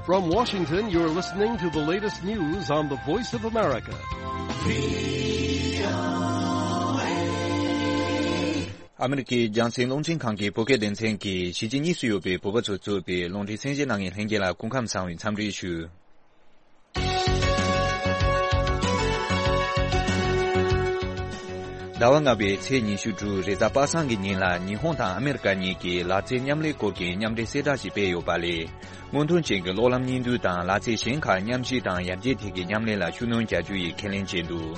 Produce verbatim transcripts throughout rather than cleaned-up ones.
From Washington, you're listening to the latest news on the Voice of America. ཨ་མི་རི་ཀའི་རྒྱང་སྲིང་རླུང་འཕྲིན་ཁང་གི་བོད་སྐད་སྡེ་ཚན་གྱིས་གཞིས་བྱེས་གཉིས་སུ་ཡོད་པའི་བོད་པ་ཚོས་གཙོས་པའི་རླུང་འཕྲིན་གསན་བཞེས་གནང་མཁན་ལྷན་རྒྱས་ལ་སྐུ་ཁམས་བཟང་བའི་འཚམས་འདྲི་ཞུ། ཟླ་བ་ལྔ་པའི་ཚེས་ཉི་ཤུ་དྲུག་རེས་གཟའ་པ་སངས་ཀྱི་ཉིན་ལ་ཉི་ཧོང་དང་ཨ་མེ་རི་ཀ་གཉིས་ཀྱིས་ལག་རྩལ་མཉམ་ལས་སྐོར་གྱི་མཉམ་འབྲེལ་གསལ་བསྒྲགས་ཤིག་སྤེལ་ཡོད་པ་ལས། སྔོན་ཐོན་ཅན་གྱི་གློག་ལམ་གཉིས་འདུས་དང་ལག་རྩལ་གཞན་ཁག་མཉམ་སྤྱོད་དང་ཡར་རྒྱས་ཐད་ཀྱི་མཉམ་ལས་ལ་ཤུགས་སྣོན་བྱ་རྒྱུ་ཡི་ཁས་ལེན་བྱས་འདུག་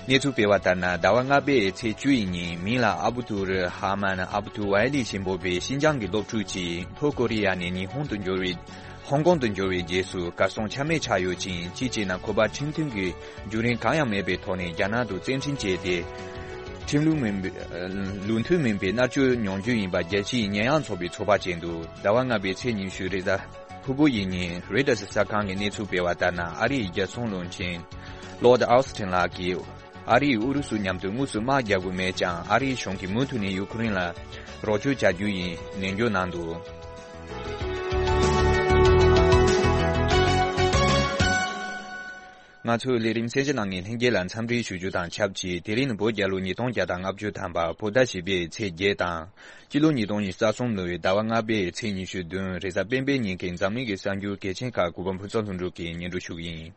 གནས་ཚུལ་སྤེལ་བ་ལྟར་ན། ཟླ་བ་ལྔ་པའི་ཚེས་བཅུ་ཡི་ཉིན་མིང་ལ་ཨ་བུ་ཏུ་རུ་ཧ་མན་ཨ་བུ་ཏུ་ཝའི་ལི་ཞེས་འབོད་པའི་ཤིན་ཅང་གི་སློབ་ཕྲུག་ཅིག་ལྷོ་ཀོ་རི་ཡ་ནས་ཉི་ཧོང་དུ་འབྱོར་བའི་ཧོང་ཀོང་དུ་འབྱོར་བའི་རྗེས་སུ་གར་སོང་ཆ་མེད་ཆགས་ཡོད་ཅིང་། གཅིག་བྱས་ན་ཁོ་པ་ཁྲིམས་མཐུན་གྱི་བརྒྱུད་རིམ་གང་ཡང་མེད་པའི་ཐོག་ནས་རྒྱ་ནག་ཏུ་བཙན་འཕྲིན་བྱས་ཏེ། ཁྲིམས་ལུགས་མིན་པའི་ལུགས་མཐུན་མིན་པའི་མནར་གཅོད་མྱོང་རྒྱུ་ཡིན་པ་རྒྱལ་སྤྱིའི་ཉེས་ཡངས་ཚོགས་པས་ཚོད་དཔག་བྱས་འདུག་ཟླ་བ་ལྔ་པའི་ཚེས་ཉི་ཤུ་རེས་གཟའ་ཕུར་བུ་ཡི་ཉིན་རོའི་ཊར་གསར་ཁང་གིས་གནས་ཚུལ་སྤེལ་བ་ལྟར་ན། ཨ་རིའི་རྒྱལ་སྲུང་བློན་ཆེན་Lloyd Austin་ལགས་ཀྱིས་ཨ་རིས་ཨུ་རུ་སུ་མཉམ་དུ་དངོས་སུ་དམག་རྒྱག་དགོས་མེད་ཀྱང་། ཨ་རིའི་གཞུང་གིས་མུ་མཐུད་ནས་ཡུ་ཁུ་རེན་ལ་རོགས་སྐྱོར་བྱ་རྒྱུ་ཡིན་ནན་བརྗོད་གནང་འདུག་ང་ཚོའི་ལས་རིམ་གསན་བཞེས་གནང་མཁན་ལྷན་རྒྱས་ལ་འཚམས་འདྲི་ཞུ་རྒྱུ་དང་ཆབས་ཅིག་དེ་རིང་ནི་བོད་རྒྱལ་ལོ་ཉིས་སྟོང་བརྒྱ་དང་ལྔ་བཅུ་ཐམ་པ་བོད་ཟླ་བཞི་པའི་ཚེས་བརྒྱད་དང་། སྤྱི་ལོ་ཉིས་སྟོང་ཉི་ཤུ་རྩ་གསུམ་ལོའི་ཟླ་བ་ལྔ་པའི་ཚེས་ཉི་ཤུ་བདུན་རེས་གཟའ་སྤེན་པའི་ཉིན་གྱི་འཛམ་གླིང་གི་གསར་འགྱུར་གལ་ཆེན་ཁག་གུས་པ་ཕུན་ཚོགས་ལྷུན་གྲུབ་ཀྱིས་སྙན་སྒྲོན་ཞུ་གི་ཡིན།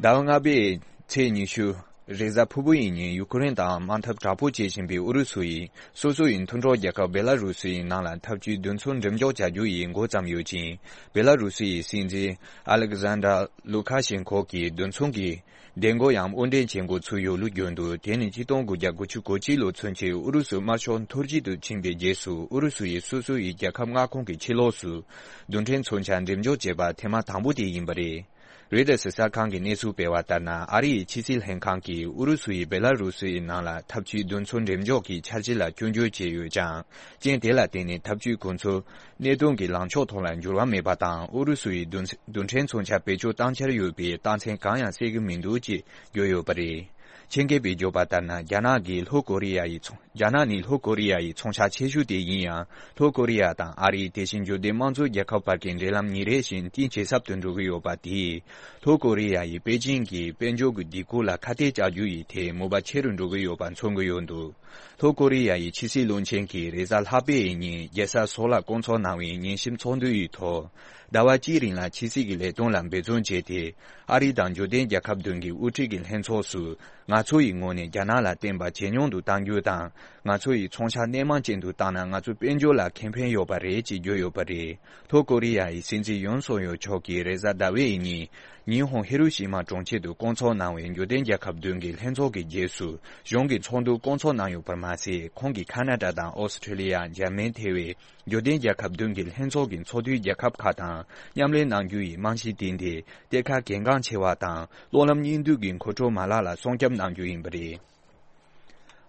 ཟླ་བ་ལྔ་པའི་ཚེས་ཉི་ཤུ་རེས་གཟའ་ཕུར་བུ་ཡི་ཉིན་ཡུ་ཁུ་རེན་དང་དམག་འཐབ་དྲག་པོ་བྱེད་བཞིན་པའི་ཨུ་རུ་སུ་ཡིས་སོ་སོ་ཡི་མཐུན་གྲོགས་རྒྱལ་ཁབ་བེ་ལ་རུ་སི་ཡི་ནང་ལ་འཐབ་ཇུས་མདུན་སྐྱོད་འགྲེམས་འཇོག་བྱ་རྒྱུ་ཡི་འགོ་བརྩམས་ཡོད་ཅིང་། བེ་ལ་རུ་སི་ཡི་སྲིད་འཛིན་ཨ་ལེག་ཟན་དྲ་ལུ་ཁ་ཤེན་ཁོ་གིས་མདུན་སྐྱོད་ཀྱི་འདེམས་བསྐོ་ཡང་དབོར་འདྲེན་བྱེད་འགོ་ཚུགས་ཡོད་ལུགས་བརྗོད་འདུག་དེ་ནི་ཆིག་སྟོང་དགུ་བརྒྱ་དགུ་བཅུ་གོ་གཅིག་ལོ་ཚུན་ཆད་ཨུ་རུ་སུ་དམར་ཤོག་འཐོར་འཇིག་ཏུ་ཕྱིན་པའི་རྗེས་སུ་ཨུ་རུ་སུ་ཡིས་སོ་སོ་ཡི་རྒྱལ་ཁབ་མངའ་ཁོངས་ཀྱི་ཕྱི་ལོགས་སུ་རྡུལ་ཕྲན་མཚོན་ཆ་འགྲེམས་འཇོག་བྱས་པ་ཐེངས་མ་དང་པོ་དེ་ཡིན་པ་རེད། རོའི་ཊར་གསར་ཁང་གིས་གནས་ཚུལ་སྤེལ་བ་ལྟར་ན། ཨ་རི་ཡི་ཕྱི་སྲིད་ལྷན་ཁང་གིས་ཨུ་རུ་སུ་ཡིས་བེ་ལ་རུ་སི་ཡི་ནང་ལ་འཐབ་ཇུས་རྡུལ་མཚོན་འགྲེམས་འཇོག་གི་འཆར་གཞི་ལ་སྐྱོན་བརྗོད་བྱས་ཡོད་ཀྱང་། རྐྱེན་དེ་ལ་བརྟེན་ནས་འཐབ་ཇུས་ཁོ་ཚོའི་གནད་དོན་གྱི་ལངས་ཕྱོགས་ཐོག་ལ་འགྱུར་བ་མེད་པ་དང་། ཨུ་རུ་སུ་ཡིས་རྡུལ་རྡུལ་ཕྲན་མཚོན་ཆ་བེད་སྤྱོད་བཏང་འཆར་ཡོད་པའི་རྟགས་མཚན་གང་ཡང་གསལ་གྱི་མི་འདུག་ཅེས་བརྗོད་ཡོད་པ་རེད། ཆེད་མཁས་པས་བརྗོད་པ་ལྟར་ན། རྒྱ་ནག་གིས་ལྷོ་ཀོ་རི་ཡ་ཡི་ཚོང་རྒྱ་ནག་ནི་ལྷོ་ཀོ་རི་ཡ་ཡི་ཚོང་ཤག་ཆེ་ཤོས་དེ་ཡིན་ཡང་། ལྷོ་ཀོ་རི་ཡ་དང་ཨ་རི། དེ་བཞིན་འབྱོར་ལྡན་དམངས་གཙོ་རྒྱལ་ཁབ་བར་གྱི་འབྲེལ་ལམ་ཉིན་རེ་བཞིན་གཏིང་ཇེ་ཟབ་ཏུ་འགྲོ་གི་ཡོད་པ་དེས། ལྷོ་ཀོ་རི་ཡ་ཡིས་པེ་ཅིང་གི་དཔལ་འབྱོར་གྱི་སྒྲིག་བཀོད་ལ་ཁ་གཏད་གཅོག་རྒྱུ་ཡི་ཐད་མོས་པ་ཆེ་རུ་འགྲོ་གི་ཡོད་པ་མཚོན་གྱི་ཡོད་འདུག་ལྷོ་ཀོ་རི་ཡ་ཡི་ཕྱི་སྲིད་བློན་ཆེན་གྱིས་རེས་གཟའ་ལྷག་པའི་ཉིན་རྒྱལ་ས་སོལ་ལ་བསྐོང་ཚོགས་གནང་བའི་ཉིན་གཞིབ་ཚོགས་འདུ་ཡི་ཐོག་ཟླ་བ་གཅིག་རིང་ལ་ཕྱི་སྲིད་ཀྱི་ལས་དོན་ལ་འབད་བརྩོན་བྱས་ཏེ། ཨ་རི་དང་འབྱོར་ལྡན་རྒྱལ་ཁབ་བདུན་གྱི་དབུ་ཁྲིད་ཀྱི་ལྷན་ཚོགས་སུ། ང་ཚོ་ཡི་ངོས་ནས་རྒྱ་ནག་ལ་བརྟེན་པ་ཇེ་ཉུང་དུ་གཏང་རྒྱུ་དང་། ང་ཚོ་ཡི་ཚོང་ཤག་སྣེ་མང་ཅན་དུ་བཏང་ན། ང་ཚོའི་དཔལ་འབྱོར་ལ་ཁེ་ཕན་ཡོད་པ་རེད་ཅེས་བརྗོད་ཡོད་པ་རེད། ལྷོ་ཀོ་རི་ཡ་ཡི་སྲིད་འཛིན་ཡོན་སུག་ཡོལ་མཆོག་གིས་རེས་གཟའ་ཟླ་བའི་ཉིན་ཉི་ཧོང་ཧི་རུ་ཤི་མ་གྲོང་ཁྱེར་དུ་བསྐོང་ཚོགས་གནང་བའི་འབྱོར་ལྡན་རྒྱལ་ཁབ་བདུན་གྱི་ལྷན་ཚོགས་ཀྱི་རྗེས་སུ། གཞུང་གི་ཚོགས་འདུ་བསྐོང་ཚོགས་གནང་ཡོད་པར་མ་ཟད། ཁོང་གིས་ཁ་ན་ཌ་དང་ཨོ་སི་ཁྲི་ལི་ཡ། འཇར་མན་ཐེ་བའི་འབྱོར་ལྡན་རྒྱལ་ཁབ་བདུན་གྱི་ལྷན་ཚོགས་ཀྱི་ཚོགས་འདུའི་རྒྱལ་ཁབ་ཁག་དང་མཉམ་ལས་གནང་རྒྱུ་ཡི་རྨང་གཞི་བཏིང་སྟེ། གཏེར་ཁ་གལ་འགངས་ཆེ་བ་དང་གློག་ལམ་གཉིས་འདུས་ཀྱི་མཁོ་སྤྲོད་མ་ལག་ལ་སྲུང་སྐྱོབ་གནང་རྒྱུ་ཡིན་པ་རེད།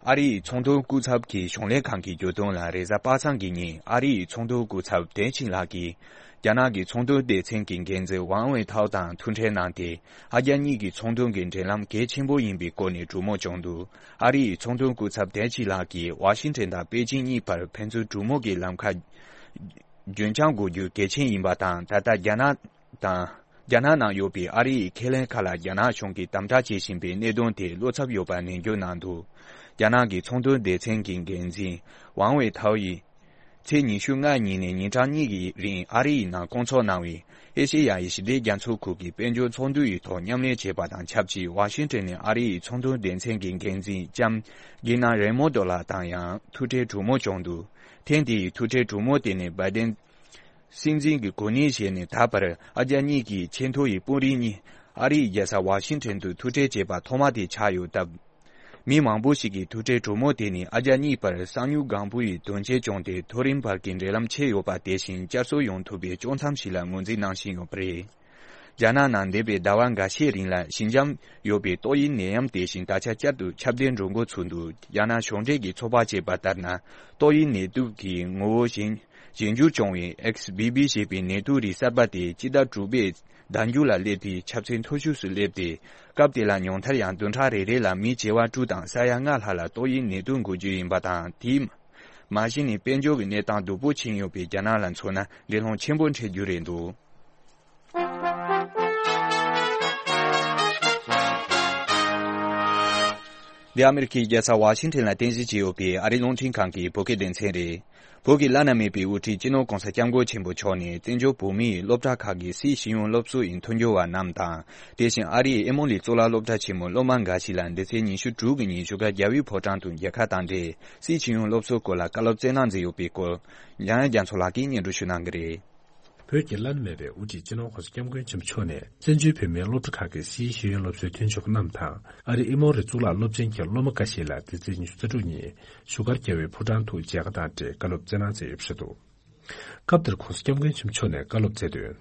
ཨ་རི་ཡི་ཚོང་དོན་སྐུ་ཚབ་ཀྱི་གཞུང་ལས་ཁང་གིས་བརྗོད་དོན་ལ། རེས་གཟའ་པ་སངས་ཀྱི་ཉིན་ཨ་རི་ཡི་ཚོང་དོན་སྐུ་ཚབ་ཏེང་ཆིང་ལགས་ཀྱིས། རྒྱ་ནག་གི་ཚོང་དོན་སྡེ་ཚན་གྱི་འགན་འཛིན་ཝང་ཝེ་ཐའོ་དང་ཐུག་འཕྲད་གནང་སྟེ། ཨ་རྒྱ་གཉིས་ཀྱི་ཚོང་དོན་གྱི་འབྲེལ་ལམ་གལ་ཆེན་པོ་ཡིན་པའི་སྐོར་ནས་གྲོས་མོལ་བྱུང་འདུག་ཨ་རི་ཡི་ཚོང་དོན་སྐུ་ཚབ་ཏེང་ཆིང་ལགས་ཀྱིས་ཝ་ཤིང་ཊོན་དང་པེ་ཅིང་གཉིས་བར་ཕན་ཚུན་གྲོས་མོལ་གྱི་ལམ་ཁ་རྒྱུན་འཁྱོངས་དགོས་རྒྱུ་གལ་ཆེན་ཡིན་པ་དང་། ད་ལྟ་རྒྱ་ནག་དང་། རྒྱ་ནག་ནང་ཡོད་པའི་ཨ་རི་ཡི་ཁས་ལེན་ཁག་ལ་རྒྱ་ནག་གཞུང་གིས་དམ་དྲག་བྱེད་བཞིན་པའི་གནད་དོན་དེ་བློ་འཚབ་ཡོད་པ་ནན་བརྗོད་གནང་འདུག་རྒྱ་ནག་གི་ཚོང་དོན་སྡེ་ཚན་གྱི་འགན་འཛིན་ཝང་ཝེ་ཐའོ་ཡིས། ཚེས་ཉི་ཤུ་ལྔ་ཉིན་ནས་ཉིན་གྲངས་གཉིས་ཀྱི་རིང་ཨ་རི་ཡི་ནང་བསྐོང་ཚོགས་གནང་བའི་ཨེ་ཤེ་ཡ་ཡི་ཞི་བདེ་རྒྱ་མཚོ་ཁུལ་གྱི་དཔལ་འབྱོར་ཚོགས་འདུ་ཡི་ཐོག་མཉམ་ལས་བྱས་པ་དང་ཆབས་ཅིག་ཝ་ཤིང་ཊོན་ནས་ཨ་རི་ཡི་ཚོང་དོན་སྡེ་ཚན་གྱི་འགན་འཛིན་ལྕམ་གི་ན་རེ་མོ་ཏོ་ལགས་དང་ཡང་ཐུག་འཕྲད་གྲོས་མོལ་བྱུང་འདུག་ཐེངས་འདི་ཡི་ཐུག་འཕྲད་གྲོས་མོལ་དེ་ནི་བའི་ཌེན་སྲིད་འཛིན་གྱི་གོ་གནས་བཞེས་ནས་ད་བར་ཨ་རྒྱ་གཉིས་ཀྱི་ཆེས་མཐོ་ཡི་དཔོན་རིགས་གཉིས་ཨ་རིའི་རྒྱལ་ས་ཝ་ཤིང་ཊོན་དུ་ཐུག་འཕྲད་བྱས་པ་ཐོག་མ་དེ་ཆགས་ཡོད་སྟབས། མི་མང་པོ་ཞིག་གིས་ཐུག་འཕྲད་གྲོས་མོལ་དེ་ནི་ཨ་རྒྱ་གཉིས་བར་གསང་མྱུལ་སྒང་པོ་ཡི་དོན་རྐྱེན་བྱུང་སྟེ། མཐོ་རིམ་བར་གྱི་འབྲེལ་ལམ་ཆད་ཡོད་པ་དེ་བཞིན་བསྐྱར་གསོ་ཡོང་ཐུབ་པའི་དཀྱོག་མཚམས་ཤིག་ལ་ངོས་འཛིན་གནང་བཞིན་ཡོད་པ་རེད། རྒྱ་ནག་ནང་འདས་པའི་ཟླ་བ་འགའ་ཤས་རིང་ལ་ཞི་འཇམ་ཡོད་པའི་ཏོག་དབྱིབས་ནད་ཡམས་དེ་བཞིན་ད་ཆ་བསྐྱར་དུ་ཁྱབ་གདལ་འགྲོ་འགོ་ཚུགས་འདུག་རྒྱ་ནག་གཞུང་འབྲེལ་གྱིས་ཚོད་དཔག་བྱས་པ་ལྟར་ན། ཏོག་དབྱིབས་ནད་དུག་གི་ངོ་བོ་གཞན་གཞན་འགྱུར་བྱུང་བའི་ཨེག་སི་བྷི་བྷི་ཞེས་པའི་ནད་དུག་རིགས་གསར་པ་དེ་སྤྱི་ཟླ་དྲུག་པའི་ གདན་རྒྱུད་ལ་སླེབས་ཏེ་ཆབ་སྲིད་མཐོ་ཤོས་སུ་སླེབས་ཏེ། སྐབས་དེ་ལ་ཉུང་མཐར་ཡང་བདུན་ཕྲག་རེ་རེ་ལ་མི་བྱེ་བ་དྲུག་དང་ས་ཡ་ལྔ་ལྷག་ལ་ཏོག་དབྱིབས་ནད་དུག་འགོས་རྒྱུ་ཡིན་པ་དང་། དེས་མ་གཞི་ནས་དཔལ་འབྱོར་གྱི་གནས་སྟངས་སྡུག་པོ་ཕྱིན་ཡོད་པས། རྒྱ་ནག་ལ་མཚོན་ན་འགྲན་སློང་ཆེན་པོ་འཕྲད་རྒྱུ་རེད་འདུག། འདི་ཨ་མེ་རི་ཁའི་རྒྱལ་ས་ཝ་ཤིང་ཊོན་ལ་རྟེན་གཞི་བྱས་ཡོད་པའི་ཨ་རིའི་རླུང་འཕྲིན་ཁང་གི་བོད་སྐད་སྡེ་ཚན་རེད། བོད་ཀྱི་བླ་ན་མེད་པའི་དབུ་ཁྲིད་སྤྱི་ནོར་༸གོང་ས་༸སྐྱབས་མགོན་ཆེན་པོ་མཆོག་ནས་བཙན་བྱོལ་བོད་མིའི་སློབ་གྲྭ་ཁག་གི་སྲིད་ཤེས་ཡོན་སློབ་གསོ་ཡི་མཐུན་འགྱུར་བ་རྣམས་དང་། དེ་བཞིན་ཨ་རིའི་ཨེ་མོ་ལི་གཙུག་ལག་སློབ་གྲྭ་ཆེན་མོའི་སློབ་མ་འགའ་ཞིག་ལ་འདི་ཚེས་ཉི་ཤུ་དྲུག་གི་ཉིན་བཞུགས་སྒར་རྒྱལ་བའི་ཕོ་བྲང་དུ་མཇལ་ཁ་དང་འབྲེལ་སྲིད་ཤེས་ཡོན་སློབ་གསོའི་སྐོར་ལ་བཀའ་སློབ་སྩལ་གནང་མཛད་ཡོད་པའི་སྐོར། འཇམ་དབྱངས་རྒྱ་མཚོ་ལགས་ཀྱིས་སྙན་སྒྲོན་ཞུ་གནང་གི་རེད། བོད་ཀྱི་བླ་ན་མེད་པའི་དབུ་ཁྲིད་སྤྱི་ནོར་༸གོང་ས་༸སྐྱབས་མགོན་ཆེན་པོ་མཆོག་ནས་བཙན་བྱོལ་བོད་མིའི་སློབ་གྲྭ་ཁག་གི་སྲིད་ཤེས་ཡོན་སློབ་གསོའི་མཐུན་ཕྱོགས་རྣམས་དང་། ཨ་རིའི་ཨེ་མོ་རི་གཙུག་ལག་སློབ་ཆེན་གྱི་སློབ་མ་འགའ་ཞིག་ལ་འདི་ཚེས་ཉི་ཤུ་རྩ་དྲུག་ཉིན་བཞུགས་སྒར་རྒྱལ་བའི་ཕོ་བྲང་དུ་མཇལ་ཁ་དང་འབྲེལ་བཀའ་སློབ་སྩལ་གནང་མཛད་ཡོད་པ་རེད་འདུག། སྐབས་དེར་༸གོང་ས་༸སྐྱབས་མགོན་ཆེན་པོ་མཆོག་ནས་བཀའ་སློབ་སྩལ་དོན།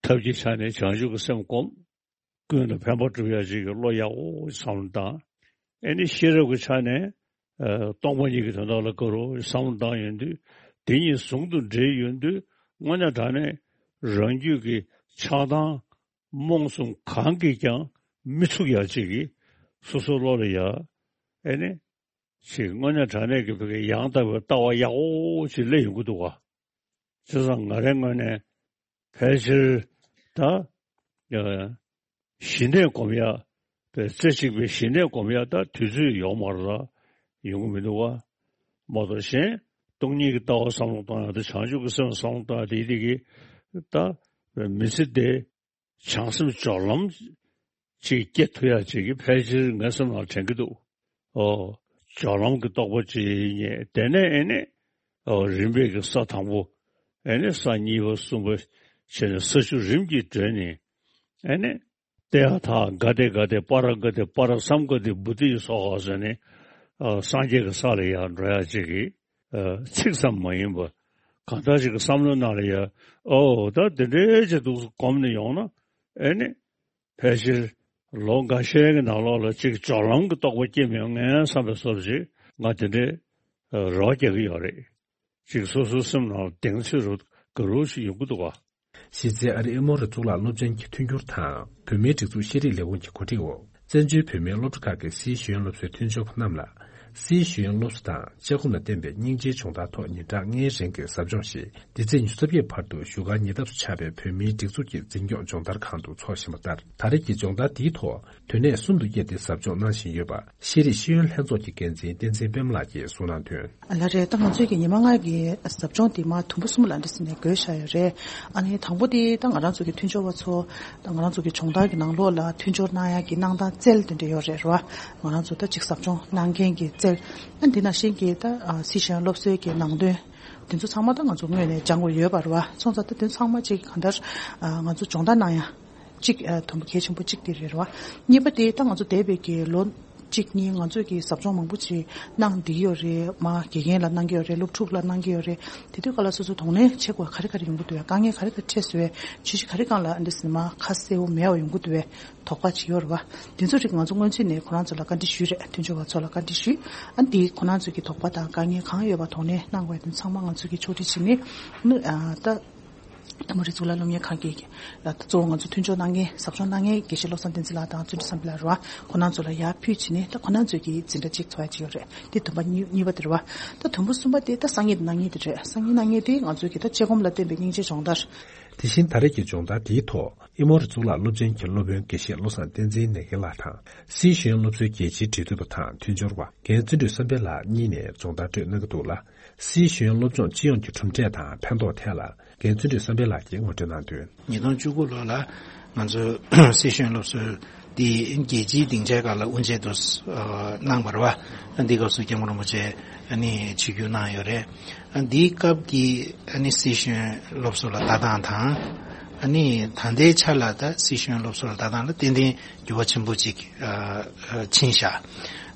ཐབས་ཀྱི་ཆ་ནས་བྱང་ཆུབ་ཀྱི་སེམས་བསྒོམ། ཀུན་ལ་ཕན་པ་སྒྲུབ་ཡག་ཅིག་གི་བློ་ཡག་པོ་བསམ་བློ་བཏང་། ཨེ་ནི་ཤེས་རབ་ཀྱི་ཆ་ནས་ཨ་སྟོང་པ་ཉིད་ཀྱི་དོན་དག་ལ་དགའ་རོགས་བསམ་བློ་བཏང་ཡོང་དུས། དེ་གཉིས་ཟུང་དུ་འབྲེལ་ཡོང་དུས། དངོས་གནས་དྲང་གནས་རང་རྒྱུད་ཀྱི་ཆགས་སྡང་རྨོངས་གསུམ་གང་གིས་ཀྱང་མི་ཚུགས་ཡག་ཅིག་གི་སོ་སོའི་བློ་ལ་ཡ་ཨེ་ནི་ཅིག་དངོས་གནས་དྲང་གནས་ཀྱི་བོད་ཀྱི་ཡང་དག་པའི་ལྟ་བ་ཡག་པོ་ཅིག་སླེབས་ཡོང་གི་འདུག་བ། བྱས་ཙང་ང་རའི་ངོས་ནས་ཕལ་ཆེར་ད་ཨ་ཞི་གནས་སྒོམ་ཡ། པའི་རྩེ་གཅིག་པའི་ཞི་གནས་སྒོམ་ཡ་ད་དུས་ཚོད་ཡོག་མ་རེད་ལ། ཡོང་གི་མི་འདུག་བ། མ་གཏོགས་གཞན་སྟོང་ཉིད་ཀྱི་ལྟ་བ་བསམ་བློ་གཏོང་ཡ་དང་བྱང་ཆུབ་ཀྱི་སེམས་བསམ་བློ་གཏོང་ཡ་དེ་དེ་གི་ད་མི་ཚེ་འདི་བྱང་སེམས་སྦྱོར་ལམ་ཅིག་སྐྱེ་ཐུབ་ཡ་ཅིག་གི་ཕལ་ཆེར་ངའི་སེམས་ནང་དྲན་གྱི་འདུག། ཨོ། སྦྱོར་ལམ་གྱི་རྟོགས་པ་ཅིག་རྙེད། དེ་ནས་ཨེ་ནས་ཨོ་རིམ་པས་ཀྱི་ས་དང་པོ། ཨེ་ནས་ས་གཉིས་པ་གསུམ་པ་བྱས་ནས་ས་བཅུ་རིམ་གྱིས་བགྲོད་ནས། ཨེ་ནས་ཏདྱ་ཐཱ་ག་ཏེ་ག་ཏེ་པཱ་ར་ག་ཏེ་པཱ་ར་སཾ་ག་ཏེ་བོ་དྷི་སྭཱ་ཧཱ་ཟེར་ནས་ཨ་སངས་རྒྱས་ཀྱི་ས་ལ་ཡར་འགྲོ་ཡ་ཅིག་གི་ཨ་ཚིག་ཙམ་མ་ཡིན་པ། གང་ལྟར་ཅིག་གི་བསམ་བློའི་ནང་ལ་ཡ། ཨོ་ད་དེ་འདྲའི་ཅིག་འདུག་སེ་གོམས་ནས་ཡོང་ན་ཨེ་ནི་ཕལ་ཆེར་ལོ་འགའ་ཤས་ཀྱི་ནང་ལོགས་ལ་ཅིག་སྦྱོར་ལམ་གྱི་རྟོགས་པ་སྐྱེ་མི་ཡོང་ངས་བསམ་པའི་བཟོ་འདྲ་ཅིག་ང་དེ་འདྲའི་ཨ་རོགས་རྒྱག་གི་ཡོད་རེད། ཅིག་སོ་སོའི་སེམས་ནང་ལ་གདེང་ཚོད་རུ་དགའ་རབ་ཅིག་ཡོང་གི་འདུག་ག། གཞི་རྩའི་ཨ་རིའི་ཨེ་མོ་རི་གཙུག་ལག་སློབ་ཆེན་གྱི་མཐུན་འགྱུར་དང་བོད་མིའི་སྒྲིག་འཛུགས་ཤེས་རིག་ལས་ཁུངས་ཀྱི་གོ་སྒྲིག་འོག་བཙན་བྱོལ་བོད་མིའི་སློབ་གྲྭ་ཁག་གི་སྲིད་ཤེས་ཡོན་སློབ་གསོའི་མཐུན་ཕྱོགས་པ་རྣམས་ལ། སྲིད་ཤེས་ཡོན་སློབ་གསོ་དང་བཅའ་སྒོམ་ལ་བརྟེན་པའི་སྙིང་རྗེའི་སྦྱོང་བརྡར་ཐོག་ཉིན་གྲངས་ལྔའི་རིང་གི་ཟབ་སྦྱོང་ཞིག་འདི་ཚེས་ཉི་ཤུ་རྩ་བརྒྱད་བར་དུ་བཞུགས་སྒར་ཉེ་འདབས་སུ་ཆགས་པའི་བོད་མིའི་སྒྲིག་འཛུགས་ཀྱི་འཛིན་སྐྱོང་སྦྱོང་བརྡར་ཁང་དུ་འཚོགས་བཞིན་པ་ལྟར། ད་རེས་ཀྱི་སྦྱོང་བརྡར་འདིའི་ཐོག་དུས་ནས་གསུམ་དུ་དབྱེ་སྟེ་ཟབ་སྦྱོང་གནང་བཞིན་ཡོད་པ། ཤེས་རིག་ཤེས་ཡོན་ལྷན་ཚོགས་ཀྱི་འགན་འཛིན་བསྟན་འཛིན་པད་མ་ལགས་ཀྱིས་གསུངས་གནང་དོན། ལགས་རེད། ད་ང་ཚོའི་གི་ཉི་མ་ལྔ་གི་ཟབ་སྦྱོང་དེ་མར་དུམ་བུ་གསུམ་ལ་འདྲ་ཟེར་ནས་བགོས་བཞག་ཡོད་རེད། ཨ་ནི་དང་པོ་དེ་ད་ང་རང་ཚོ་གི་མཐུན་སྦྱོར་བ་ཚོ་ད་ང་རང་ཚོ་གི་སྦྱོང་བརྡར་གྱི་ནང་ལོགས་ལ་མཐུན་སྦྱོར་གནང་ཡག་གི་གནང་སྟངས་རྩལ་དེ་འདྲ་ཡོད་རེད་ར། ང་རང་ཚོ་ད་ཅིག་ཟབ་སྦྱོང་གནང་མཁན་གྱི་རྩལ། ཨ་འདི་ནང་བཞིན་གྱི་ད་ཨ་སྲིད་ཤེས་ཡོན་སློབ་གསོའི་གི་ནང་དོན་དེ་ཚོ་ཚང་མ་ད་ང་ཚོ་སྔོན་ནས་སྦྱང་དགོས་ཡོད་པ་རེད་བ། སོང་ཙང་ད་དེ་ཚང་མ་ཅིག་གང་ལྟར་ཨ་ང་ཚོ་སྦྱོང་བརྡར་གནང་ཡ་གཅིག་ཨ་དང་པོ་གལ་ཆེན་པོ་གཅིག་དེ་རེད་རེད་བ། གཉིས་པ་དེ་ད་ང་ཚོ་འདས་པའི་གི་ལོ་གཅིག་གཉིས་ང་ཚོས་ཀྱི་ཟབ་སྦྱོང་མང་པོ་ཅིག་གནང་བསྡད་ཀྱི་ཡོད་རེད། མ་དགེ་རྒན་ལ་གནང་གི་ཡོད་རེད། སློབ་ཕྲུག་ལ་གནང་གི་ཡོད་རེད། དེ་དུས་སྐབས་ལ་སོ་སོ་གདོང་ལེན་བྱེད་དགོས་ག་རེ་ག་རེ་ཡོང་གི་འདུག་བས། དཀའ་ངལ་ག་རེ་ག་རེ་འཕྲད་སོང་བས། བྱས་རྗེས་ག་རེ་སྒང་ལ་འདི་ཟེར་ནས་མ་ཁ་གསལ་པོ་མེད་པ་ཡོང་གི་འདུག་བས། དོགས་པ་ཅིག་ཡོད་རེད་བ། དེ་ཚོ་རིགས་ང་ཚོ་སྔོན་ཚུད་ནས་ཁོ་རང་ཚོ་ལ་བཀའ་འདྲི་ཞུས་རེད། མཐུན་སྦྱོར་བ་ཚོ་ལ་བཀའ་འདྲི་ཞུས། ཨ་འདི་ཁོ་རང་ཚོ་གི་དོགས་པ་དང་དཀའ་ངལ་གང་ཡོད་པ་གདོང་ལེན་གནང་དགོས་དེ་ཚང་མ་ང་ཚོ་གི་ཕྱོགས་སྒྲིག་བྱས་ནས་ནི་ཨ་ད། ཨ་མོ་རི་གཙུག་ལག་སློབ་གཉེར་ཁང་གི་ད་གཙོ་བོ་ང་ཚོ་མཐུན་སྦྱོར་གནང་མཁན་ཟབ་སྦྱོང་གནང་མཁན་དགེ་བཤེས་བློ་བཟང་བསྟན་འཛིན་ལགས་དང་བརྩོན་འགྲུས་བསམ་འཕེལ་ལགས་རེད་བ། ཁོ་རང་ཚོ་ལ་ཡར་ཕུལ་བྱས་ནས་ད་ཁོ་རང་ཚོས་ཀྱི་འཛིན་གྲྭ་གཅིག་ཚོགས་ཡ་གཅིག་ཡོད་རེད། དེ་དུམ་པ་གཉིས་གཉིས་པ་དེ་རེད་བ། ད་དུམ་བུ་གསུམ་པ་དེ་ད་སང་ཉིན་གནངས་ཉིན་དེ་རེད། སང་ཉིན་གནངས་ཉིན་དེ་ང་ཚོས་ཀྱི་ད་དཔྱད་སྒོམ་ལ་བརྟེན་པའི་སྙིང་རྗེ་སྦྱོང་བརྡར། དེ་བཞིན་ད་རེས་ཀྱི་སྦྱོང་བརྡར་དེའི་ཐོག་ཨེ་མོ་རི་གཙུག་ལག་སློབ་ཆེན་གྱི་སློབ་དཔོན་དགེ་བཤེས་བློ་བཟང་བསྟན་འཛིན་ནེ་གེ་ལགས་དང་། སྲིད་ཤེས་ཡོན་སློབ་གསོའི་རྒྱལ་སྤྱིའི་འབྲེལ་མཐུད་པ་དང་མཐུན་སྦྱོར་བ་རྒན་བརྩོན་འགྲུས་བསམ་འཕེལ་ལགས་གཉིས་ནས་སྦྱོང་བརྡར་སྤྲོད་གནང་གི་འདུག་ལ། སྲིད་ཤེས་ཡོན་སློབ་སྦྱོང་སྤྱི་ཡོངས་ཀྱི་གྲུབ་འབྲས་དང་ཕན་ཐོགས་ཐད་ལ་རྒན་བརྩོན་འགྲུས་བསམ་འཕེལ་ལགས་ཀྱིས་ངོ་སྤྲོད་གནང་དོན། ཉིས་སྟོང་བཅུ་དགུ་ལོ་ལ་ང་ཚོས་སྲིད་ཤེས་ཡོན་སློབ་གསོ་འདི་རྒྱལ་སྤྱིའི་སྡིངས་ཆའི་སྒང་ལ་དབུ་འབྱེད་དུ་གནང་བ་རེད་བ། འདི་སྐབས་སུ་སྐྱབས་མགོན་རིན་པོ་ཆེ་ཨ་ནི་ཆིབས་བསྒྱུར་གནང་ཡོད་རེད། འདིའི་སྐབས་ཀྱི་ཨ་ནི་སྲིད་ཤེས་ཡོན་སློབ་གསོ་ལ་ལྟ་སྟངས་དང་། ཨ་ནི་ད་ལྟའི་ཆ་ལ་ད་སྲིད་ཤེས་ཡོན་སློབ་གསོ་ལ་ལྟ་སྟངས་ལ་ཏན་ཏན་འགྱུར་བ་ཆེན་པོ་ཅིག་ཨ་ཨ་ཕྱིན་ཤག།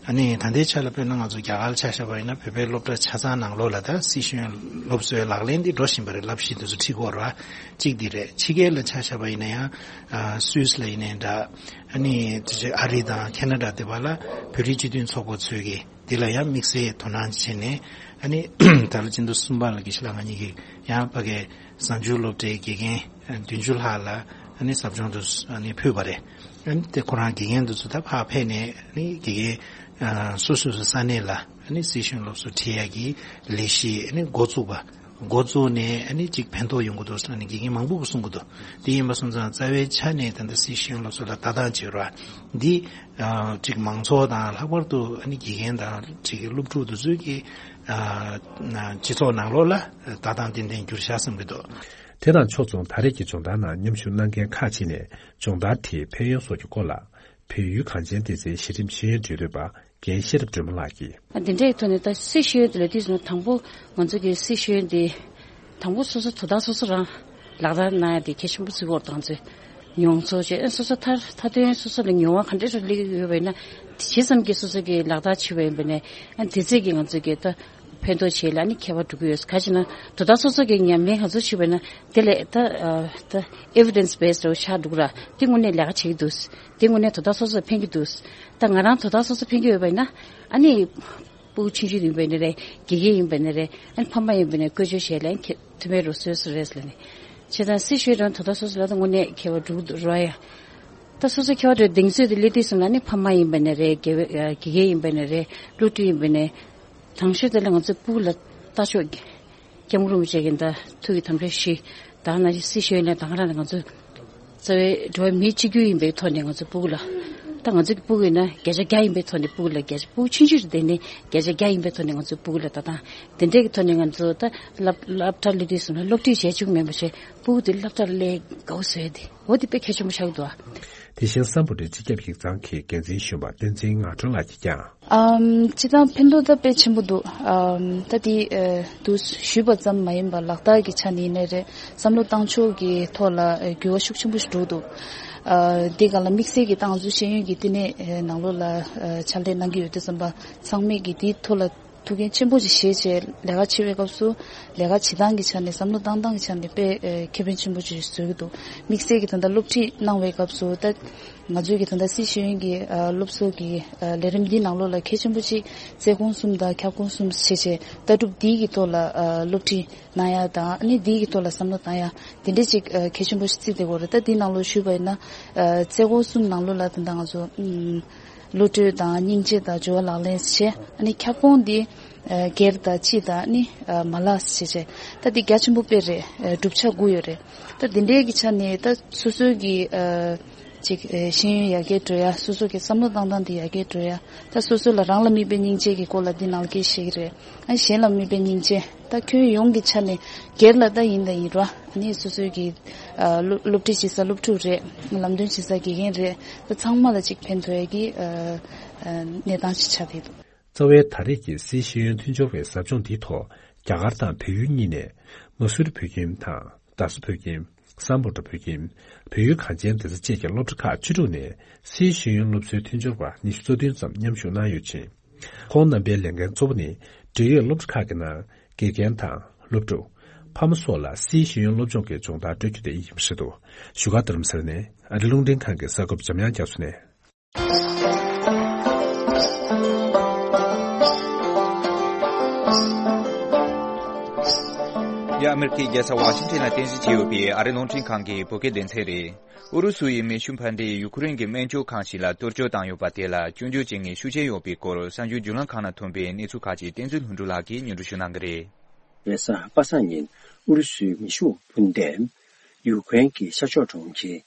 ཨ་ནི་ད་ལྟའི་ཆ་ལ་དཔེར་ན་ང་ཚོ་རྒྱ་གར་ལ་ཆ་བཞག་པ་ཡིན་ན་བོད་པའི་སློབ་གྲྭ་ཆ་ཚང་ནང་ལོགས་ལ་ད་སྲིད་ཤེས་ཡོན་སློབ་གསོའི་ལག་ལེན་འདི་འགྲོ་བཞིན་པ་རེད། བསླབ་གཞི་འདི་ཚོ་ཁྲིད་ཀྱི་ཡོད་རེད་བ། གཅིག་འདི་རེད། ཕྱི་རྒྱལ་ལ་ཆ་བཞག་པ་ཡིན་ན་ཡང་ཨ་སུད་སི་ལ་ཡིན་ནའི་འདྲ། ཨ་ནི་དེ་བཞིན་ཨ་རི་དང་ཁེ་ན་ཌ་དེ་བ་ལ་བོད་རིགས་སྤྱི་མཐུན་ཚོགས་པ་ཚོས་ཀྱི་འདི་ལ་ཡང་དམིགས་བསལ་དོ་སྣང་བྱས་ནས། ཨ་ནི་ད་ལོ་སྤྱི་ཟླ་གསུམ་པ་ལ་དགེ་བཤེས་ལགས་ང་གཉིས་ཀྱིས་ཡང་ཕ་གིའི་གཟའ་མཇུག་སློབ་གྲྭའི་དགེ་རྒན་བདུན་ཅུ་ལྷག་ལ་ ཨ་ནི་ཟབ་སྦྱོང་དུ་ཨ་ནི་ཕུལ་བ་རེད། ཨ་ནི་དེ་ཁོ་རང་དགེ་རྒན་དེ་ཚོ་ད་ཕར་ཕེབས་ནས་ཨ་ནི་དགེ་རྒན་ཨ་སོ་སོ་སོ་ས་གནས་ལ་ཨ་ནི་སྲིད་ཞུ་སློབ་གསོ་ཁྲིད་ཡ་གི་ལས་གཞི་ཨ་ནི་འགོ་བཙུགས་པ། འགོ་བཙུགས་ནས་ཨ་ནི་ཅིག་ཕན་ཐོགས་ཡོང་གི་འདུག་ཟེར་ནས་དགེ་རྒན་མང་པོ་གིས་གསུང་གི་འདུག་དེ་ཡིན་པ་སོང་ཙང་རྩ་བའི་ཆ་ནས་ད་ལྟ་སྲིད་ཞུ་སློབ་གསོ་ལ་ལྟ་སྟངས་བྱེད་རོགས་འདི་ཨ་ཅིག་མང་ཚོགས་དང་ལྷག་པར་དུ་ཨ་ནི་དགེ་རྒན་དང་ཅིག་སློབ་ཕྲུག་དེ་ཚོའི་གི་ཨ་སྤྱི་ཚོགས་ནང་ལོགས་ལ་ལྟ་སྟངས་ཏན་ཏན་འགྱུར་ཤག་བསམ་གི་འདུག་དེ་དང་ཕྱོགས་མཚུངས་ད་རེས་ཀྱི་སྦྱོང་བརྡར་ནང་མཉམ་ཞུགས་གནང་མཁན་ཁག་ཅིག་ནས་སྦྱོང་བརྡར་དེའི་ཕན་ཡོན་སོགས་ཀྱི་སྐོར་ལ། བལ་ཡུལ་གངས་ཅན་སྡེ་ཚན་གཞི་རིམ་ཤེས་ཡོན་འབྲེལ་ཡོད་པ་རྒན་ཤེས་རབ་སྒྲོལ་མ་ལགས་ཀྱིས། འདི་འདྲའི་ཐོག་ནས་ད་སྲིད་ཤེས་ཡོན་དེ་ལ་དུས་སུ་དང་པོ་ང་ཚོ་གི་སྲིད་ཤེས་ཡོན་དེ་དང་པོ་སོ་སོ་དོ་བདག་སོ་སོ་རང་ལག་བསྟར་གནང་ཡ་དེ་གལ་ཆེན་པོ་བརྩི་གི་ཡོད་རེད། ང་ཚོས་མྱོང་ཚོར་བྱས་ཨ་སོ་སོ་མཐར་མཐའ་དོན་སོ་སོ་ལ་མྱོང་བ་ག་འདྲ་ཞིག་སླེབས་ཀྱི་ཡོད་པ་ཡིན་ན་ཇི་ཙམ་གྱིས་སོ་སོ་གི་ལག་བསྟར་བྱས་པ་ཡིན་པ་ནས་ཨ་དེ་ཚད་ཀྱིས་ང་ཚོ་གི་ད། ཕན་ཐོགས་བྱེད་ལ་ནི་ཁྱད་པར་འགྲོ་གི་ཡོད། ག་ཅི་ན་དོ་བདག་སོ་སོ་གི་ཉམས་ལེན་ག་ཚོད་བྱེད་པ་ན་དེ་ལས་ད་ཨ་ད་evidence based་རེ་ཆགས་འདུག་ར། དེ་དངོས་གནས་ལས་ཀ་བྱེད་ཀྱི་འདུག་དེ་དངོས་གནས་དོ་བདག་སོ་སོ་ཕན་གྱི་འདུག་ད་ང་རང་དོ་བདག་སོ་སོ་ཕན་གྱི་ཡོད་པ་ཡིན་ན་ཨ་ནི་སྤུ་གུ་ཆུང་ཆུང་ཡིན་པ་ཡིན་ན་རེད། དགེ་རྒན་ཡིན་པ་ཡིན་ན་རེད། ཨ་ནི་ཕ་མ་ཡིན་པ་ཡིན་ན་བཀོལ་སྤྱོད་བྱེད་ལ་ཁྱེད་ཐུ་མེད་རོ་སོས་སུ་རེད་ལ་ནི་བྱས་ཙང་སྲིད་ཞུའི་རང་དོ་བདག་སོ་སོ་ལ་ད་དངོས་གནས་ཁྱད་པར་འགྲོ་གི་འདུག་ར་ཡ། ད་སོ་སོ་ཁྱད་པར་འགྲོ་གདེང་ཚོད་དེ་སླེབས་དུས་སོང་ན་ནི་ཕ་མ་ཡིན་པ་ཡིན་ན་རེད། དགེ་བའི་དགེ་རྒན་ཡིན་པ་ཡིན་ན་རེད། སློབ་ཕྲུག་ཡིན་པ་ཡིན་ན་རེད། དང་ཤོས་དེ་ལ་ང་ཚོའི་སྤུ་གུ་ལ་ལྟ་ཕྱོགས་སྐྱབས་མགོན་རིན་པོ་ཆེ་གིས་ད་ཐུགས་ཀྱི་དམ་བཅའ་བཞི་དང་ན་སྲིད་ཞུ་ཡོད་ན་དང་རང་ལ་ང་ཚོ་རྩ་བའི་འགྲོ་བ་མི་གཅིག་གྱུར་ཡིན་པའི་ཐོག་ནས་ང་ཚོའི་སྤུ་གུ་ལ་ད་ང་ཚོ་གི་སྤུ་གུ་ཡིན་ན་བརྒྱ་ཆ་བརྒྱ་ཡིན་པའི་ཐོག་ནས་སྤུ་གུ་ལ་བརྒྱ་ཆ་སྤུ་གུ་ཆུང་ཆུང་རེད་དེ་ནི་བརྒྱ་ཆ་བརྒྱ་ཡིན་པའི་ཐོག་ནས་ང་ཚོའི་སྤུ་གུ་ལ་ད་དང་དེ་འདྲའི་གི་ཐོག་ནས་ང་ཚོ་ད་སློབ་སློབ་གྲྭ་སླེབས་དུས་སོང་ན་སློབ་ཁྲིད་བྱས་བཅུག་མེད་པ་བྱས་སྤུ་གུ་དེ་སློབ་གྲྭ་ལ་སླེབས་དགའ་བོ་བཟོས་ཏེ་འོ་དེ་དཔེ་གལ་ཆེན་པོ་ཆགས་འདུག་ཨ། དེ་བཞིན་སམ་བྷོ་ཊའི་སྤྱི་ཁྱབ་ཡིག་ཚང་གི་འགན་འཛིན་གཞོན་པ་བསྟན་འཛིན་ངག་སྒྲོན་ལགས་ཀྱིས་ཀྱང་། ཨམ། སྤྱི་བཏང་ཕན་ཐོགས་ད་དཔེ་ཆེན་པོ་འདུག་ཨམ། ད་དེ་ཨ་དུ་ཞུས་པ་ཙམ་མ་ཡིན་པར་ལག་བསྟར་གྱི་ཆ་ནས་ཡིན་ནའི་རེད། བསམ་བློ་བཏང་ཕྱོགས་ཀྱི་ཐོག་ལ་ཨ་འགྱུར་བ་ཤུགས་ཆེན་པོ་ཞིག་འགྲོ་འདུག་ཨ་དེ་ག་ལ་དམིགས་བསལ་གྱི་ཏང་ཙུའུ་ཤེས་ཡོན་གྱི་བསྟི་གནས་ཨ་ནང་ལོགས་ལ་ཨ་ཕྱག་ལས་གནང་གི་ཡོད་དུས་ཙམ་པ་ཚང་མས་ཀྱི་དེའི་ཐོག་ལ་ཐུགས་འགན་ཆེན་པོ་ཅིག་བཞེས་བྱས་ལས་ཀ་བྱེད་པའི་སྐབས་སུ་ལས་ཀ་བྱེད་སྟངས་ཀྱི་ཆ་ནས་བསམ་བློ་བཏང་སྟངས་ཀྱི་ཆ་ནས་དཔེ་ཨ་ཁེ་ཕན་ཆེན་པོ་ཅིག་བཟོ་གི་འདུག་དམིགས་བསལ་གྱི་ད་ལྟ་སློབ་ཁྲིད་གནང་བའི་སྐབས་སུ་ད། ང་ཚོའི་གི་ད་ལྟ་སྲིད་ཤེས་ཡོན་གྱི་ཨ་སློབ་གསོ་གི་ཨ་ལས་རིམ་འདིའི་ནང་ལོགས་ལ་གལ་ཆེན་པོ་གཅིག་རྩལ་ཁོངས་གསུམ་དང་ཁྱབ་ཁོངས་གསུམ་བྱས་བྱས་ལྟ་གྲུབ་འདིའི་གི་ཐོག་ལ་ཨ་སློབ་ཁྲིད་གནང་ཡ་དང་ཨ་ནི་འདིའི་གི་ཐོག་ལ་བསམ་བློ་བཏང་ཡ་དེ་འདྲས་ཅིག་ཨ་གལ་ཆེན་པོ་ཞིག་བརྩིས་བསྡད་ཡོད་རེད། ད་འདིའི་ནང་ལོགས་ཞུས་པ་ཡིན་ན་ཨ་རྩལ་ཁོངས་གསུམ་ནང་ལོགས་ལ་ད་ལྟ་ང་ཚོ་ཨམ་བློ་གྲོས་དང་སྙིང་རྗེ་དང་སྦྱོར་བ་ལག་ལེན་བྱས་ཨ་ནི་ཁྱབ་ཁོངས་འདི་ཨ་སྒེར་དང་སྤྱི་དང་ཨ་ནི་ཨ་མ་ལག་བྱས་བྱས་ད་འདི་རྒྱ་ཆེན་པོ་དཔེ་རེད། ཨ་གྲུབ་ཆ་དགུ་ཡོད་རེད། ད་འདི་འདྲའི་གི་ཆ་ནས་ད་སོ་སོའི་གི་ཨ། ཅིག་ཨེ་ཤེས་ཡོན་ཡར་རྒྱས་འགྲོ་ཡ། སོ་སོ་གི་བསམ་བློ་བཏང་སྟངས་དེ་ཡར་རྒྱས་འགྲོ་ཡ། ད་སོ་སོ་ལ་རང་ལ་དམིགས་པའི་སྙིང་རྗེ་གི་སྐོར་ལ་འདི་ནང་སྐད་བཤད་ཀྱི་རེད། ཨ་གཞན་ལ་དམིགས་པའི་སྙིང་རྗེ། ད་ཁྱོན་ཡོངས་ཀྱི་ཆ་ནས་སྒེར་ལ་ད་ཡིན་ད་ཡིན་རོ། ཨ་ནི་སོ་སོའི་གི་ཨ་སློབ་སློབ་ཁྲིད་བྱེད་ས་སློབ་ཕྲུག་རེད། ལམ་སྟོན་བྱེད་ས་དགེ་རྒན་རེད། ད་ཚང་མ་ལ་ཅིག་ཕན་ཐོགས་ཡ་གི་ཨ་ཨ་གནས་སྟངས་ཅིག་ཆགས་བསྡད་འདུག་རྩ་བའི་ད་རེས་ཀྱི་སྲིད་ཤེས་ཡོན་མཐུན་སྦྱོར་བའི་ཟབ་སྦྱོང་འདིའི་ཐོག་རྒྱ་གར་དང་བལ་ཡུལ་གཉིས་ནས་མ་སུར་བོད་ཁྱིམ་དང་རྡ་ས་བོད་ཁྱིམ། སམ་བྷོ་ཊ་བོད་ཁྱིམ། བལ་ཡུལ་གངས་ཅན་སྡེ་ཚན་བཅས་ཀྱི་སློབ་གྲྭ་ཁག་བཅུ་དྲུག་ནས་སྲིད་ཤེས་ཡོན་སློབ་གསོའི་མཐུན་སྦྱོར་བ་ཉི་ཤུ་རྩ་བདུན་ཙམ་མཉམ་ཞུགས་གནང་ཡོད་ཅིང་། ཁོང་རྣམ་པའི་ལས་འགན་གཙོ་བོ་ནི་འབྲེལ་ཡོད་སློབ་གྲྭ་ཁག་གི་ནང་དགེ་རྒན་དང་སློབ་ཕྲུག་ཕ་མ་སོགས་ལ་སྲིད་ཤེས་ཡོན་སློབ་སྦྱོང་གི་སྦྱོང་བརྡར་སྤྲོད་རྒྱུ་དེ་ཡིན་པ་རེད་འདུག་བཞུགས་སྒར་རྡ་རམ་ས་ལ་ནས་ཨ་རི་རླུང་འཕྲིན་ཁང་གི་གསར་འགོད་པ་འཇམ་དབྱངས་རྒྱ་མཚོ་ནས། ཡ། ཨ་མེ་རི་ཁའི་རྒྱལ་ས་ཝ་ཤིང་ཊོན་ལ་རྟེན་གཞི་བྱས་ཡོད་པའི་ཨ་རི་རླུང་འཕྲིན་ཁང་གི་བོད་སྐད་སྡེ་ཚན་རེད། ཨུ་རུ་སུ་ཡི་མེ་ཤུགས་འཕར་འགྲིམ་ཡུ་ཁུ་རེན་གྱི་སྨན་བཅོས་ཁང་ཞིག་ལ་གཏོར་བཅོམ་བཏང་ཡོད་པ་དེ་ལ་སྐྱོན་བརྗོད་བྱེད་མཁན་ཤུགས་ཆེན་ཡོད་པའི་སྐོར་གསར་འགྱུར་བརྒྱུད་ལམ་ཁག་ནང་ཐོན་པའི་གནས་ཚུལ་ཁག་ཅིག་བསྟན་འཛིན་ལྷུན་གྲུབ་ལགས་ཀྱིས་སྙན་སྒྲོན་ཞུ་གནང་གི་རེད། རེས་གཟའ་པ་སངས་ཉིན་ཨུ་རུ་སུའི་མེ་ཤུགས་འཕུར་མདེལ་ཡུ་ཀེ་རེན་གྱི་ཤར་ཕྱོགས་གྲོང་ཁྱེར་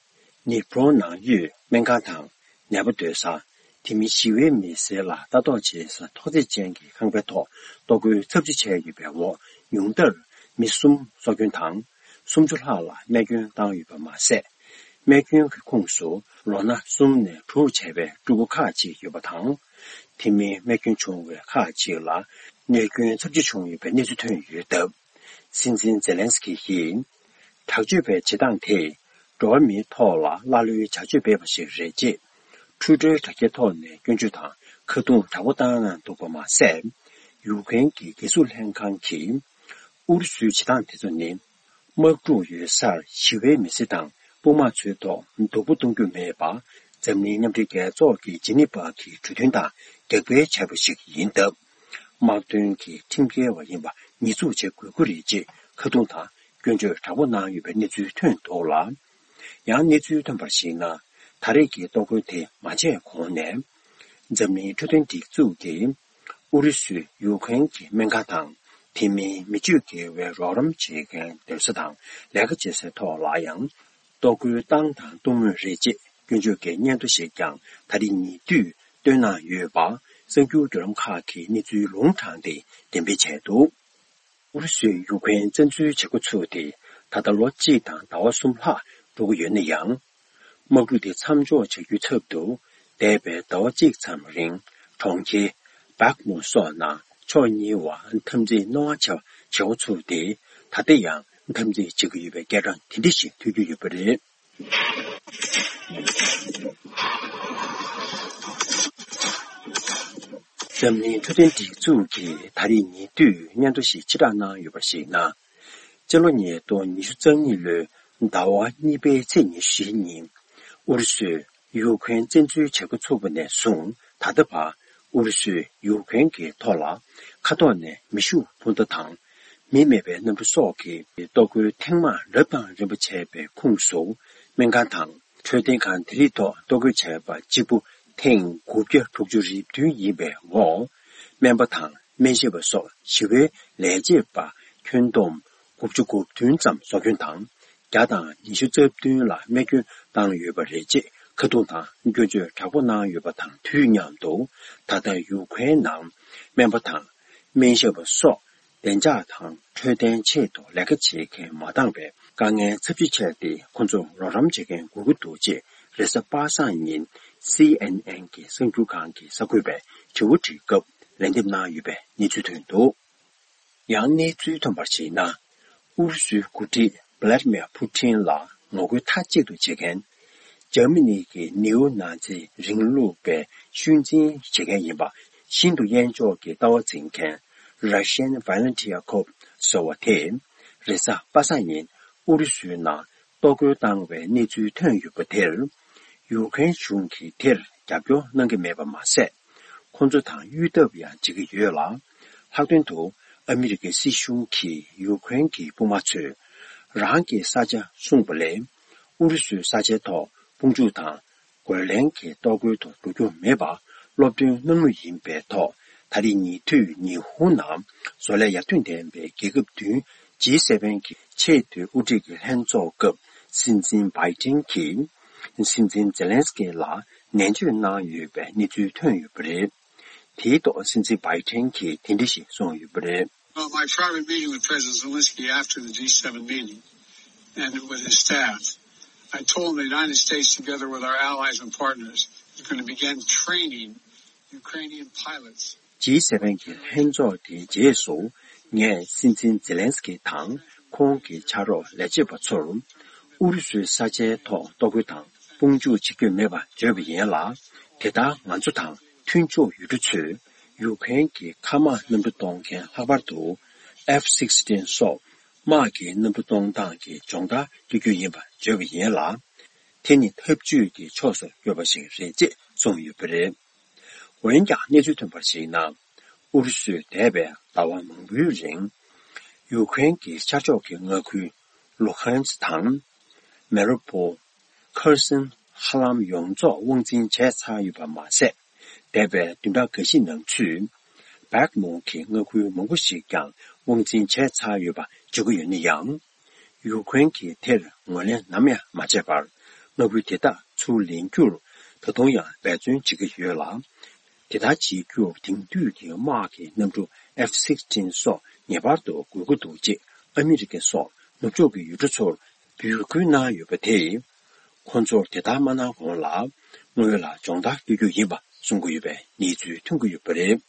ནི་པྲོ་ནང་ཡོད་སྨན་ཁང་དང་ནད་པ་སྡོད་ས། དེ་མིན་ཞི་བའི་མི་སེར་ལ་ལྟ་རྟོག་བྱེད་ས་ཐོག་བརྩེགས་ཅན་གྱི་ཁང་པའི་ཐོག་གཏོར་རྒོལ་ཚབས་ཆེ་བྱས་ཡོད་པའི་འོག་ཉུང་མཐར་མི་གསུམ་སྲོག་སྐྱོན་དང་། སུམ་ཅུ་ལྷག་ལ་རྨས་སྐྱོན་བཏང་ཡོད་པ་མ་ཟད། རྨས་སྐྱོན་གྱི་ཁོངས་སུ་ལོ་ན་གསུམ་ནས་དྲུག་བྱས་པའི་ཕྲུ་གུ་ཁག་ཅིག་ཡོད་པ་དང་། དེ་མིན་རྨས་སྐྱོན་བྱུང་བའི་ཁག་ཅིག་ལ་རྨས་སྐྱོན་ཚབས་ཆེ་བྱུང་ཡོད་པའི་གནས་ཚུལ་ཐོན་ཡོད་སྟབས། སྲིད་འཛིན་ཛེ་ལན་སི་ཀི་ཡིས། དྲག་སྤྱོད་པའི་བྱེད་སྟངས་དེས་འགྲོ་བ་མིའི་ཐོག་ལ་ཀླ་ཀློའི་བྱ་སྤྱོད་སྤེལ་བ་ཞིག་རེད་ཅེས། འཕྲུལ་སྒྲོན་དྲ་རྒྱའི་ཐོག་ནས་སྐྱོན་བརྗོད་དང་ཁ་རྡུང་དྲག་པོ་བཏང་གནང་འདུག་པ་མ་ཟད། ཡུཀ་རེན་གྱི་སྒེར་ཟུར་ལྷན་ཁང་གིས་ཨུ་རུ་སུའི་བྱེད་སྟངས་དེ་ཚོ་ནི། དམག་འཁྲུག་ཡོད་སར་ཞི་བའི་མི་སེར་དང་དཔུང་དམག་ཚོའི་ཐོག་སྡུག་པོ་གཏོང་རྒྱུ་མེད་པ། འཛམ་གླིང་མཉམ་འབྲེལ་རྒྱལ་ཚོགས་ཀྱི་ཇི་ནི་ཝ་གི་གྲོས་མཐུན་དང་འགལ་འབྲེལ་བྱས་པ་ཞིག་ཡིན་སྟབས། དམག་དོན་གྱི་ཁྲིམས་འགལ་བ་ཡིན་པ་ཉེས་འཛུགས་བྱེད་དགོས་ཀྱི་རེད་ཅེས་ཁ་རྡུང་དང་སྐྱོན་བརྗོད་དྲག་པོ་གནང་ཡོད་པའི་གནས་ཚུལ་ཐོན་འདུག་ལ། ཡང་གནས་ཚུལ་ཐོན་པར་གཞིགས་ན། ད་རེས་ཀྱི་གཏོར་རྒོལ་དེ་མ་བྱས་གོང་ནས། འཛམ་གླིང་འཕྲོད་བསྟེན་སྒྲིག་འཛུགས་ཀྱིས་ཨུ་རུ་སུས་ཡུཀ་རེན་གྱི་སྨན་ཁང་དང་དེ་མིན་མི་སྤྱོད་དགེ་བའི་རོགས་རམ་བྱེད་མཁན་སྡོད་ས་དང་ལས་ཀ་བྱེད་སའི་ཐོག་ལ་ཡང་གཏོར་རྒོལ་བཏང་དང་གཏོང་མུས་རེད་ཅེས་སྐྱོན་བརྗོད་ཀྱི་སྙན་ཐོ་ཞིག་ཀྱང་ད་རེས་ཉེ་དུས་བཏོན་གནང་ཡོད་པ་གསར་འགྱུར་བརྒྱུད་ལམ་ཁག་གིས་གནས་ཚུལ་ལུང་དྲངས་ཏེ་འགྲེམས་སྤེལ་བྱས་འདུག་ཨུ་རུ་སུས་ཡུཀ་རེན་བཙན་འཛུལ་བྱེད་འགོ་ཚུགས་ཏེ་ད་ལྟ་ལོ་གཅིག་དང་ཟླ་བ་གསུམ་ལྷག་འགྲོ་གི་ཡོད་ན་ཡང་། དམག་འཁྲུག་དེ་མཚམས་འཇོག་བྱ་རྒྱུའི་ཚབ་ཏུ། འདས་པའི་ཟླ་བ་གཅིག་ཙམ་རིང་གྲོང་ཁྱེར་བག་མུ་སོགས་ནང་ཕྱོགས་གཉིས་བར་འཐབ་འཛིང་རྣོ་བ་ཆེ་བ་བྱེད་འགོ་ཚུགས་ཏེ། ད་ལྟ་ཡང་འཐབ་འཛིང་བྱེད་ཀྱི་ཡོད་པའི་སྐད་གྲགས་དེ་འདྲ་ཞིག་ཐོས་རྒྱུ་ཡོད་པ་རེད། འཛམ་གླིང་འཕྲོད་བསྟེན་སྒྲིག་འཛུགས་ཀྱིས་ད་རེས་ཉེ་དུས་སྙན་ཐོ་ཞིག་ཕྱིར་བསྒྲགས་གནང་ཡོད་པར་གཞིགས་ན། སྤྱི་ལོ་ཉིས་སྟོང་ཉི་ཤུ་རྩ་གཉིས་ལོའི་ཟླ་བ་གཉིས་པའི་ཚེས་ཉི་ཤུ་ཉིན། ཨུ་རུ་སུས་ཡུཀ་རེན་བཙན་འཛུལ་བྱེད་འགོ་ཚུགས་པ་ནས་བཟུང་ད་ལྟ་བར་ཨུ་རུ་སུས་ཡུཀ་རེན་གྱི་ཐོག་ལ་མཁའ་ཐོག་ནས་མེ་ཤུགས་འཕུར་མདའ་དང་མི་མེད་པའི་གནམ་གྲུ་སོགས་ཀྱི་གཏོར་རྒོལ་ཐེངས་མང་རབ་དང་རིམ་པ་བྱས་པའི་ཁོངས་སུ། སྨན་ཁང་དང་འཕྲོད་བསྟེན་ཁང་དེ་རིགས་ཐོག་གཏོར་རྒོལ་བྱས་པ་གཅིག་པུ་ཐེངས་དགུ་བརྒྱ་དྲུག་ཅུ་རེ་བདུན་ཡིན་པའི་འོག་སྨན་པ་དང་སྨན་ཞབས་པ་སོགས་ཞི་བའི་ལས་བྱེད་པ་ཁྱོན་བསྡོམས་དགུ་བཅུ་གོ་བདུན་ཙམ་སྲོག་སྐྱོན་དང་། བརྒྱ་དང་ཉི་ཤུ་རྩ་བདུན་ལ་རྨས་སྐྱོན་བཏང་ཡོད་པ་རེད་ཅེས་ཁ་རྡུང་དང་སྐྱོན་བརྗོད་དྲག་པོ་གནང་ཡོད་པ་དང་དུས་མཉམ་དུ། ད་ལྟ་ཡུ་ཀེ་རེན་ནང་སྨན་པ་དང་སྨན་ཞབས་པ་སོགས་བདེ་འཇགས་དང་འཕྲོད་བསྟེན་ཆེད་དུ་ལས་ཀ་བྱེད་མཁན་མ་འདང་བའི་དཀའ་ངལ་ཚབས་ཆེ་ཆགས་ཏེ། ཁོང་ཚོར་རོགས་རམ་བྱེད་མཁན་དགོས་ཀྱི་འདུག་ཅེས་རེས་གཟའ་པ་སངས་ཉིན་སི་ཨེན་ཨེན་གྱི་གསར་འགྱུར་ཁང་གི་གསར་འགོད་པས་དྲི་བ་དྲིས་སྐབས་ལན་འདེབས་གནང་ཡོད་པའི་གནས་ཚུལ་ཐོན་འདུག་ཡང་གནས་ཚུལ་ཐོན་པར་གཞིགས་ན། ཨུ་རུ་སུའི་འགོ་ཁྲིད་བྷ་ལ་ཏི་མེར་ཕུ་ཊིན་ལ་ངོ་རྒོལ་མཐའ་གཅིག་ཏུ་བྱེད་མཁན། འཇར་མ་ནི་གི་ནིའུ་ནཱ་ཛི་རིང་ལུགས་པའི་ཤུལ་འཛིན་བྱེད་མཁན་ཡིན་པ་ཤིན་ཏུ་དབྱེན་འཇོག་གི་ལྟ་བ་འཛིན་མཁན་Russian Volunteer Corps ཟེར་བ་དེས་རེས་གཟའ་པ་སངས་ཉིན་ཨུ་རུ་སུའི་ནང་གཏོར་རྒོལ་བཏང་བའི་གནས་ཚུལ་ཐོན་ཡོད་པ་དེར། ཡུ་ཀེ་རེན་གཞུང་གིས་དེར་རྒྱབ་སྐྱོར་གནང་གི་མེད་པ་མ་ཟད། ཁོང་ཚོ་དང་གཡོལ་ཐབས་ཡང་བྱེད་ཀྱི་ཡོད་ལ། ལྷག་དོན་དུ་ཨ་མི་རི་ཀའི་སྲིད་གཞུང་གིས་ཡུ་ཀེ་རེན་གྱི་དཔུང་དམག་ཚོས་རང་གི་ས་ཆ་སྲུང་བ་ལས། ཨུ་རུ་སུའི་ས་ཆའི་ཐོག་དཔུང་འཇུག་དང་རྒོལ་ལན་གྱི་གཏོར་རྒོལ་དུ་འགྲོ་རྒྱུ་མེད་པ་སློབ་སྟོན་གནང་མུས་ཡིན་པའི་ཐོག་ད་རེས་ཉེ་དུས་ཉི་ཧོང་ནང་བཟོ་ལས་ཡར་ཐོན་ལྡན་པའི་རྒྱལ་ཁབ་བདུན་ཇི་སེ་བན་གྱི་ཆེས་མཐོའི་དབུ་ཁྲིད་ཀྱི་ལྷན་ཚོགས་སྐབས་སྲིད་འཛིན་བྷའི་ཏིན་གྱིས་སྲིད་འཛིན་ཛེ་ལན་སི་ཀི་ལ་ནན་བརྗོད་གནང་ཡོད་པའི་གནས་ཚུལ་ཐོན་ཡོད་པ་རེད། དེའི་ཐོག་སྲིད་འཛིན་བྷའི་ཏིན་གྱིས་དེ་འདྲ་ཞིག་གསུངས་ཡོད་པ་རེད། Well, my private meeting with President Zelensky after the G seven meeting and with his staff, I told him the United States, together with our allies and partners, is going to begin training Ukrainian pilots. ཇི་སེ་བན་གྱི་ལྷན་ཚོགས་དེའི་རྗེས་སུ་ངས་སྲིད་འཛིན་ཛེ་ལན་སི་ཀི་དང་ཁོང་གི་ཕྱག་རོགས་ལས་བྱེད་པ་ཚོར་ཨུ་རུ་སུའི་ས་ཆའི་ཐོག་གཏོར་རྒོལ་དང་དཔུང་འཇུག་བྱེད་རྒྱུ་མེད་པ་བརྗོད་པ་ཡིན་ལ། དེ་ལྟར་ང་ཚོ་དང་མཐུན་ཕྱོགས་ཡུལ་གྲུ་ཚོས་ཡུ་ཀེ་རེན་གྱི་མཁའ་དམག་གནམ་གྲུ་གཏོང་མཁན་ལྷག་པར་དུ་F sixteen་སོགས་དམག་གི་གནམ་གྲུ་གཏོང་སྟངས་ཀྱི་སྦྱོང་བརྡར་སྤྲོད་རྒྱུ་ཡིན་པ་བརྗོད་པ་ཡིན་ལ། དེ་ནི་འཐབ་ཇུས་ཀྱི་ཕྱོགས་སུ་ཡོད་པ་ཞིག་རེད་ཅེས་གསུངས་ཡོད་པ་རེད། འོན་ཀྱང་གནས་ཚུལ་ཐོན་པར་གཞིགས་ན། ཨུ་རུ་སུས་འདས་པའི་ཟླ་བ་མང་པོའི་རིང་ཡུ་ཀེ་རེན་གྱི་ཤར་ཕྱོགས་ཀྱི་མངའ་ཁུལ་ལུ་ཧན་སི་དང་། མེ་རི་པོ། ཁར་སན། ཧ་ལམ་ཡོངས་རྫོགས་དབང་འཛིན་བྱས་ཚར་ཡོད་པ་མ་ཟད། འདས་པའི་བདུན་ཕྲག་འགའ་ཞིག་ནང་ཚུད། བྷག་མུ་གི་མངའ་ཁུལ་མང་པོ་ཞིག་ཀྱང་དབང་འཛིན་བྱས་ཚར་ཡོད་པ་བརྗོད་ཀྱི་ཡོད་ན་ཡང་། ཡུ་ཀེ་རེན་གྱིས་དེར་ངོས་ལེན་ནམ་ཡང་མ་བྱས་པར། མངའ་ཁུལ་དེ་དག་ཚུར་ལེན་རྒྱུར་ད་དུང་ཡང་འབད་བརྩོན་བྱེད་ཀྱི་ཡོད་ལ། དེ་ལྟར་བྱེད་རྒྱུར་དེང་དུས་ཀྱི་དམག་གི་གནམ་གྲུ་F sixteen་སོགས་ངེས་པར་དུ་དགོས་ཀྱི་འདུག་ཅེས་ཨ་མི་རི་ཀ་སོགས་ནུབ་ཕྱོགས་ཀྱི་ཡུལ་གྲུ་ཚོར་འབོད་སྐུལ་གནང་ཡོད་པ་དེས། ཁོང་ཚོར་དེ་ལྟར་མ་གནང་གོང་ལ། དངུལ་ལ་སྦྱོང་བརྡར་སྤྲོད་རྒྱུ་ཡིན་པ་གསུང་གི་ཡོད་པའི་གནས་ཚུལ་ཐོན་གྱི་ཡོད་པ་རེད།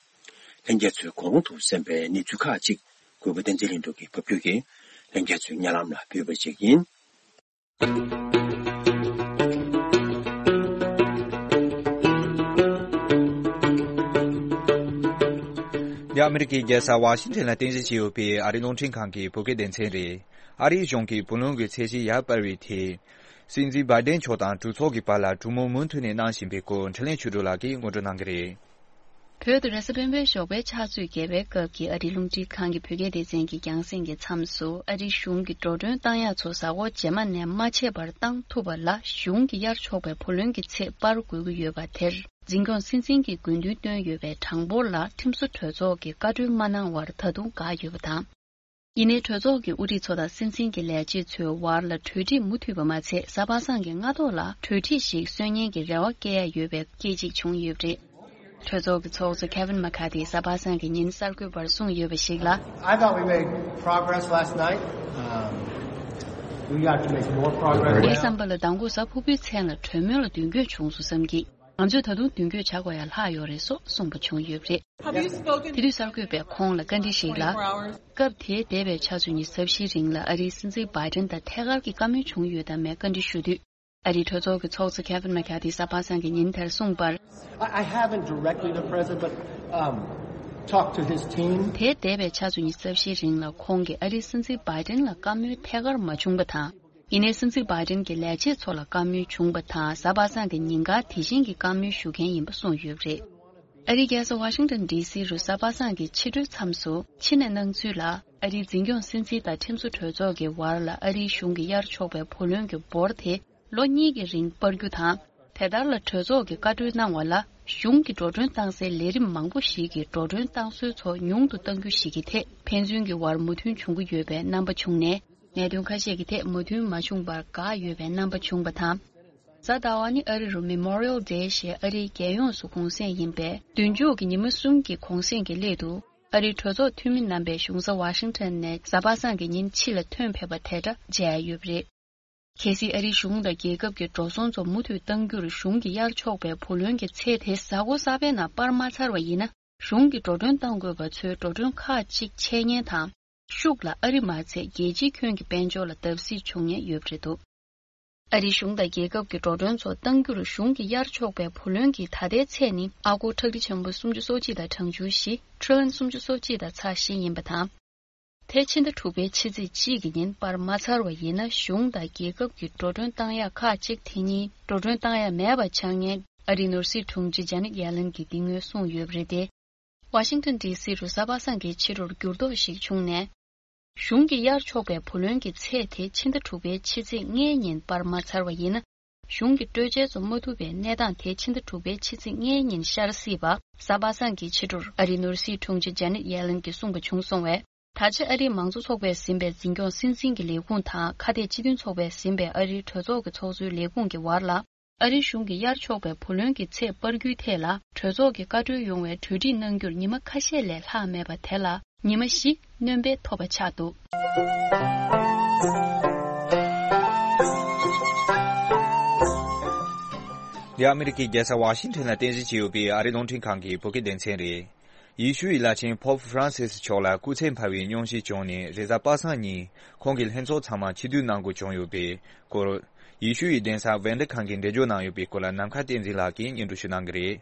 ལྷན་རྒྱས་ཚོས་གོང་དུ་གསན་པའི་གནས་ཚུལ་ཁག་ཅིག་གུས་པ་བསྟན་འཛིན་ལྷུན་གྲུབ་ཀྱིས་ཕབ་སྒྱུར་གྱིས་ལྷན་རྒྱས་ཚོའི་སྙན་ལམ་ལ་ཕུལ་བ་ཞིག་ཡིན། འདི་ཨ་མི་རི་ཀའི་རྒྱལ་ས་ཝ་ཤིང་ཊོན་ལ་རྟེན་གཞི་བྱས་ཡོད་པའི་ཨ་རིའི་རླུང་འཕྲིན་ཁང་གི་བོད་སྐད་སྡེ་ཚན་རེད། ཨ་རིའི་གཞུང་གིས་བུ་ལོན་གྱི་ཚད་གཞི་ཡར་སྤར་བའི་ཐད། སྲིད་འཛིན་བྷའི་ཌེན་མཆོག་དང་གྲོས་ཚོགས་ཀྱི་བར་ལ་གྲོས་མོལ་མུ་མཐུད་ནས་གནང་བཞིན་པའི་སྐོར་འཕྲིན་ལས་ཆོས་སྒྲོན་ལགས་ཀྱིས་ངོ་སྤྲོད་གནང་གི་རེད། བོད་དུ་རེས་གཟའ་སྤེན་པའི་ཞོགས་པའི་ཕྱག་ཚོད་བརྒྱད་པའི་སྐབས་ཀྱི་ཨ་རིའི་རླུང་འཕྲིན་ཁང་གི་བོད་སྐད་སྡེ་ཚན་གྱི་རྒྱང་སྲིང་གི་མཚམས་སུ། ཨ་རིའི་གཞུང་གིས་འགྲོ་གྲོན་བཏང་ཡག་ཚོ་གཟའ་འཁོར་རྗེས་མ་ནས་མ་ཆད་པར་བཏང་ཐུབ་པ་ལ། གཞུང་གིས་གཡར་ཆོག་པའི་བུ་ལོན་གྱི་ཚད་སྤར་དགོས་ཀྱི་ཡོད་པ་དེར། འཛིན་སྐྱོང་སྲིད་འཛིན་གྱིས་དགོས་འདུན་བཏོན་ཡོད་པའི་གྲངས་འབོར་ལ་ཁྲིམས་བཟོ་གྲོས་ཚོགས་ཀྱིས་བཀའ་འཁྲོལ་མ་གནང་བར་ད་དུང་འགག་ཡོད་པ་དང་། ཡིན་ནའི། གྲོས་ཚོགས་ཀྱི་དབུ་ཁྲིད་ཚོ་དང་སྲིད་འཛིན་གྱི་ལས་བྱེད་ཚོའི་བར་ལ་གྲོས་འགྲིག་མུ་མཐུད་པ་མ་ཚད། གཟའ་པ་སངས་ཀྱི་སྔ་ཐོག་ལ་གྲོས་འགྲིག་ཞིག་སོན་ཉན་གྱི་རེ་བ་བསྐྱེད་ཡ་ཡོད་པའི་སྐད་ཅིག་བྱུང་ཡོད་པ་རེད། གྲོས་ཚོགས་ཀྱི་ཚོགས་གཙོ་Kevin McCarthy གཟའ་པ་སངས་ཀྱི་ཉིན་གསར་འགོད་པར་གསུངས་ཡོད་པ་ཞིག་ལ། I thought we made progress last night. Um, we have to make more progress. ངའི་བསམ་པ་ལ་མདང་དགོང་གཟའ་ཕུར་བུའི་མཚན་ལ་གྲོས་མོལ་ལ་མདུན་སྐྱོད་བྱུང་སོང་བསམ་གྱི། ང་ཚོས་ད་དུང་མདུན་སྐྱོད་བྱ་དགོས་ཡ་ལྷག་ཡོད་རེད་སོགས་གསུངས་པ་བྱུང་ཡོད་པ་རེད། Have you spoken? དེ་དུས་གསར་འགོད་པས་ཁོང་ལ་བཀའ་འདྲི་ཞིག་ལ། Twenty-four hours. སྐབས་དེའི་འདས་པའི་ཆུ་ཚོད་ཉི་ཤུ་རྩ་བཞིའི་རིང་ལ་ཨ་རིའི་སྲིད་འཛིན་Biden དང་ཐད་ཀར་གྱི་བཀའ་མོལ་བྱུང་ཡོད་དམ་མེད་བཀའ་འདྲི་ཞུ་དུས། ཨ་རིའི་གྲོས་ཚོགས་ཀྱི་ཚོགས་གཙོ་Kevin McCarthy གཟའ་པ་སངས་ཀྱི་ཉིན་དེར་གསུངས་པར། I, I haven't directly the president, but, um, talked to his team. དེའི་འདས་པའི་ཆུ་ཚོད་ཉི་ཤུ་རྩ་བཞིའི་རིང་ལ་ཁོང་གིས་ཨ་རིའི་སྲིད་འཛིན་Biden ལ་བཀའ་མོལ་ཐད་ཀར་མ་བྱུང་པ་དང་། ཡིན་ནའི་སྲིད་འཛིན་Biden གྱི་ལས་བྱེད་ཚོ་ལ་བཀའ་མོལ་བྱུང་པ་དང་། གཟའ་པ་སངས་ཀྱི་ཉིན་གང་དེ་བཞིན་གྱི་བཀའ་མོལ་ཞུ་མཁན་ཡིན་པ་གསུངས་ཡོད་པ་རེད། ཨ་རིའི་རྒྱལ་ས་Washington D C རུ་གཟའ་པ་སངས་ཀྱི་ཕྱི་དྲོའི་མཚམས་སུ་ཕྱི་ནས་གནང་ཚུལ་ལ། ཨ་རིའི་འཛིན་སྐྱོང་སྲིད་འཛིན་དང་ཁྲིམས་བཟོ་གྲོས་ཚོགས་ཀྱི་བར་ལ་ཨ་རིའི་གཞུང་གིས་གཡར་ཆོག་པའི་བུ་ལོན་གྱི་འབོར་དེ་ལོ་གཉིས་ཀྱི་རིང་སྤར་རྒྱུ་དང་། དེ་ལྟར་ལ་གྲོས་ཚོགས་ཀྱིས་བཀའ་འཁྲོལ་གནང་བ་ལ། གཞུང་གིས་འགྲོ་གྲོན་བཏང་སའི་ལས་རིམ་མང་པོ་ཞིག་གིས་འགྲོ་གྲོན་བཏང་སྲོལ་ཚོ་ཉུང་དུ་གཏང་རྒྱུ་ཞིག་གི་ཐད་ཕན་ཚུན་གྱི་བར་མོས་མཐུན་བྱུང་གི་ཡོད་པའི་རྣམ་པ་བྱུང་ནས། གནད་དོན་ཁ་ཤས་ཀྱི་ཐད་མོས་མཐུན་མ་བྱུང་བར་འགག་ཡོད་པའི་རྣམ་པ་བྱུང་བ་དང་། གཟའ་ཟླ་བ་ནི་ཨ་རི་རུ་Memorial Day ཞེས་ཨ་རིའི་རྒྱལ་ཡོངས་སུ་གུང་སེང་ཡིན་པས། མདུན་ལྕོག་གི་ཉི་མ་གསུམ་གྱི་གུང་སེང་གི་སླད་དུ། ཨ་རིའི་གྲོས་ཚོགས་འཐུས་མི་རྣམ་པས་གཞུང་ས་Washington ནས་གཟའ་པ་སངས་ཀྱི་ཉིན་ཕྱི་ལ་ཐོན་ཕེབས་པ་དེ་འདྲ་མཇལ་ཡོད་པ་རེད། གལ་སྲིད་ཨ་རིའི་གཞུང་དང་རྒྱལ་ཁབ་ཀྱི་འགྲོ་སོང་ཚོ་མུ་མཐུད་གཏང་རྒྱུར་གཞུང་གིས་གཡར་ཆོག་པའི་བུ་ལོན་གྱི་ཚད་དེ་གཟའ་འཁོར་གསར་པའི་ནང་སྤར་མ་ཚར་བ་ཡིན་ན། གཞུང་གིས་འགྲོ་གྲོན་གཏང་དགོས་པ་ཚོའི་འགྲོ་གྲོན་ཁག་ཅིག་ཆད་ཉན་དང་། ཤུགས་ལ་ཨ་རི་མ་ཚད་རྒྱལ་སྤྱིའི་ཁྱོན་གྱི་དཔལ་འབྱོར་ལ་བརྡབ་གསིག་བྱུང་ཉེན་ཡོད་པ་རེད་འདུག་ཨ་རིའི་གཞུང་དང་རྒྱལ་ཁབ་ཀྱི་འགྲོ་གྲོན་ཚོ་གཏང་རྒྱུར་གཞུང་གིས་གཡར་ཆོག་པའི་བུ་ལོན་གྱི་ད་ལྟའི་ཚད་ནི་ཨ་སྒོར་ཁྲག་ཁྲིག་ཆེན་པོ་སུམ་ཅུ་སོ་གཅིག་དང་གྲངས་ཆུང་བཞི། ཊི་རི་ལན་སུམ་ཅུ་སོ་གཅིག་དང་ཚེག་བཞི་ཡིན་པ་དང་། དེ་ཕྱི་ཟླ་དྲུག་པའི་ཕྱི་ཚེས་གཅིག་གི་ཉིན་སྤར་མ་ཚར་བ་ཡིན་ན། གཞུང་དང་རྒྱལ་ཁབ་ཀྱི་འགྲོ་གྲོན་བཏང་ཡག་ཁག་ཅིག་དེ་ཉིད་འགྲོ་གྲོན་བཏང་ཡག་མེད་པ་ཆགས་ཉེན། ཨ་རིའི་ནོར་སྲིད་དྲུང་ཆེ་Janet Yellen གྱིས་འདི་སྔོན་གསུངས་ཡོད་པ་རེད་དེ། Washington D C རུ་གཟའ་པ་སངས་ཀྱི་ཕྱི་དྲོར་འགྱུར་ལྡོག་ཞིག་བྱུང་ནས། གཞུང་གིས་གཡར་ཆོག་པའི་བུ་ལོན་གྱི་ཚད་དེ་ཕྱི་ཟླ་དྲུག་པའི་ཕྱི་ཚེས་ལྔའི་ཉིན་སྤར་མ་ཚར་བ་ཡིན་ན། གཞུང་གི་སྤྲོད་འཇལ་ཚོ་མ་ཐུབ་པའི་གནས་སྟངས་དེ་ཕྱི་ཟླ་དྲུག་པའི་ཕྱི་ཚེས་ལྔའི་ཉིན་ཤར་སྲིད་པ། གཟའ་པ་སངས་ཀྱི་ཕྱི་དྲོར་ཨ་རིའི་ནོར་སྲིད་དྲུང་ཆེ་Janet Yellen གྱིས་གསུངས་པ་བྱུང་སོང་བས། ད་ཆ་ཨ་རིའི་མང་གཙོ་ཚོགས་པས་ཟིན་པའི་འཛིན་སྐྱོང་སྲིད་འཛིན་གྱི་ལས་ཁུངས་དང་། ཁ་གཏད་སྤྱི་མཐུན་ཚོགས་པས་ཟིན་པའི་ཨ་རིའི་གྲོས་ཚོགས་ཀྱི་ཚོགས་གཙོའི་ལས་ཁུངས་ཀྱི་བར་ལ། ཨ་རིའི་གཞུང་གིས་གཡར་ཆོག་པའི་བུ་ལོན་གྱི་ཚད་སྤར་རྒྱུའི་ཐད་ལ། གྲོས་ཚོགས་ཀྱི་བཀའ་འཁྲོལ་ཡོང་བའི་གྲོས་འགྲིག་གནང་རྒྱུར་ཉི་མ་ཁ་ཤས་ལས་ལྷག་མེད་པ་དེ་ལ། ཉི་མ་བཞི་སྣོན་པའི་ཐོབ་པ་ཆགས་འདུག་འདི་ཨ་མི་རི་ཀའི་རྒྱལ་ས་ཝ་ཤིང་ཊོན་ལ་རྟེན་གཞི་བྱས་ཡོད་པའི་ཨ་རིའི་རླུང་འཕྲིན་ཁང་གི་བོད་སྐད་སྡེ་ཚན་རེད། ཡེ་ཤུའི་བླ་ཆེན་Pope Francis མཆོག་ལ་སྐུ་ཚེ་འཕར་བའི་སྙུང་གཞི་བྱུང་ནས་རེས་གཟའ་པ་སངས་ཉིན་ཁོང་གི་ལྷན་ཚོགས་ཚང་མ་ཕྱིར་བསྡུ་གནང་དགོས་བྱུང་ཡོད་པའི་སྐོར། ཡེ་ཤུའི་གདན་ས་ཝན་ཏི་ཁན་གྱིས་འགྲེལ་བརྗོད་གནང་ཡོད་པའི་སྐོར་ལ་ནམ་མཁའ་བསྟན་འཛིན་ལགས་ཀྱིས་སྙན་སྒྲོན་ཞུ་གནང་གི་རེད།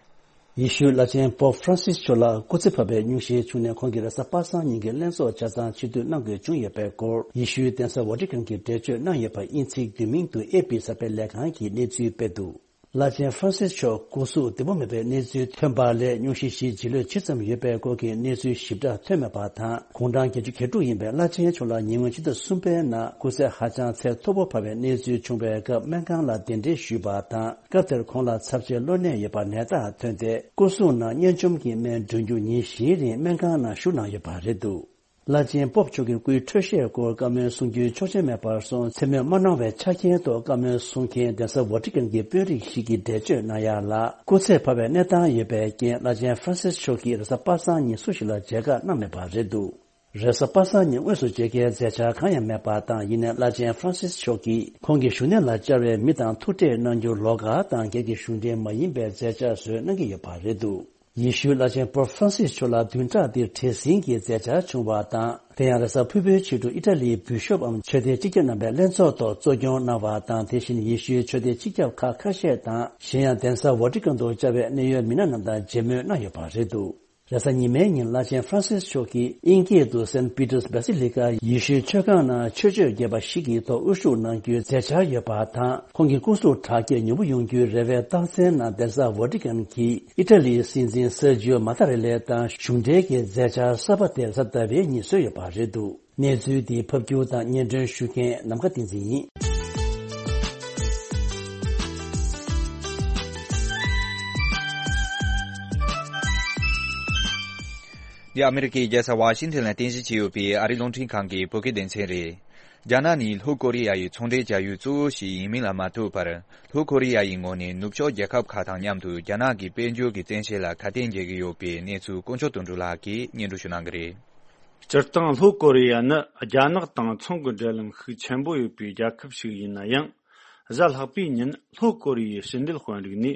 ཡེ་ཤུའི་བླ་ཆེན་Pope Francis མཆོག་ལ་སྐུ་ཚེ་འཕར་བའི་སྙུང་གཞི་བྱུང་ནས་ཁོང་གིས་རེས་གཟའ་པ་སངས་ཉིན་གྱི་ལྷན་ཚོགས་ཆ་ཚང་ཕྱིར་བསྡུ་གནང་དགོས་བྱུང་ཡོད་པའི་སྐོར། ཡེ་ཤུའི་གདན་ས་ཝ་ཏི་ཁན་གྱིས་འགྲེལ་བརྗོད་གནང་ཡོད་པ་དབྱིན་ཚིག་བསྡུས་མིང་དུ་ཨེ་པི་གསར་སྤེལ་ལས་ཁང་གིས་གནས་ཚུལ་སྤེལ་འདུག་བླ་ཆེན་ཧྥ་རན་སིས་མཆོག་སྐུ་གཟུགས་བདེ་པོ་མེད་པའི་གནས་ཚུལ་ཐོན་པ་ལས་སྙུང་གཞི་ཞིག་བྱིས་ལོས་ཕྱེད་ཙམ་ཡོད་པའི་སྐོར་གྱི་གནས་ཚུལ་ཞིབ་ཕྲ་ཐོན་མེད་པ་དང་། དགུང་གྲངས་བརྒྱད་ཅུ་གྱ་དྲུག་ཡིན་པའི་བླ་ཆེན་མཆོག་ལ་ཉེ་སྔོན་ཕྱི་ཟླ་གསུམ་པའི་ནང་སྐུ་ཚེ་ཧ་ཅང་ཚད་མཐོ་པོ་འཕར་བའི་གནས་ཚུལ་བྱུང་བའི་སྐབས་སྨན་ཁང་ལ་གདན་འདྲེན་ཞུས་པ་དང་། སྐབས་དེར་ཁོང་ལ་ཚབས་ཆེའི་གློ་ནད་ཡོད་པ་ནད་རྟགས་ཐོན་ཏེ། སྐུ་གཟུགས་ནང་གཉན་འཇོམས་ཀྱི་སྨན་སྦྲུམ་རྒྱུ་ཉིན་བཞིའི་རིང་སྨན་ཁང་ནང་བཞུགས་གནང་ཡོད་པ་རེད་འདུག་བླ་ཆེན་པོབ་མཆོག་གི་སྐུའི་འཕྲོད་བཞེས་སྐོར་བཀའ་མོལ་གསུང་རྒྱུའི་ཆོག་མཆན་མེད་པར་སོང་མཚན་སྨོད་མ་གནང་བའི་ཆ་རྐྱེན་ཐོག་བཀའ་མོལ་གསུང་མཁན་གདན་ས་ཝ་ཏི་ཀན་གྱི་དཔོན་རིགས་ཤིག་གིས་འགྲེལ་བརྗོད་གནང་ཡག་ལ། སྐུ་ཚེ་འཕར་བའི་གནས་སྟངས་ཡོད་པའི་རྐྱེན། བླ་ཆེན་ཧྥ་རན་སིས་མཆོག་གིས་རེས་གཟའ་པ་སངས་ཉིན་སུ་ཞིག་ལ་མཇལ་ཁ་གནང་མེད་པ་རེད་འདུག་རེས་གཟའ་པ་སངས་ཉིན་དངོས་སུ་མཇལ་ཁའི་མཛད་འཆར་གང་ཡང་མེད་པ་དང་། ཡིན་ནའི་བླ་ཆེན་ཧྥ་རན་སིས་མཆོག་གིས་ཁོང་གི་བཞུགས་གནས་ལ་བཅར་བའི་མི་དང་ཐུག་འཕྲད་གནང་རྒྱུ་ལོགས་ཀ་དང་། སྒེར་གྱི་གཞུང་འབྲེལ་མ་ཡིན་པའི་མཛད་འཆར་བཟོས་གནང་གི་ཡོད་པ་རེད་འདུག་ཡེ་ཤུའི་བླ་ཆེན་པོབ་ཧྥ་རན་སིས་མཆོག་ལ་བདུན་ཕྲག་འདིར་བྲེལ་ཟིང་གི་མཛད་འཆར་བྱུང་བ་དང་། དེ་ཡང་རེས་གཟའ་ཕུར་བུའི་ཕྱི་དྲོ་ཨི་ཊ་ལིའི་བུ་ཤོབ་འམ་ཆོས་སྡེ་སྤྱི་ཁྱབ་རྣམ་པའི་ལྷན་ཚོགས་ཐོག་གཙོ་སྐྱོང་གནང་བ་དང་། དེ་བཞིན་ཡེ་ཤུའི་ཆོས་སྡེ་སྤྱི་ཁྱབ་ཁག་ཁ་ཤས་དང་། གཞན་ཡང་གདན་ས་ཝ་ཏི་ཀན་དུ་བཅར་བའི་གནད་ཡོད་མི་སྣ་རྣམས་དང་མཇལ་མོལ་གནང་ཡོད་པ་རེད་འདུག་རེས་གཟའ་ཉི་མའི་ཉིན་བླ་ཆེན་ཧྥ་རན་སིས་མཆོག་གིས་དབྱིན་སྐད་དུ་Saint Peter's Basilica ཡེ་ཤུའི་མཆོད་ཁང་ནང་ཆོས་སྤྱོད་རྒྱས་པ་ཞིག་གི་ཐོག་དབུ་བཞུགས་གནང་རྒྱུའི་མཛད་འཆར་ཡོད་པ་དང་། ཁོང་གི་སྐུ་གཟུགས་དྲག་སྐྱེད་མྱུར་པོ་ཡོང་རྒྱུའི་རེ་བའི་རྟགས་མཚན་ནང་གདན་ས་ཝ་ཏི་ཀན་གྱི་ཨི་ཊ་ལིའི་སྲིད་འཛིན་སེར་ཇིའོ་མ་ཏཱ་རེ་ལེ་དང་གཞུང་འབྲེལ་གྱི་མཛད་འཆར་གསར་པ་དེ་གཟའ་ཟླ་བའི་ཉིན་བཟོས་ཡོད་པ་རེད་འདུག་གནས་ཚུལ་འདི་ཕབ་སྒྱུར་དང་སྙན་སྒྲོན་ཞུ་མཁན་ནམ་མཁའ་བསྟན་འཛིན་ཡིན། འདི་ཨ་མི་རི་ཀའི་རྒྱལ་ས་ཝ་ཤིང་ཊོན་ལ་རྟེན་གཞི་བྱས་ཡོད་པའི་ཨ་རིའི་རླུང་འཕྲིན་ཁང་གི་བོད་སྐད་སྡེ་ཚན་རེད། རྒྱ་ནག་ནི་ལྷོ་ཀོ་རི་ཡ་ཡི་ཚོང་འབྲེལ་བྱ་ཡུལ་གཙོ་བོ་ཞིག་ཡིན་མིན་ལ་མ་ལྟོས་པར། ལྷོ་ཀོ་རི་ཡ་ཡི་ངོས་ནས་ནུབ་ཕྱོགས་རྒྱལ་ཁབ་ཁག་དང་མཉམ་དུ་རྒྱ་ནག་གི་དཔལ་འབྱོར་གྱི་བཙན་ཤེད་ལ་ཁ་གཏད་འཇལ་གྱི་ཡོད་པའི་གནས་ཚུལ་དཀོན་མཆོག་དོན་གྲུབ་ལགས་ཀྱིས་སྙན་སྒྲོན་ཞུ་གནང་གི་རེད། སྤྱིར་བཏང་ལྷོ་ཀོ་རི་ཡ་ནི་རྒྱ་ནག་དང་ཚོང་གི་འབྲེལ་ལམ་ཤུགས་ཆེན་པོ་ཡོད་པའི་རྒྱལ་ཁབ་ཞིག་ཡིན་ན་ཡང་། གཟའ་ལྷག་པའི་ཉིན་ལྷོ་ཀོ་རི་ཡའི་ཕྱི་འབྲེལ་དཔོན་རིགས་ནས་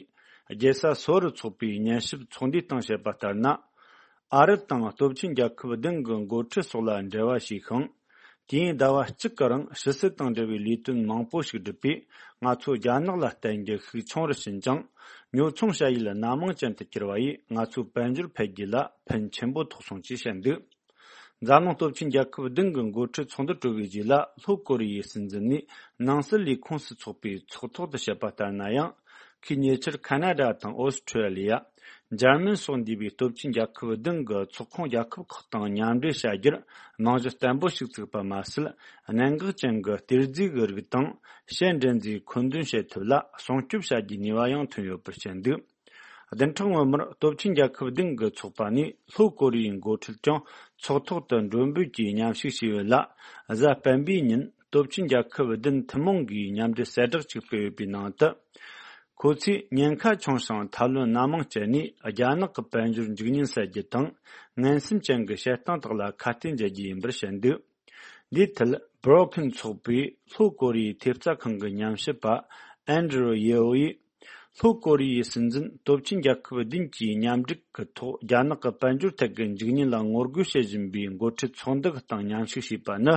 རྒྱལ་ས་སོལ་རུ་འཚོགས་པའི་ཉན་ཞིབ་ཚོགས་འདུའི་སྟེང་བཤད་པ་ལྟར་ན། ཨ་རི་དང་སྟོབས་ཆེན་རྒྱལ་ཁབ་བདུན་གྱི་འགོ་ཁྲིད་སོགས་ལ་འབྲེལ་བ་བྱས་ཤིང་། དུས་ཡུན་ཟླ་བ་གཅིག་གི་རིང་ཕྱི་སྲིད་དང་འབྲེལ་བའི་ལས་དོན་མང་པོ་ཞིག་བསྒྲུབས་པས། ང་ཚོ་རྒྱ་ནག་ལ་བརྟེན་རྒྱུ་ཤུགས་ཆུང་རུ་ཕྱིན་ཅིང་། ཉོ་ཚོང་བྱ་ཡུལ་སྣ་མང་ཅན་དུ་གྱུར་བ་ཡིས་ང་ཚོའི་དཔལ་འབྱོར་འཕེལ་རྒྱས་ལ་ཕན་ཆེན་པོ་ཐོགས་སོང་ཅེས་བཤད་འདུག་འཛམ་གླིང་སྟོབས་ཆེན་རྒྱལ་ཁབ་བདུན་གྱི་འགོ་ཁྲིད་ཚོགས་འདུ་གྲོལ་བའི་རྗེས་ལ། ལྷོ་ཀོ་རི་ཡའི་སྲིད་འཛིན་ནས་ནང་སྲིད་ལས་ཁུངས་སུ་ཚོགས་པའི་ཚོགས་ཐོག་ཏུ་བཤད་པ་ལྟར་ན་ཡང་། ཁོས་ཉེ་ཆར་ཁ་ན་ཌ་དང་ཨོ་སི་ཁྲུ་ལི་ཡ། འཇར་མན་སོགས་འདུས་པའི་སྟོབས་ཆེན་རྒྱལ་ཁབ་བདུན་གྱི་ཚོགས་ཁོངས་རྒྱལ་ཁབ་ཁག་དང་མཉམ་འབྲེལ་བྱ་རྒྱུར་རྨང་གཞི་བརྟན་པོ་ཞིག་བཙུགས་པ་མ་ཟད། གནད་འགག་ཅན་གྱི་གཏེར་རྫས་ཀྱི་རིགས་དང་། ཕྱི་འབྲེལ་མཛའ་མཐུན་མཁོ་འདོན་བྱེད་ཐབས་ལ་སྲུང་སྐྱོབ་བྱ་རྒྱུའི་ནུས་པ་ཡང་ཐོན་ཡོད་པར་བཤད་འདུག་བདུན་ཕྲག་སྔོན་མར་སྟོབས་ཆེན་རྒྱལ་ཁབ་བདུན་གྱི་ཚོགས་པ་ནས་ལྷོ་ཀོ་རི་ཡའི་འགོ་ཁྲིད་ཀྱང་ཚོགས་ཐོག་ཏུ་མགྲོན་འབོད་ཀྱིས་མཉམ་ཞུགས་བྱས་ཡོད་ལ། གཟའ་སྤེན་པའི་ཉིན་སྟོབས་ཆེན་རྒྱལ་ཁབ་བདུན་ཐུན་མོང་གིས་མཉམ་འབྲེལ་གསལ་བསྒྲགས་ཅིག་སྤེལ་ཡོད་པའི་ནང་དུ། ཁོ་ཚོས་ཉེན་ཁ་ཆུང་ཞིང་ཐབས་ལམ་སྣ་མང་སྤྱད་ནས་རྒྱ་ནག་གི་དཔལ་འབྱོར་འཇིག་ཉེན་སེལ་རྒྱུ་དང་། ངན་སེམས་ཅན་གྱི་བྱེད་སྟངས་དག་ལ་ཁ་གཏད་འཇལ་རྒྱུ་ཡིན་པར་བཤད་འདུག་འདིའི་ཐད་བྷི་རོ་ཁིན་ཚོགས་པའི་ལྷོ་ཀོ་རི་ཡའི་ཐེབས་རྩ་ཁང་གི་ཉམས་ཞིབ་པ་ཨན་ཌྲུ་ཡེའོ་ཡིས། ལྷོ་ཀོ་རི་ཡའི་སྲིད་འཛིན་སྟོབས་ཆེན་རྒྱལ་ཁབ་བདུན་གྱིས་མཉམ་འབྲེལ་གྱི་ཐོག་རྒྱ་ནག་གི་དཔལ་འབྱོར་ཐད་ཀྱི་འཇིག་ཉེན་ལ་ངོ་རྒོལ་བྱེད་བཞིན་པའི་འགོ་ཁྲིད་ཚོགས་འདུ་གི་སྟེང་མཉམ་ཞུགས་བྱས་པ་ནི།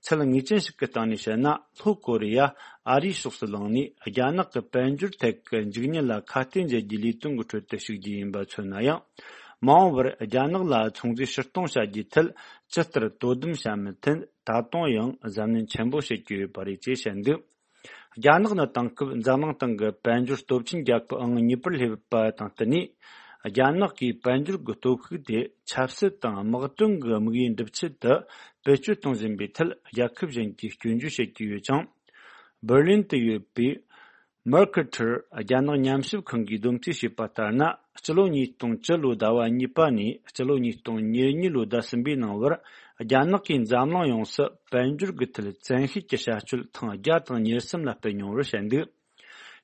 ཚད་ངེས་ཅན་ཞིག་གི་སྟེང་ནས་བཤད་ན། ལྷོ་ཀོ་རི་ཡ་ཨ་རིའི་ཕྱོགས་སུ་ལངས་ནས་རྒྱ་ནག་གི་དཔལ་འབྱོར་ཐད་ཀྱི་འཇིག་ཉེན་ལ་ཁ་གཏད་འཇལ་རྒྱུའི་ལས་དོན་གྱི་ཁྲོད་དུ་ཞུགས་རྒྱུ་ཡིན་པ་མཚོན་ན་ཡང་། མ་འོངས་པར་རྒྱ་ནག་ལ་ཚོང་རྫས་ཕྱིར་གཏོང་བྱ་རྒྱུའི་ཐད་ཇི་ལྟར་དོ་དམ་བྱ་མིན་ཐད་ད་དུང་ཡང་གཟབ་ནན་ཆེན་པོ་བྱེད་ཀྱི་ཡོད་པ་རེད་ཅེས་བཤད་འདུག་རྒྱ་ནག་ནི་དེང་སྐབས་འཛམ་གླིང་སྟེང་གི་དཔལ་འབྱོར་སྟོབས་ཆེན་རྒྱལ་ཁབ་ཨང་གཉིས་པར་སླེབས་པ་དང་བསྟུན་ནས། རྒྱ་ནག་གིས་དཔལ་འབྱོར་གྱི་སྟོབས་ཤུགས་དེ་ཆབ་སྲིད་དང་དམག་དོན་གྱི་དམིགས་ཡུལ་འགྲུབ་ཆེད་དུ་བེད་སྤྱོད་གཏོང་བཞིན་པའི་ཐད་རྒྱལ་ཁབ་གཞན་གྱིས་སྐྱོན་བརྗོད་བྱེད་ཀྱི་ཡོད་ཅིང་། འབར་ལིན་དུ་ཡོད་པའི་Mercator རྒྱ་ནག་ཉམས་ཞིབ་ཁང་གིས་བསྡོམས་རྩིས་བྱས་པ་ལྟར་ན། སྤྱི་ལོ་ཉིས་སྟོང་བཅུ་ལོའི་ཟླ་བ་གཉིས་པ་ནས་སྤྱི་ལོ་ཉིས་སྟོང་ཉེར་གཉིས་ལོའི་ཟླ་གསུམ་པའི་ནང་བར། རྒྱ་ནག་གིས་འཛམ་གླིང་ཡོངས་སུ་དཔལ་འབྱོར་གྱི་ཐད་བཙན་ཤེད་ཀྱི་བྱ་སྤྱོད་ཐེངས་བརྒྱ་དང་ཉེར་གསུམ་ལ་སྤེལ་མྱོང་བར་བཤད་འདུག་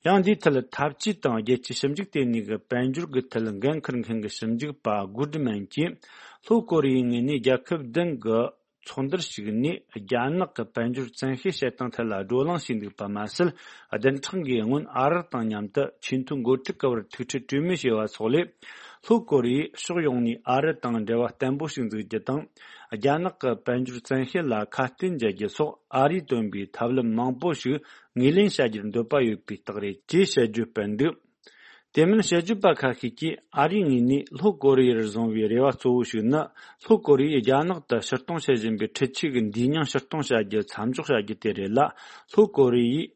ཡང་འདིའི་ཐད་འཐབ་ཇུས་དང་རྒྱལ་སྤྱིའི་ཞིབ་འཇུག་ལྟེ་གནས་ཀྱི་དཔལ་འབྱོར་གྱི་ཐད་འགན་འཁུར་མཁན་གྱི་ཞིབ་འཇུག་པ་Goodman གྱིས། ལྷོ་ཀོ་རི་ཡའི་ངོས་ནས་རྒྱལ་ཁབ་བདུན་གྱི་ཚོགས་འདུར་ཞུགས་ནས་རྒྱ་ནག་གི་དཔལ་འབྱོར་བཙན་ཤེད་བྱེད་སྟངས་ཐད་ལ་བགྲོ་གླེང་བྱས་འདུག་པ་མ་ཟད། བདུན་ཕྲག་འགའི་སྔོན་ཨ་རི་དང་མཉམ་དུ་ཆེས་མཐོའི་འགོ་ཁྲིད་ཀྱི་བར་ཐུག་འཕྲད་གྲོས་མོལ་བྱས་པ་སོགས་ལས། ལྷོ་ཀོ་རི་ཡས་ཕྱོགས་ཡོངས་ནས་ཨ་རི་དང་འབྲེལ་བ་བརྟན་པོ་ཞིག་འཛུགས་རྒྱུ་དང་། རྒྱ་ནག་གི་དཔལ་འབྱོར་བཙན་ཤེད་ལ་ཁ་གཏད་འཇལ་རྒྱུ་སོགས་ཨ་རིས་བཏོན་པའི་ཐབས་ལམ་མང་པོ་ཞིག་ངོས་ལེན་བྱ་རྒྱུར་འདོད་པ་ཡོད་པའི་རྟགས་རེད་ཅེས་དཔྱད་བརྗོད་སྤེལ་འདུག་དེ་མིན་དཔྱད་བརྗོད་པ་ཁ་ཤས་ཀྱིས་ཨ་རིའི་ངོས་ནས་ལྷོ་ཀོ་རི་ཡར་བཟུང་བའི་རེ་བ་གཙོ་བོ་ཞིག་ནི། ལྷོ་ཀོ་རི་ཡས་རྒྱ་ནག་ཏུ་ཕྱིར་གཏོང་བྱེད་བཞིན་པའི་འཕྲུལ་ཆས་ཀྱི་འདུས་མྱོང་ཕྱིར་གཏོང་བྱ་རྒྱུ་མཚམས་འཇོག་བྱ་རྒྱུ་དེ་རེད་ལ། ལྷོ་ཀོ་རི་ཡས་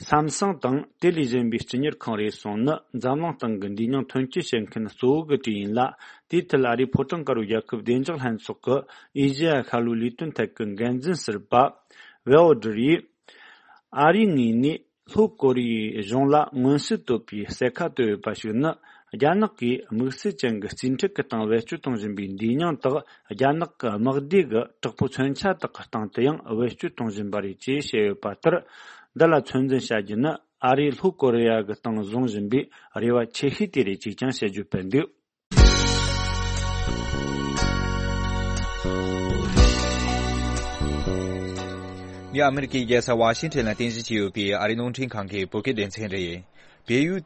སམ་སང་དང་དེ་ལས་གཞན་པའི་སྤྱི་གཉེར་ཁང་རེ་ཟུང་ནི་འཛམ་གླིང་སྟེང་གི་འདུས་མྱོང་ཐོན་སྐྱེད་བྱེད་མཁན་གཙོ་བོ་གི་གྲས་ཡིན་ལ། དེའི་ཐད་ཨ་རིའི་ཕོ་བྲང་དཀར་པོའི་རྒྱལ་ཁབ་བདེ་འཇགས་ལྷན་ཚོགས་ཀྱི་ཨེ་ཤེ་ཡ་ཤར་ལྷོའི་ལས་དོན་ཐད་ཀྱི་འགན་འཛིན་ཟུར་པ་ཝེའོ་ཌར་ཡིས། ཨ་རིའི་ངོས་ནས་ལྷོ་ཀོ་རི་ཡའི་གཞུང་ལ་མངོན་གསལ་དོད་པའི་གསལ་ཁ་བཏོད་ཡོད་པ་ཞིག་ནི། རྒྱ་ནག་གིས་དམིགས་བསལ་ཅན་གྱི་རྩིས་ཁྲ་གི་སྟེང་བེད་སྤྱོད་གཏོང་བཞིན་པའི་འདུས་མྱོང་དག་རྒྱ་ནག་གི་དམག་སྡེ་གི་དྲག་པོའི་མཚོན་ཆ་དག་གི་སྟེང་དུ་ཡང་བེད་སྤྱོད་གཏོང་བཞིན་པ་རེད་ཅེས་བཤད་ཡོད་པ་ལྟར། འདི་ལ་ཚོད་འཛིན་བྱ་རྒྱུ་ནི་ཨ་རིས་ལྷོ་ཀོ་རི་ཡ་གི་སྟེང་བཟུང་བཞིན་པའི་རེ་བ་ཆེ་ཤོས་དེ་རེད་ཅེས་ཀྱང་དཔྱད་བརྗོད་སྤེལ་འདུག་འདི་ཨ་མི་རི་ཀའི་རྒྱལ་ས་ཝ་ཤིང་ཊོན་ལ་རྟེན་གཞི་བྱས་ཡོད་པའི་ཨ་རིའི་རླུང་འཕྲིན་ཁང་གི་བོད་སྐད་སྡེ་ཚན་རེད། བལ་ཡུལ་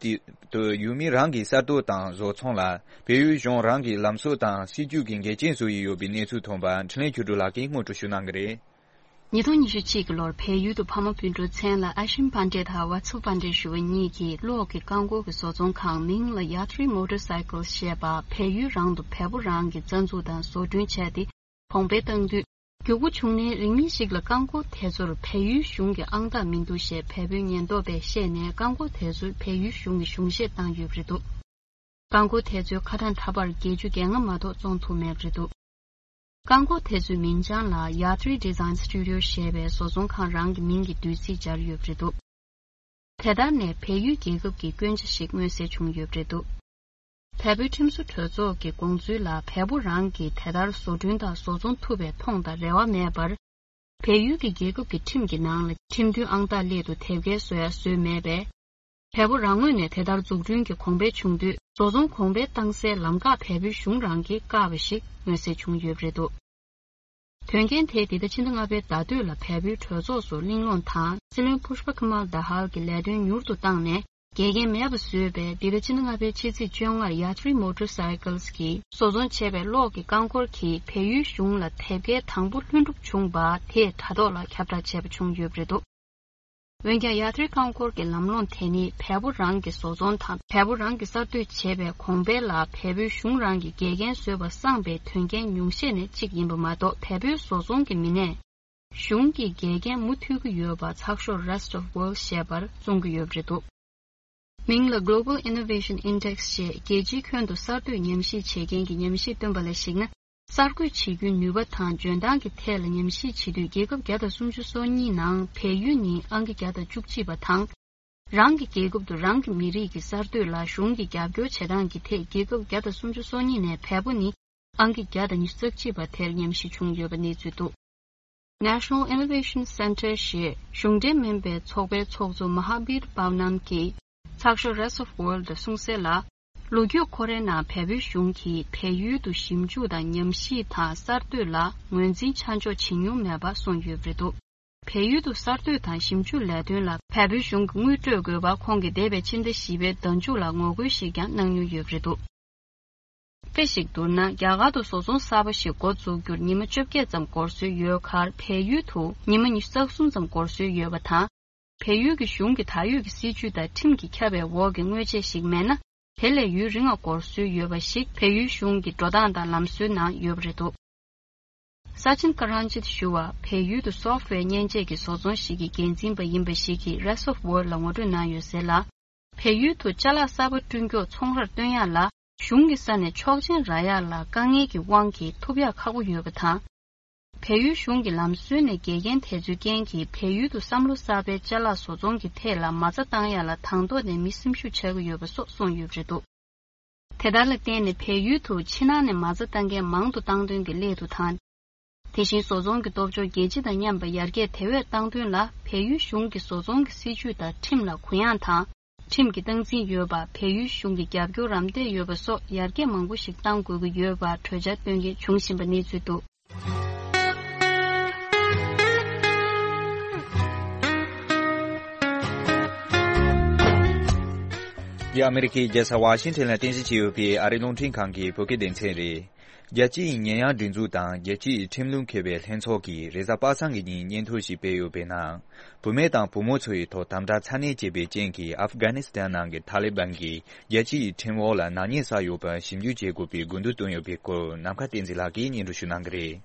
དུ་ཡུལ་མི་རང་གི་ས་རྡོ་དང་བཟོ་ཚོང་ལ་བལ་ཡུལ་གཞུང་རང་གི་ལམ་སྲོལ་དང་སྲིད་ཇུས་ཀྱི་འགལ་རྐྱེན་བཟོ་ཡི་ཡོད་པའི་གནས་ཚུལ་ཐོན་པ་འཕྲིན་ལས་ཆོས་སྒྲོན་ལགས་ཀྱིས་སྔོན་འགྲོ་ཞུ་གནང་གི་རེད། ཉིས་སྟོང་ཉི་ཤུ་གཅིག་གི་ལོར་བལ་ཡུལ་དུ་ཕ་མ་སྤུན་གྲོགས་མཚན་ལ་ཨ་ཤིམ་པན་ཌེ་དང་ཝ་ཚུ་པན་ཌེ་ཞུ་བ་གཉིས་ཀྱིས་གློག་གི་རྐང་འཁོར་གྱི་བཟོ་ཚོང་ཁང་མིང་ལ་ཡ་ཐི་རི་མོ་ཊར་སའི་ཀལ་ཞེས་པ་བལ་ཡུལ་རང་དུ་བལ་པོ་རང་གིས་རྩ་འཛུགས་དང་བཟོ་སྐྲུན་བྱས་ཏེ། གོང་འཕེལ་བཏང་དུས། མགྱོགས་པོ་བྱུང་ནའི་རིང་མིན་ཞིག་ལ་རྐང་འཁོར་དེ་ཚོར་བལ་ཡུལ་གཞུང་གི་ཨང་རྟགས་མི་འདུག་ཞེས་བལ་པོའི་ཉེན་རྟོག་པས་བཤད་ནས་རྐང་འཁོར་དེ་ཚོར་བལ་ཡུལ་གཞུང་གིས་གཞུང་བཞེས་བཏང་ཡོད་པ་རེད་འདུག་རྐང་འཁོར་དེ་ཚོའི་ཁ་གྲངས་ད་བར་བརྒྱད་ཅུ་གྱ་ལྔ་མ་གཏོགས་བཙོང་ཐུབ་མེད་པ་རེད་འདུག་རྐང་འཁོར་དེ་ཚོའི་མིང་བྱང་ལ་ཡ་ཐི་རི་ཌི་ཟའིན་སི་ཊུ་ཌི་ཡོ་ཞེས་པའི་བཟོ་ཚོང་ཁང་རང་གི་མིང་གི་བསྡུས་ཚིག་སྦྱར་ཡོད་པ་རེད་འདུག་དེ་ལྟར་ནས་བལ་ཡུལ་རྒྱལ་ཁབ་ཀྱི་སྐྱོན་ཆ་ཞིག་མངོན་གསལ་བྱུང་ཡོད་པ་རེད་འདུག་བལ་པོའི་ཁྲིམས་བཟོ་གྲོས་ཚོགས་ཀྱི་དགོངས་ཚུལ་ལ་བལ་པོ་རང་གིས་དེ་ལྟར་བཟོ་སྐྲུན་དང་བཟོ་ཚོང་ཐུབ་པའི་མཐོང་དང་རེ་བ་མེད་པར། བལ་ཡུལ་གྱི་རྒྱལ་ཁབ་ཀྱི་ཁྲིམས་ཀྱི་ནང་ལ་ཁྲིམས་མཐུན་ཨང་རྟགས་སླད་དུ་དེབ་སྐྱེལ་བཟོ་ཡ་བཟོས་མེད་པས། བལ་པོ་རང་ངོས་ནས་དེ་ལྟར་འཛུགས་སྐྲུན་གྱི་གོང་འཕེལ་བྱུང་དུས་བཟོ་ཚོང་གོང་འཕེལ་བཏང་སའི་ལམ་ཁ་བལ་པོའི་གཞུང་རང་གིས་བཀག་པ་ཞིག་མངོན་གསལ་བྱུང་ཡོད་པ་རེད་འདུག་དོན་རྐྱེན་དེས་འདི་ཟླ་ཕྱི་ཟླ་ལྔ་པའི་ཟླ་སྟོད་ལ་བལ་པོའི་གྲོས་ཚོགས་སུ་གླེང་སློང་དང་སྲིད་བློན་ཕུཤ་པ་ཁི་མལ་དཱ་ཧལ་གྱི་ལས་དོན་མྱུར་དུ་བཏང་ནས་འགལ་རྐྱེན་མེད་པ་བཟོས་པས། འདི་ཟླ་ཕྱི་ཟླ་ལྔ་པའི་ཕྱི་ཚེས་བཅོ་ལྔར་ཡ་ཐི་རི་མོ་ཊར་སའི་ཀལ་གྱིས་བཟོ་ཚོང་བྱས་པའི་གློག་གི་རྐང་འཁོར་གྱིས་བལ་ཡུལ་གཞུང་ལ་དེབ་སྐྱེལ་དང་པོ་ལྷུན་གྲུབ་བྱུང་བ་དེས་དྲ་ཐོག་ལ་ཁྱབ་བསྒྲགས་བྱས་པ་བྱུང་ཡོད་པ་རེད་འདུག་འོན་ཀྱང་ཡ་ཐི་རི་རྐང་འཁོར་གྱི་ལམ་ལྷོང་དེ་ནི་བལ་པོ་རང་གི་བཟོ་ཚོང་དང་བལ་པོ་རང་གིས་གསར་གཏོད་བྱས་པའི་གོང་འཕེལ་ལ་བལ་པོའི་གཞུང་རང་གིས་འགལ་རྐྱེན་བཟོས་པ་སངས་པའི་དོན་རྐྱེན་ཉུང་ཤས་ནས་གཅིག་ཡིན་པ་མ་གཏོགས། བལ་པོའི་བཟོ་ཚོང་གི་མི་སྣས་གཞུང་གིས་འགལ་རྐྱེན་མུ་མཐུད་ཀྱི་ཡོད་པ་ཚགས་ཤོག་Rest of World ཞེས་པར་གསུང་གི་ཡོད་པ་རེད་འདུག་མིང་ལ་Global Innovation Index ཞེས་རྒྱལ་སྤྱིའི་ཁྱོན་དུ་གསར་གཏོད་ཉམས་ཞིབ་བྱེད་མཁན་གྱི་ཉམས་ཞིབ་བཏོན་པ་ལ་གཞིགས་ན། གསར་འགོད་བྱེད་རྒྱུའི་ནུས་པ་དང་འཇོན་ཐང་གི་ཐད་ལ་ཉམས་ཞིབ་བྱེད་དུས། རྒྱལ་ཁབ་བརྒྱ་དང་སུམ་ཅུ་སོ་གཉིས་ནང་བལ་ཡུལ་ནི་ཨང་ཀི་བརྒྱ་དང་བཅུ་གཅིག་པ་དང་། རང་གི་རྒྱལ་ཁབ་ཏུ་རང་གི་མི་རིགས་ཀྱི་གསར་གཏོད་ལ་གཞུང་གིས་རྒྱབ་སྐྱོར་བྱེད་སྟངས་ཀྱི་ཐད། རྒྱལ་ཁབ་བརྒྱ་དང་སུམ་ཅུ་སོ་གཉིས་ནས་བལ་པོ་ནི་ཨང་ཀི་བརྒྱ་དང་ཉི་ཤུ་རྩ་གཅིག་པ་དེར་ཉམས་ཞིབ་བྱུང་ཡོད་པ་གནས་ཚུལ་འདུག National Innovation Center ཞེས་གཞུང་འབྲེལ་མིན་པའི་ཚོགས་པའི་ཚོགས་གཙོ་Mahabir Pawnam གྱིས་ཚགས་ཤོག་Rest of World ལ་གསུངས་གསལ་ལ། ལོ་རྒྱུས་ཁོ་རའི་ནང་བལ་པོའི་གཞུང་གིས་བལ་ཡུལ་དུ་ཞིབ་འཇུག་དང་ཉམས་ཞིབ་དང་གསར་གཏོད་ལ་ངོས་འཛིན་ཆ་འཇོག་བྱེད་མྱོང་མེད་པ་གསུངས་ཡོད་པ་རེད་འདུག་བལ་ཡུལ་དུ་གསར་གཏོད་དང་ཞིབ་འཇུག་ལས་དོན་ལ་བལ་པོའི་གཞུང་གིས་དངུལ་སྤྲོད་དགོས་པ་ཁོང་གིས་འདས་པའི་ཕྱི་ཟླ་བཞི་པའི་ཟླ་མཇུག་ལ་ངོ་རྒོལ་ཞིག་ཀྱང་གནང་མྱོང་ཡོད་པ་རེད་འདུག་དཔེ་ཞིག་བསྡུར་ན། རྒྱ་གར་དུ་བཟོ་ཚོང་གསར་པ་ཞིག་འགོ་འཛུགས་རྒྱུར་ཉི་མ་བཅོ་བརྒྱད་ཙམ་འགོར་སྲོལ་ཡོད་ཁར། བལ་ཡུལ་དུ་ཉི་མ་ཉི་ཤུ་རྩ་གསུམ་ཙམ་འགོར་སྲོལ་ཡོད་པ་དང་། བལ་ཡུལ་གྱི་གཞུང་གི་ད་ཡོད་ཀྱི་སྲིད་ཇུས་དང་ཁྲིམས་ཀྱིས་ཁྱབ་པའི་འོག་གི་དངོས་ཆས་ཤིག་མེད་ན། དེ་ལས་ཡུན་རིང་བ་འགོར་སྲོལ་ཡོད་པ་ཞིག་བལ་ཡུལ་གཞུང་གི་འགྲོ་སྟངས་དང་ལམ་སྲོལ་ནང་ཡོད་པ་རེད་འདུག Sachin Karanjit ཞུ་བ་བལ་ཡུལ་དུ་software མཉེན་ཆས་ཀྱི་བཟོ་ཚོང་ཞིག་གི་འགན་འཛིན་པ་ཡིན་པ་ཞིག་གིས་Rest of World ལ་ངོ་སྤྲོད་གནང་ཡོད་གསལ་ལ། བལ་ཡུལ་དུ་ཅ་ལག་གསར་པ་བསྐྲུན་མགྱོགས་ཚོང་རར་བཏོན་ཡག་ལ་གཞུང་གི་ས་ནས་ཆོག་མཆན་རག་ཡག་ལ་དཀའ་ངལ་གྱི་དབང་གིས་ཐོབ་ཡག་ཁག་པོ་ཡོད་པ་དང་། བལ་ཡུལ་གཞུང་གི་ལམ་སྲོལ་ནས་འགལ་རྐྱེན་དེ་ཚོའི་རྐྱེན་གྱིས་བལ་ཡུལ་དུ་བསམ་བློ་གསར་པའི་ཅ་ལག་བཟོ་ཚོང་གི་ཐད་ལ་མ་རྩ་བཏང་ཡག་ལ་དང་ཐོག་ནས་མི་སེམས་ཤུགས་ཆག་གི་ཡོད་པ་སོགས་གསུངས་ཡོད་པ་རེད་འདུག་དེ་ལྟར་ལ་བརྟེན་ནས་བལ་ཡུལ་དུ་ཕྱི་ནང་ནས་མ་རྩ་བཏང་མཁན་མང་དུ་བཏང་དོན་གྱི་སླད་དུ་དང་། དེ་བཞིན་བཟོ་ཚོང་གི་སྟོབས་འབྱོར་རྒྱལ་སྤྱི་དང་མཉམ་པ་ཡར་རྒྱས་དེ་བས་བཏང་དོན་ལ། བལ་ཡུལ་གཞུང་གིས་བཟོ་ཚོང་གི་སྲིད་ཇུས་དང་ཁྲིམས་ལ་གུ་ཡངས་དང་། ཁྲིམས་ཀྱི་སྟངས་འཛིན་ཡོད་པ། བལ་ཡུལ་གཞུང་གི་རྒྱབ་སྐྱོར་རམ་འདེགས་ཡོད་པ་སོགས་ཡར་རྒྱས་མང་པོ་ཞིག་གཏང་དགོས་ཀྱི་ཡོད་པར་གྲོས་འཆར་བཏོན་མཁན་བྱུང་བཞིན་པ་གནས་ཚུལ་འདུག་འདི་ཨ་མེ་རི་ཁའི་རྒྱལ་ས་ཝ་ཤིང་ཊོན་ལ་རྟེན་གཞི་བྱས་ཡོད་པའི་ཨ་རིའི་རླུང་འཕྲིན་ཁང་གི་བོད་སྐད་སྡེ་ཚན་རེད། རྒྱལ་སྤྱིའི་ཉེས་ཡངས་སྒྲིག་འཛུགས་དང་རྒྱལ་སྤྱིའི་ཁྲིམས་ལུགས་མཁས་པའི་ལྷན་ཚོགས་ཀྱིས་རེས་གཟའ་པ་སངས་ཀྱི་ཉིན་སྙན་ཐོ་ཞིག་སྤེལ་ཡོད་པའི་ནང་། བུད་མེད་དང་བུ་མོ་ཚོ་ཡི་ཐོག་དམ་དྲག་ཚ་ནན་བྱས་པའི་རྐྱེན་གྱིས་ཨབ་གྷ་ནི་སི་ཐན་ནང་གི་ཐ་ལི་བན་གྱིས་རྒྱལ་སྤྱིའི་ཁྲིམས་འོག་ལ་ནག་ཉེས་བསགས་ཡོད་པར་ཞིབ་འཇུག་བྱེད་དགོས་པའི་དགོས་འདུན་བཏོན་ཡོད་པའི་སྐོར་ནམ་མཁའ་བསྟན་འཛིན་ལགས་ཀྱིས་སྙན་སྒྲོན་ཞུ་གནང་གི་རེད།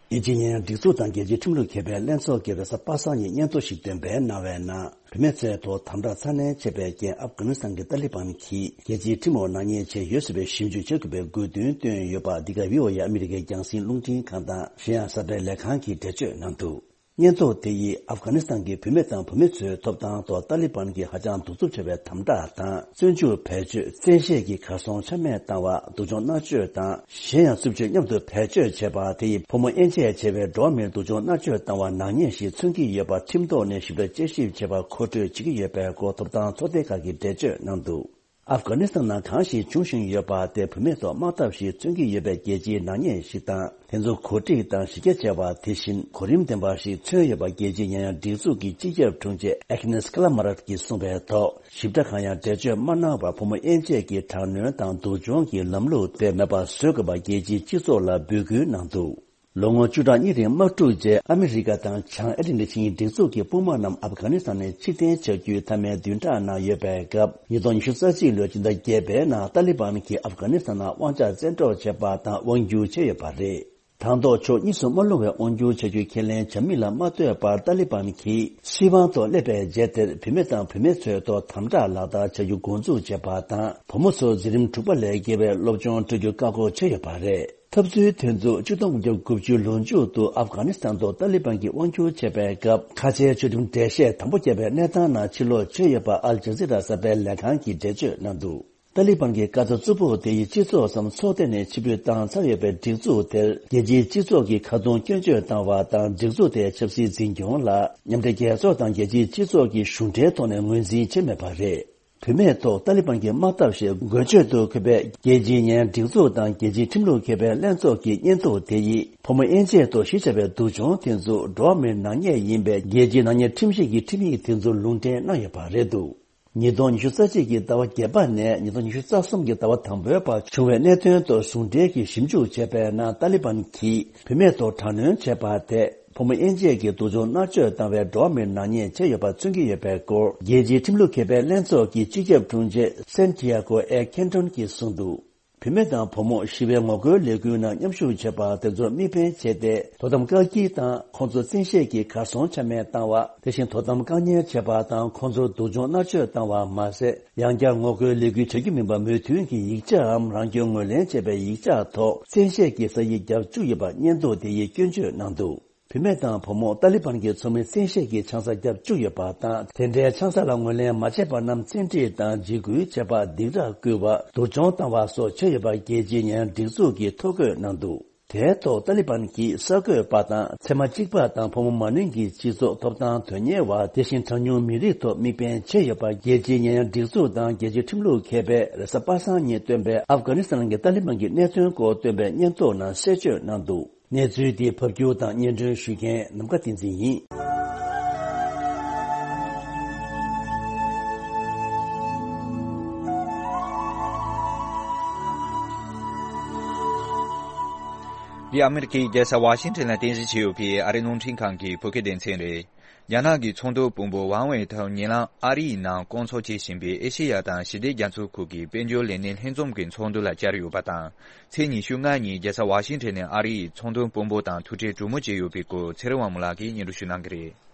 རྒྱལ་སྤྱིའི་ཉེས་ཡངས་སྒྲིག་འཛུགས་དང་རྒྱལ་སྤྱིའི་ཁྲིམས་ལུགས་མཁས་པའི་ལྷན་ཚོགས་ཀྱིས་རེས་གཟའ་པ་སངས་ཉིན་སྙན་ཐོ་ཞིག་འདོན་སྤེལ་གནང་བའི་ནང་། བུད་མེད་ཚོའི་ཐོག་དམ་དྲག་ཚ་ནན་བྱས་པའི་རྐྱེན་ཨབ་གྷ་ནི་སི་ཐན་གྱི་ཏཱ་ལི་བན་གྱིས་རྒྱལ་སྤྱིའི་ཁྲིམས་འོག་ནག་ཉེས་བྱས་ཡོད་ཟེར་བའི་ཞིབ་འཇུག་བྱ་དགོས་པའི་དགོས་འདུན་བཏོན་ཡོད་པ། འདི་ག་བྷི་ཨོ་ཨེ་ཨ་མི་རི་ཀའི་རྒྱང་སྲིང་རླུང་འཕྲིན་ཁང་དང་གཞན་ཡང་གསར་སྤེལ་ལས་ཁང་གིས་འགྲེལ་བརྗོད་གནང་འདུག་སྙན་ཐོ་དེ་ཡིས་ཨབ་གྷ་ནི་སི་ཐན་གྱི་བུད་མེད་དང་བུད་མེད་ཚོའི་ཐོབ་ཐང་ཐོག་ཏཱ་ལི་བན་གྱིས་ཧ་ཅང་གདུག་རྩུབ་ཆེ་བའི་དམ་དྲག་དང་། བཙོན་འཇུག་བེད་སྤྱོད། བཙན་ཤེད་ཀྱིས་གར་སོང་ཆ་མེད་བཏང་བ། སྡུག་སྦྱོང་མནར་གཅོད་དང་། གཞན་ཡང་རྩུབ་སྤྱོད་མཉམ་དུ་བེད་སྤྱོད་བྱས་པ། དེ་ཡིས་ཕོ་མོ་དབྱེ་འབྱེད་བྱས་པའི་འགྲོ་བ་མིར་སྡུག་སྦྱོང་མནར་གཅོད་བཏང་བ་ནག་ཉེས་ཤིག་མཚོན་གྱི་ཡོད་པ། ཁྲིམས་ཐོག་ནས་ཞིབ་ཕྲ་དཔྱད་ཞིབ་བྱེད་པར་མཁོ་སྤྲོད་བྱེད་ཀྱི་ཡོད་པའི་སྐོར་ཐོབ་ཐང་ཚོགས་སྡེ་ཁག་གིས་འགྲེལ་བརྗོད་གནང་འདུག་ཨབ་གྷ་ནི་སི་ཐན་ནང་གང་ཞིག་འབྱུང་བཞིན་ཡོད་པ་དེ་བུད་མེད་ཐོག་དམག་འཐབ་ཞིག་མཚོན་གྱི་ཡོད་པའི་རྒྱལ་སྤྱིའི་ནག་ཉེས་ཤིག་དང་། དེ་ཚོ་གོ་སྒྲིག་དང་གཞི་རྒྱ་ཆེ་བ། དེ་བཞིན་གོ་རིམ་ལྡན་པ་ཞིག་མཚོན་ཡོད་པ། རྒྱལ་སྤྱིའི་ཉེས་ཡངས་སྒྲིག་འཛུགས་ཀྱི་སྤྱི་ཁྱབ་དྲུང་ཆེ་ཨེག་ནེས་ཀ་ལ་མ་རད་ཀྱིས་གསུངས་པའི་ཐོག་ཞིབ་ཕྲ་གང་ཡང་འགྲེལ་བརྗོད་མ་གནང་བར། ཕོ་མོ་དབྱེ་འབྱེད་ཀྱི་དྲག་གནོན་དང་སྡུག་སྦྱོང་གི་ལམ་ལུགས་དེ་མེད་པ་བཟོ་དགོས་པ། རྒྱལ་སྤྱིའི་སྤྱི་ཚོགས་ལ་འབོད་སྐུལ་གནང་འདུག་ལོ་ངོ་བཅུ་ཕྲག་གཉིས་རིང་དམག་འཁྲུག་རྗེས་ཨ་མི་རི་ཀ་དང་བྱང་ཨེ་ཏི་ལི་ཆིངས་ཡིག་སྒྲིག་འཛུགས་ཀྱི་དཔུང་དམག་རྣམས་ཨབ་གྷ་ནི་སི་ཐན་ནས་ཕྱིར་འཐེན་བྱ་རྒྱུའི་མཐའ་མའི་བདུན་ཕྲག་ནང་ཡོད་པའི་སྐབས། ཉིས་སྟོང་ཉི་ཤུ་རྩ་གཅིག་ལོའི་སྤྱི་ཟླ་བརྒྱད་པའི་ནང་ཏཱ་ལི་བན་གྱིས་ཨབ་གྷ་ནི་སི་ཐན་ནང་དབང་ཆ་བཙན་འཕྲོག་བྱས་པ་དང་དབང་བསྒྱུར་བྱས་ཡོད་པ་རེད། དང་ཐོག་ཕྱོགས་གཉིས་སུ་མ་ལྷུང་བའི་དབང་བསྒྱུར་བྱ་རྒྱུའི་ཁས་ལེན་བྱ་མིན་ལ་མ་ལྟོས་པར་ཏཱ་ལི་བན་གྱིས་སྲིད་དབང་ཐོག་སླེབས་པའི་རྗེས་དེར་བུད་མེད་དང་བུད་མེད་ཚོའི་ཐོག་དམ་དྲག་ལག་བསྟར་བྱ་རྒྱུ་འགོ་འཛུགས་བྱས་པ་དང་། བུ་མོ་ཚོར་འཛིན་རིམ་དྲུག་པ་ལས་བརྒལ་བའི་སློབ་སྦྱོང་སྤྲོད་རྒྱུ་བཀག་འགོག་བྱས་ཡོད་པ་རེད། འཐབ་རྩོད་དེ་ཚོ་ཆིག་སྟོང་དགུ་བརྒྱ་དགུ་བཅུ་ལོ་མཇུག་ཏུ་ཨབ་གྷ་ནི་སི་ཐན་དུ་ཏཱ་ལི་བན་གྱིས་དབང་བསྒྱུར་བྱས་པའི་སྐབས། ཁ་ཆེའི་ཆོས་ཁྲིམས་འགྲེལ་བཤད་དམ་པོ་བརྒྱབ་པའི་གནས་སྟངས་ནང་ཕྱིར་ལོག་བྱས་ཡོད་པ་ཨལ་ཇ་ཛི་ར་གསར་པའི་ལས་ཁང་གིས་འགྲེལ་བརྗོད་གནང་འདུག་ཏཱ་ལི་བན་གྱི་བཀའ་རྩ་རྩུབ་པོ་དེ་ཡིས་སྤྱི་ཚོགས་སམ་ཚོགས་སྡེ་ནས་ཕྱིར་འབུད་བཏང་ཚར་ཡོད་པའི་སྒྲིག་འཛུགས་དེར་རྒྱལ་སྤྱིའི་སྤྱི་ཚོགས་ཀྱིས་ཁ་རྡུང་སྐྱོན་བརྗོད་བཏང་བ་དང་། སྒྲིག་འཛུགས་དེའི་ཆབ་སྲིད་འཛིན་སྐྱོང་ལ་མཉམ་འབྲེལ་རྒྱལ་ཚོགས་དང་རྒྱལ་སྤྱིའི་སྤྱི་ཚོགས་ཀྱིས་གཞུང་འབྲེལ་ཐོག་ནས་ངོས་འཛིན་བྱས་མེད་པ་རེད། བུད་མེད་ཐོག་ཏཱ་ལི་བན་གྱི་དམག་འཐབ་ཞེས་འགོད་བརྗོད་དུ་འཁོད་པའི་རྒྱལ་སྤྱིའི་ཉེས་སྒྲིག་འཛུགས་དང་རྒྱལ་སྤྱིའི་ཁྲིམས་ལུགས་མཁས་པའི་ལྷན་ཚོགས་ཀྱི་སྙན་ཐོ་དེ་ཡིས་ཕོ་མོ་དབྱེ་འབྱེད་ཐོག་གཞི་བྱས་པའི་སྡུག་སྦྱོང་དེ་ཚོ་འགྲོ་བ་མིའི་ནག་ཉེས་ཡིན་པའི་རྒྱལ་སྤྱིའི་ནག་ཉེས་ཁྲིམས་ཞིབ་ཀྱི་ཁྲིམས་ཡིག་དེ་ཚོར་ལུང་འདྲེན་གནང་ཡོད་པ་རེད་འདུག་ཉིས་སྟོང་ཉི་ཤུ་རྩ་གཅིག་གི་ཟླ་བ་བརྒྱད་པ་ནས་ཉིས་སྟོང་ཉི་ཤུ་རྩ་གསུམ་གྱི་ཟླ་བ་དང་པོའི་བར་བྱུང་བའི་གནད་དོན་ཐོག་ཟུང་འབྲེལ་གྱིས་ཞིབ་འཇུག་བྱས་པའི་ནང་ཏཱ་ལི་བན་གྱིས་བུད་མེད་ཐོག་དྲག་གནོན་བྱས་པ་དེ་ཕོ་མོ་དབྱེ་འབྱེད་ཀྱི་སྡུག་སྦྱོང་མནར་གཅོད་བཏང་བའི་འགྲོ་བ་མིའི་ནག་ཉེས་བྱས་ཡོད་པ་མཚོན་གྱི་ཡོད་པའི་སྐོར་རྒྱལ་སྤྱིའི་ཁྲིམས་ལུགས་མཁས་པའི་ལྷན་ཚོགས་ཀྱི་སྤྱི་ཁྱབ་དྲུང་ཆེ་སན་ཏི་ཡ་གོ་ཨེ་ཁེན་ཏོན་གྱིས་གསུངས་འདུག་བུད་མེད་དང་བུ་མོ་ཞི་བའི་ངོ་རྒོལ་ལས་འགུལ་ནང་མཉམ་ཞུགས་བྱས་པ་དེ་ཚོར་དམིགས་འབེན་བྱས་ཏེ། དོ་དམ་བཀག་སྐྱིལ་དང་ཁོང་ཚོ་བཙན་ཤེད་ཀྱིས་གར་སོང་ཆ་མེད་བཏང་བ། དེ་བཞིན་དོ་དམ་བཀག་ཉར་བྱས་པ་དང་ཁོང་ཚོར་སྡུག་སྦྱོང་མནར་གཅོད་བཏང་བ་མ་ཟད། ཡང་བསྐྱར་ངོ་རྒོལ་ལས་འགུལ་བྱ་རྒྱུ་མིན་པ་མོས་མཐུན་གྱི་ཡིག་ཆའམ་རང་སྐྱོན་ངོས་ལེན་བྱས་པའི་ཡིག་ཆ་ཐོག་བཙན་ཤེད་ཀྱིས་ས་ཡིག་བརྒྱབ་བཅུག་ཡོད་པ་སྙན་ཐོ་དེ་ཡིས་སྐྱོན་བརྗོད་གནང་འདུག་བུད་མེད་དང་བུ་མོ་ཏཱ་ལི་བན་གྱི་ཚོགས་མི་བཙན་ཤེད་ཀྱིས་ཆང་ས་བརྒྱབ་བཅུག་ཡོད་པ་དང་། དེ་འདྲའི་ཆང་ས་ལ་ངོས་ལེན་མ་བྱས་པ་རྣམས་བཙན་ཁྲིད་དང་འཇིགས་སྐུལ་བྱས་པ། སྡིགས་ར་བསྐུལ་བ། སྡུག་སྦྱོང་བཏང་བ་སོགས་བྱས་ཡོད་པ་རྒྱལ་སྤྱིའི་ཉེས་སྒྲིག་འཛུགས་ཀྱིས་ཐོ་འགོད་གནང་འདུག་དེའི་ཐོག་ཏཱ་ལི་བན་གྱིས་གསར་འགོད་པ་དང་། ཚད་མ་གཅིག་པ་དང་ཕོ་མོ་མ་ནིང་གི་སྤྱི་ཚོགས་ཐོབ་ཐང་དོན་གཉེར་བ། དེ་བཞིན་གྲངས་ཉུང་མི་རིགས་ཐོག་དམིགས་འབེན་བྱས་ཡོད་པ། རྒྱལ་སྤྱིའི་ཉེས་སྒྲིག་འཛུགས་དང་རྒྱལ་སྤྱིའི་ཁྲིམས་ལུགས་མཁས་པས་རེས་གཟའ་པ་སངས་ཉིན་བཏོན་པའི་ཨབ་གྷ་ནི་སི་ཐན་གྱི་ཏཱ་ལི་བན་གྱི་གནད་དོན་སྐོར་བཏོན་པའི་སྙན་ཐོ་ནང་གསལ་བརྗོད་གནང་འདུག་གནས་ཚུལ་འདི་ཕབ་སྒྱུར་དང་སྙན་སྒྲོན་ཞུ་མཁན་ནམ་མཁའ་བསྟན་འཛིན་ཡིན། འདི་ཨ་མི་རི་ཀའི་རྒྱལ་ས་ཝ་ཤིང་ཊོན་ལ་རྟེན་གཞི་བྱས་ཡོད་པའི་ཨ་རིའི་རླུང་འཕྲིན་ཁང་གི་བོད་སྐད་སྡེ་ཚན་རེད། རྒྱ་ནག་གི་ཚོང་དོན་དཔོན་པོ་ཝང་ཝེ་ཐའོ་ཉེ་ལམ་ཨ་རིའི་ནང་སྐོང་ཚོགས་བྱེད་བཞིན་པའི་ཨེ་ཤེ་ཡ་དང་ཞི་བདེ་རྒྱ་མཚོའི་ཁུལ་གྱི་དཔལ་འབྱོར་ལས་སྣེ་ལྷན་འཛོམས་ཀྱི་ཚོགས་འདུ་ལ་བཅར་ཡོད་པ་དང་། ཚེས་ཉི་ཤུ་ལྔ་ཉིན་རྒྱལ་ས་ཝ་ཤིང་ཊོན་ནས་ཨ་རིའི་ཚོང་དོན་དཔོན་པོ་དང་ཐུག་འཕྲད་གྲོས་མོལ་བྱས་ཡོད་པའི་སྐོར་ཚེ་རིང་དབང་མོ་ལགས་ཀྱིས་སྙན་སྒྲོན་ཞུ་གནང་གི་རེད།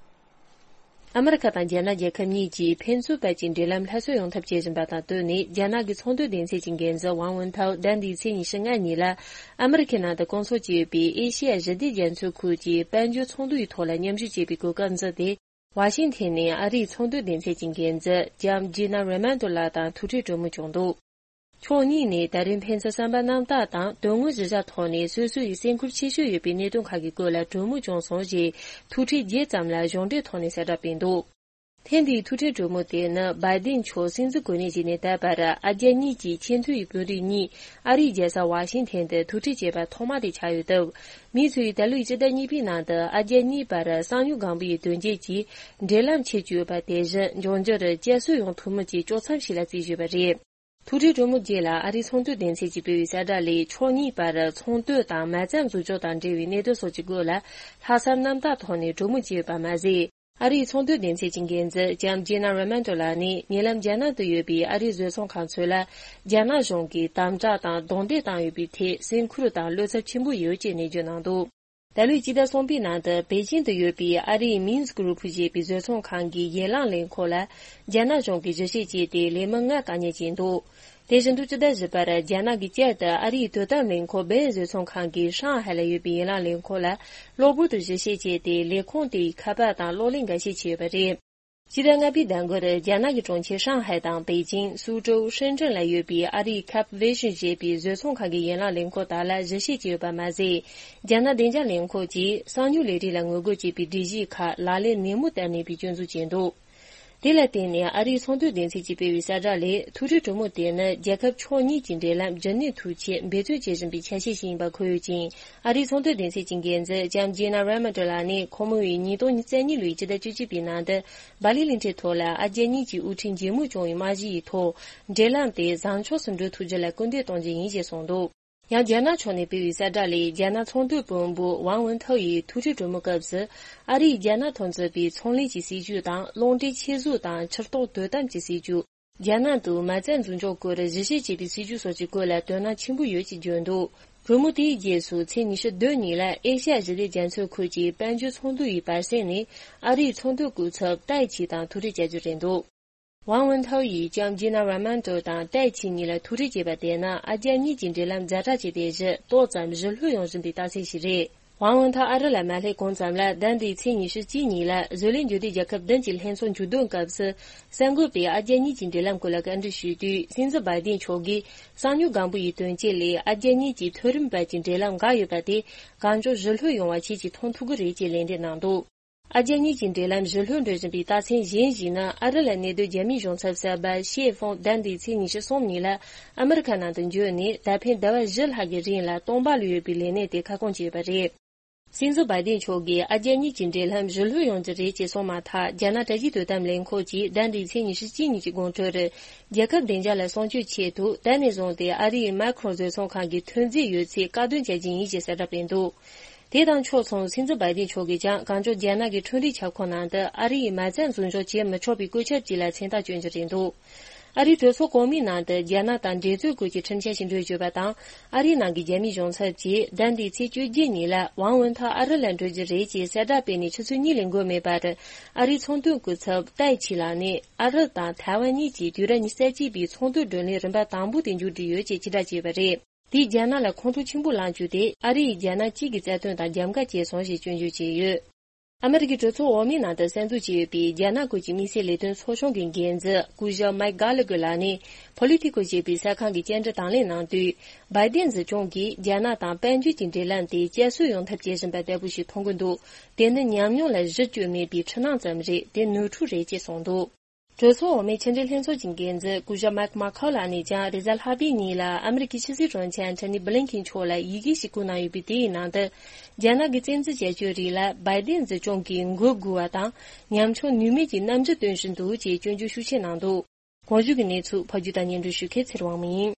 ཨ་མི་རི་ཁ་དང་རྒྱ་ནག་རྒྱལ་ཁབ་གཉིས་ཀྱིས་ཕན་ཚུན་བར་གྱི་འབྲེལ་ལམ་སླར་གསོ་ཡོང་ཐབས་བྱེད་བཞིན་པ་དང་བསྟུན་ནས། རྒྱ་ནག་གི་ཚོང་དོན་སྡེ་ཚན་གྱི་འགན་འཛིན་ཝང་ཝུན་ཐའོ་ཟླ་འདིའི་ཚེས་ཉི་ཤུ་ལྔ་ཉིན་ལ་ཨ་མི་རི་ཁའི་ནང་དུ་སྐོང་ཚོགས་བྱས་ཡོད་པའི་ཨེ་ཤེ་ཡ་ཞི་བདེ་རྒྱ་མཚོའི་ཁུལ་གྱི་དཔལ་འབྱོར་ཚོགས་འདུ་ཡི་ཐོག་ལ་མཉམ་ཞུགས་བྱས་པའི་གོ་སྐབས་འཛིན་ཏེ། ཝ་ཤིང་ཐན་ནས་ཨ་རིའི་ཚོང་དོན་སྡེ་ཚན་གྱི་འགན་འཛིན་ལྕམ་ཇི་ན་རེ་མན་ཏོ་ལགས་དང་ཐུག་འཕྲད་གྲོས་མོལ་བྱུང་འདུག་ཕྱོགས་གཉིས་ནས་ད་རེས་ཕན་ཚུན་བསམ་པ་རྣམ་དག་དང་དོན་དངོས་གཞི་བཞག་ཐོག་ནས་སོ་སོ་ཡི་སེམས་ཁུར་ཆེ་ཤོས་ཡོད་པའི་གནད་དོན་ཁག་གི་སྐོར་ལ་གྲོས་མོལ་བྱུང་སོང་ཞེས་ཐུག་འཕྲད་རྗེས་ཙམ་ལ་གཞུང་འབྲེལ་ཐོག་ནས་གསལ་བསྒྲགས་སྤེལ་འདུག་ཐེངས་འདིའི་ཐུག་འཕྲད་གྲོས་མོལ་དེ་ནི་བའི་ཏིན་མཆོག་སྲིད་འཛིན་གོ་གནས་བརྗེས་ནས་ད་བར་ཨ་རྒྱ་གཉིས་ཀྱི་ཆེས་མཐོའི་དཔོན་རིགས་གཉིས་ཨ་རིའི་རྒྱལ་ས་ཝ་ཤིང་ཐན་དུ་ཐུག་འཕྲད་བྱས་པ་ཐོག་མ་དེ་ཆགས་ཡོད་སྟབས། མི་ཚོས་ད་ལོའི་སྤྱི་ཟླ་གཉིས་པའི་ནང་དུ་ཨ་རྒྱ་གཉིས་བར་གསང་མྱུལ་སྒང་པའི་དོན་རྐྱེན་གྱིས་འབྲེལ་ལམ་ཆད་ཀྱི་ཡོད་པ་དེ་བཞིན་འབྱུང་འགྱུར་བསྐྱར་གསོ་ཡོང་ཐུབ་མིན་གྱི་དཀྱོག་མཚམས་ཤིག་ལ་བརྩིས་ཡོད་པ་རེད། ཐུག་འཕྲད་གྲོས་མོལ་རྗེས་ལ་ཨ་རིའི་ཚོང་དོན་སྡེ་ཚན་གྱིས་སྤེལ་བའི་གསལ་བསྒྲགས་ལས། ཕྱོགས་གཉིས་བར་ཚོང་དོན་དང་མ་རྩ་འཛུགས་སྐྱོང་དང་འབྲེལ་བའི་གནད་དོན་སོགས་ཀྱི་སྐོར་ལ་ལྷག་བསམ་རྣམ་དག་ཐོག་ནས་གྲོས་མོལ་བྱས་ཡོད་པ་མ་ཟད། ཨ་རིའི་ཚོང་དོན་སྡེ་ཚན་གྱི་འགན་འཛིན་ལྕམ་ཇི་ན་རེ་མན་ཏོ་ལགས་ནས་ཉེ་ལམ་རྒྱ་ནག་ཏུ་ཡོད་པའི་ཨ་རིའི་བཟོ་ཚོང་ཁང་ཚོ་ལ་རྒྱ་ནག་གཞུང་གིས་དམ་དྲག་དང་རྡུང་རྡེག་བཏང་ཡོད་པའི་ཐད་སེམས་ཁུར་དང་བློ་འཚབ་ཆེན་པོ་ཡོད་ཅེས་ནན་བརྗོད་གནང་འདུག་ད་ལོའི་སྤྱི་ཟླ་གསུམ་པའི་ནང་དུ་པེ་ཅིང་དུ་ཡོད་པའི་ཨ་རིའི་མིན་སི་ཀུ་རུ་པུ་ཞེས་པའི་བཟོ་ཚོང་ཁང་གི་ཡན་ལག་ལས་ཁུངས་ལ་རྒྱ་ནག་གཞུང་གིས་གཞི་བྱེས་བྱས་ཏེ་ལས་མི་ལྔ་བཀག་ཉར་བྱས་འདུག་དེ་བཞིན་དུ་སྤྱི་ཟླ་བཞི་པར་རྒྱ་ནག་གིས་བསྐྱར་དུ་ཨ་རིའི་དོ་དམ་ལས་ཁུངས་སྦེན་བཟོ་ཚོང་ཁང་གི་ཧྲང་ཧའེ་ལ་ཡོད་པའི་ཡན་ལག་ལས་ཁུངས་ལ་གློ་བུར་དུ་གཞི་བྱེས་བྱས་ཏེ་ལས་ཁུངས་དེའི་ཁ་པར་དང་གློག་ཀླད་འགའ་ཤས་བྱས་ཡོད་པ་རེད། སྤྱི་ཟླ་ལྔ་པའི་ཟླ་འགོར་རྒྱ་ནག་གི་གྲོང་ཁྱེར་ཧྲང་ཧའེ་དང་པེ་ཅིང་། སུའུ་ཀྲོའུ། ཧྲེན་ཀྲེན་ལ་ཡོད་པའི་ཨ་རིའི་ཁབ་ཝེ་ཤིན་ཞེས་པའི་བཟོ་ཚོང་ཁང་གི་ཡན་ལག་ལས་ཁུངས་དག་ལ་གཞི་བྱེས་བྱས་ཡོད་པ་མ་ཟད། རྒྱ་ནག་བདེ་འཇགས་ལས་ཁུངས་ཀྱིས་གསང་མྱུལ་ལས་རིགས་ལ་ངོ་རྒོལ་བྱེད་པའི་སྒྲིག་གཞིའི་ཁག་ལག་ལེན་ནན་མོ་བསྟར་ནུས་པའི་སྐྱོན་འཛུགས་བྱས་འདུག་དེ་ལ་བརྟེན་ནས་ཨ་རིའི་ཚོང་དོན་སྡེ་ཚན་གྱིས་སྤེལ་བའི་གསལ་བསྒྲགས་ལས། ཐུག་འཕྲད་གྲོས་མོལ་དེ་ནི་རྒྱལ་ཁབ་ཕྱོགས་གཉིས་ཀྱི་འབྲེལ་ལམ་རྒྱུན་གནས་ཐུབ་ཆེད་འབད་བརྩོན་བྱེད་བཞིན་པའི་ཆ་ཤས་ཤིག་ཡིན་པ་འཁོད་ཡོད་ཅིང་། ཨ་རིའི་ཚོང་དོན་སྡེ་ཚན་གྱི་འགན་འཛིན་ལྕམ་ཇི་ན་རེ་མན་ཏོ་ལགས་ནས་ཁོང་མོས་ཉིས་སྟོང་ཉེར་གཉིས་ལོའི་སྤྱི་ཟླ་བཅུ་གཅིག་པའི་ནང་དུ་སྦ་ལི་གླིང་ཕྲན་ཐོག་ལ་ཨ་རྒྱ་གཉིས་ཀྱི་དབུ་ཁྲིད་མཇལ་མོལ་བྱུང་བའི་རྨང་གཞི་ཡི་ཐོག་འབྲེལ་ལམ་དེ་བཟང་ཕྱོགས་སུ་འགྲོ་ཐུབ་རྒྱུ་ལ་སྐུལ་འདེད་གཏོང་རྒྱུ་ཡིན་ཞེས་གསུངས་འདུག་ཡང་རྒྱ་ནག་ཕྱོགས་ནས་སྤེལ་བའི་གསལ་བསྒྲགས་ལས། རྒྱ་ནག་ཚོང་དོན་དཔོན་པོ་ཝང་ཝུན་ཐའོ་ཡིས་ཐུག་འཕྲད་གྲོས་མོལ་སྐབས་སུ། ཨ་རིས་རྒྱ་ནག་ཐོག་འཛུགས་པའི་ཚོང་ལས་ཀྱི་སྲིད་ཇུས་དང་། རླུང་འཕྲིན་ཆེད་བཟོ་དང་ཕྱིར་གཏོང་དོ་དམ་གྱི་སྲིད་ཇུས། རྒྱ་ནག་ཏུ་མ་རྩ་འཛུགས་འཇོག་སྐོར་གཞི་བཞག་བྱས་པའི་སྲིད་ཇུས་སོགས་ཀྱི་སྐོར་ལ་དོ་སྣང་ཆེན་པོ་ཡོད་ཅེས་བརྗོད་འདུག་གྲོས་མོལ་དེའི་རྗེས་སུ། ཚེས་ཉི་ཤུ་བདུན་ཉིན་ལ་ཨེ་ཤ་ཡ་ཞི་བདེ་རྒྱ་མཚོའི་ཁུལ་གྱི་དཔལ་འབྱོར་ཚོགས་འདུ་ཡི་བར་གསེང་ནས། ཨ་རིའི་ཚོང་དོན་སྐུ་ཚབ་ཏའེ་ཆི་དང་ཐུག་འཕྲད་བྱ་རྒྱུ་རེད་འདུག་ཝང་ཝུན་ཐའོ་ཡིས་ལྕམ་ཇི་ན་ར་མན་ཏོ་དང་ཏའེ་ཆི་གཉིས་ལ་ཐུག་འཕྲད་བྱས་པ་དེས་ན། ཨ་རྒྱ་གཉིས་ཀྱི་འབྲེལ་ལམ་ཛ་དྲག་ཆེ་དེ་བཞི་ཏོག་ཙམ་ཞི་ལྷོད་ཡོང་བཞིན་པའི་རྟགས་མཚན་ཞིག་རེད། ཝང་ཝུན་ཐའོ་ཨ་རི་ལ་མ་སླེབས་གོང་ཙམ་ལ། ཟླ་འདིའི་ཚེས་ཉི་ཤུ་གཅིག་ཉིན་ལ་བཟོ་ལས་འབྱོར་ལྡན་རྒྱལ་ཁབ་བདུན་གྱི་ལྷན་ཚོགས་མཇུག་བསྡོམས་སྐབས་སུ། གསར་འགོད་པས་ཨ་རྒྱ་གཉིས་ཀྱི་འབྲེལ་ལམ་སྐོར་ལ་བཀའ་འདྲི་ཞུས་དུས། སྲིད་འཛིན་བའི་ཏིན་མཆོག་གིས། གསང་མྱུལ་སྒམ་པོ་ཡི་དོན་རྐྱེན་ལས་ཨ་རྒྱ་གཉིས་ཀྱི་མཐོ་རིམ་བར་གྱི་འབྲེལ་ལམ་འགག་ཡོད་པ་དེ། གང་མགྱོགས་ཞི་ལྷོད་ཡོང་བ་ཁྱེད་ཀྱིས་མཐོང་ཐུབ་ཀྱི་རེད་ཅེས་ལན་འདེབས་གནང་འདུག་ཨ་རྒྱ་གཉིས་ཀྱི་འབྲེལ་ལམ་ཞི་ལྷོད་འགྲོ་བཞིན་པའི་རྟགས་མཚན་གཞན་ཞིག་ནི། ཨ་རི་ལ་གནས་སྡོད་རྒྱ་མིའི་གཞུང་ཚབ་གསར་པ་ཤེ་ཧྥོང་ཟླ་འདིའི་ཚེས་ཉི་ཤུ་གསུམ་ཉིན་ལ་ཨ་མི་རི་ཁ་ནང་དུ་འབྱོར་ནས། ད་ཕན་ཟླ་བ་བཞི་ལྷག་གི་རིང་ལ་སྟོང་པ་ལ་ཡོད་པའི་ལས་གནས་དེ་ཁ་སྐོང་བྱས་པ་རེད། སྲིད་འཛིན་བའི་ཏིན་མཆོག་གིས་ཨ་རྒྱ་གཉིས་ཀྱི་འབྲེལ་ལམ་ཞི་ལྷོད་ཡོང་རྒྱུ་རེད་ཅེས་གསུངས་མ་ཐག་རྒྱ་ནག་དྲ་རྒྱའི་དོ་དམ་ལས་ཁུངས་ཀྱིས་ཟླ་འདིའི་ཚེས་ཉི་ཤུ་གཅིག་ཉིན་གྱི་དགོང་དྲོར། རྒྱལ་ཁབ་བདེ་འཇགས་ལ་སྲུང་སྐྱོབ་ཆེད་དུ། ད་ནས་བཟུང་སྟེ་ཨ་རིའི་མཱ་ཁི་རོན་བཟོ་ཚོང་ཁང་གི་ཐོན་རྫས་ཡོད་ཚད་བཀག་སྡོམ་བྱ་རྒྱུ་ཡིན་ཞེས་གསལ་བསྒྲགས་སྤེལ་འདུག་དེ་དང་ཕྱོགས་མཚུངས། སྲིད་འཛིན་བའི་ཏིན་མཆོག་གིས་ཀྱང་། གང་མགྱོགས་རྒྱ་ནག་གི་འཕྲུལ་རིག་ཁྱབ་ཁོངས་ནང་དུ་ཨ་རི་ཡིས་མ་རྩ་འཛུགས་འཇོག་བྱེད་མི་ཆོག་པའི་བཀོད་ཁྱབ་ཅིག་ལ་མཚན་རྟགས་སྐྱོན་རྒྱུ་རེད་འདུག་ཨ་རིའི་གྲོས་ཚོགས་གོང་མའི་ནང་དུ་རྒྱ་ནག་དང་འགྲན་རྩོད་སྐོར་གྱི་ཁྲིམས་འཆར་ཞིག་འགྲོ་བཞིན་ཡོད་པ་དང་། ཨ་རིའི་ནང་གི་རྒྱ་མིའི་གཞུང་ཚབ་ཀྱིས་ཟླ་འདིའི་ཚེས་བཅོ་བརྒྱད་ཉིན་ལ་ཝང་ཝུན་ཐའོ་ཨ་རི་ལ་འགྲོ་རྒྱུ་རེད་ཅེས་གསལ་བསྒྲགས་སྤེལ་ནས་ཆུ་ཚོད་གཉིས་ལས་འགོར་མེད་པར། ཨ་རིའི་ཚོང་དོན་སྐུ་ཚབ་ཏའེ་ཆི་ལགས་ནས་ཨ་རི་དང་ཐའེ་ཝན་གཉིས་ཀྱིས་དུས་རབས་ཉི་ཤུ་རྩ་གཅིག་པའི་ཚོང་དོན་བགྲོ་གླེང་རིམ་པ་དང་པོ་དེ་མཇུག་སྒྲིལ་ཡོད་ཅེས་ཕྱིར་བསྒྲགས་བྱས་པ་རེད། དེས་རྒྱ་ནག་ལ་ཁོང་ཁྲོ་ཆེན་པོ་ལངས་བཅུག་སྟེ། ཨ་རི་ཡིས་རྒྱ་ནག་གཅིག་གི་རྩ་དོན་དང་རྒྱབ་འགལ་བྱས་སོང་ཞེས་སྐྱོན་བརྗོད་བྱས་ཡོད། ཨ་མི་རི་ཀའི་གྲོས་ཚོགས་འོག་མའི་ནང་དུ་གསར་འཛུགས་བྱས་ཡོད་པའི་རྒྱ་ནག་ཁུལ་གྱི་དམིགས་བསལ་ལས་དོན་ཚོགས་ཆུང་གི་འགན་འཛིན་སྐུ་ཞབས་མཱིཀ་གྷ་ལི་གྷར་ལགས་ནས། པོ་ལི་ཐི་ཀོ་ཞེས་པའི་གསར་ཁང་གི་བཅར་འདྲི་དང་ལེན་གནང་དུས། བའི་ཏིན་སྲིད་སྐྱོང་གིས་རྒྱ་ནག་དང་དཔལ་འབྱོར་གྱི་འབྲེལ་ལམ་དེ་བསྐྱར་གསོ་ཡོང་ཐབས་བྱེད་བཞིན་པ་ལྟ་བུ་ཞིག་མཐོང་གི་འདུག་དེ་ནི་ཉམས་མྱོང་ལ་གཞི་བཅོལ་མེད་པའི་འཁྲུལ་སྣང་ཙམ་རེད། དེ་ནོར་འཁྲུལ་རེད་ཅེས་གསུངས་འདུག་གྲོས་ཚོགས་འོག་མའི་ཕྱི་འབྲེལ་ལྷན་ཚོགས་ཀྱི་འགན་འཛིན་སྐུ་ཞབས་མཱིཀ་མཱ་ཁོ་ལགས་ནས་ཀྱང་། རེས་གཟའ་ལྷག་པའི་ཉིན་ལ་ཨ་མི་རི་ཀའི་ཕྱི་སྲིད་དྲུང་ཆེ་ཨན་ཐོ་ནི་བྷི་ལིན་ཁིན་མཆོག་ལ་ཡི་གེ་ཞིག་བསྐུར་གནང་ཡོད་པའི་དེའི་ནང་དུ། རྒྱ་ནག་གི་བཙན་འཛུལ་བྱ་སྤྱོད་རིགས་ལ་བའི་ཏིན་སྲིད་སྐྱོང་གིས་མགོ་སྒུར་བ་དང་། ཉམ་ཆུང་ནུས་མེད་ཀྱི་རྣམ་འགྱུར་སྟོན་བཞིན་འདུག་ཅེས་སྐྱོན་བརྗོད་ཤུགས་ཆེ་གནང་འདུག་གོང་ཞུས་ཀྱི་གནས་ཚུལ་ཕབ་སྒྱུར་དང་སྙན་སྒྲོན་ཞུ་མཁན་ཚེ་རིང་དབང་མོ་ཡིན།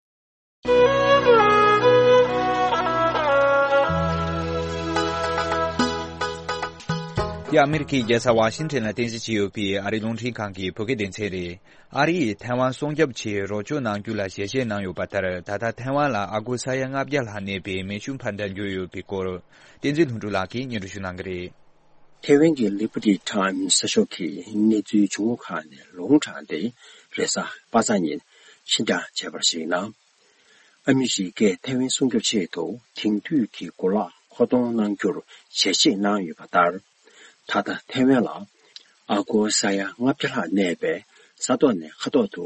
འདི་ཨ་མི་རི་ཀའི་རྒྱལ་ས་ཝ་ཤིང་ཊོན་ལ་རྟེན་གཞི་བྱས་ཡོད་པའི་ཨ་རིའི་རླུང་འཕྲིན་ཁང་གི་བོད་སྐད་སྡེ་ཚན་རེད། ཨ་རི་ཡིས་ཐའེ་ཝན་སྲུང་སྐྱོབ་ཆེད་རོགས་སྐྱོར་གནང་རྒྱུ་ལ་ཞལ་བཞེས་གནང་ཡོད་པ་ལྟར། ད་ལྟ་ཐའེ་ཝན་ལ་ཨ་སྒོར་ས་ཡ་ལྔ་བརྒྱ་ལྷག་གནས་པའི་མེ་ཤུགས་འཕར་མདའ་འབྱོར་ཡོད་པའི་སྐོར། བསྟན་འཛིན་ལྷུན་གྲུབ་ལགས་ཀྱིས་སྙན་སྒྲོན་ཞུ་གནང་གི་རེད། ཐའེ་ཝན་གྱི་Liberty Times་གསར་ཤོག་གིས་གནས་ཚུལ་བྱུང་ཁུངས་ཁག་ནས་ལུང་དྲངས་ཏེ། རེས་གཟའ་པ་སངས་ཉིན་ཕྱིར་བསྒྲགས་བྱས་པར་གཞིགས་ན། ཨ་མི་རི་ཀས་ཐའེ་ཝན་སྲུང་སྐྱོབ་ཆེད་དུ་དེང་དུས་ཀྱི་གོ་ལག་མཁོ་གཏོང་གནང་རྒྱུར་ཞལ་བཞེས་གནང་ཡོད་པ་ལྟར། ད་ལྟ་ཐའེ་ཝན་ལ་ཨ་སྒོར་ས་ཡ་ལྔ་བརྒྱ་ལྷག་གནས་པའི་ས་ཐོག་ནས་མཁའ་ཐོག་ཏུ་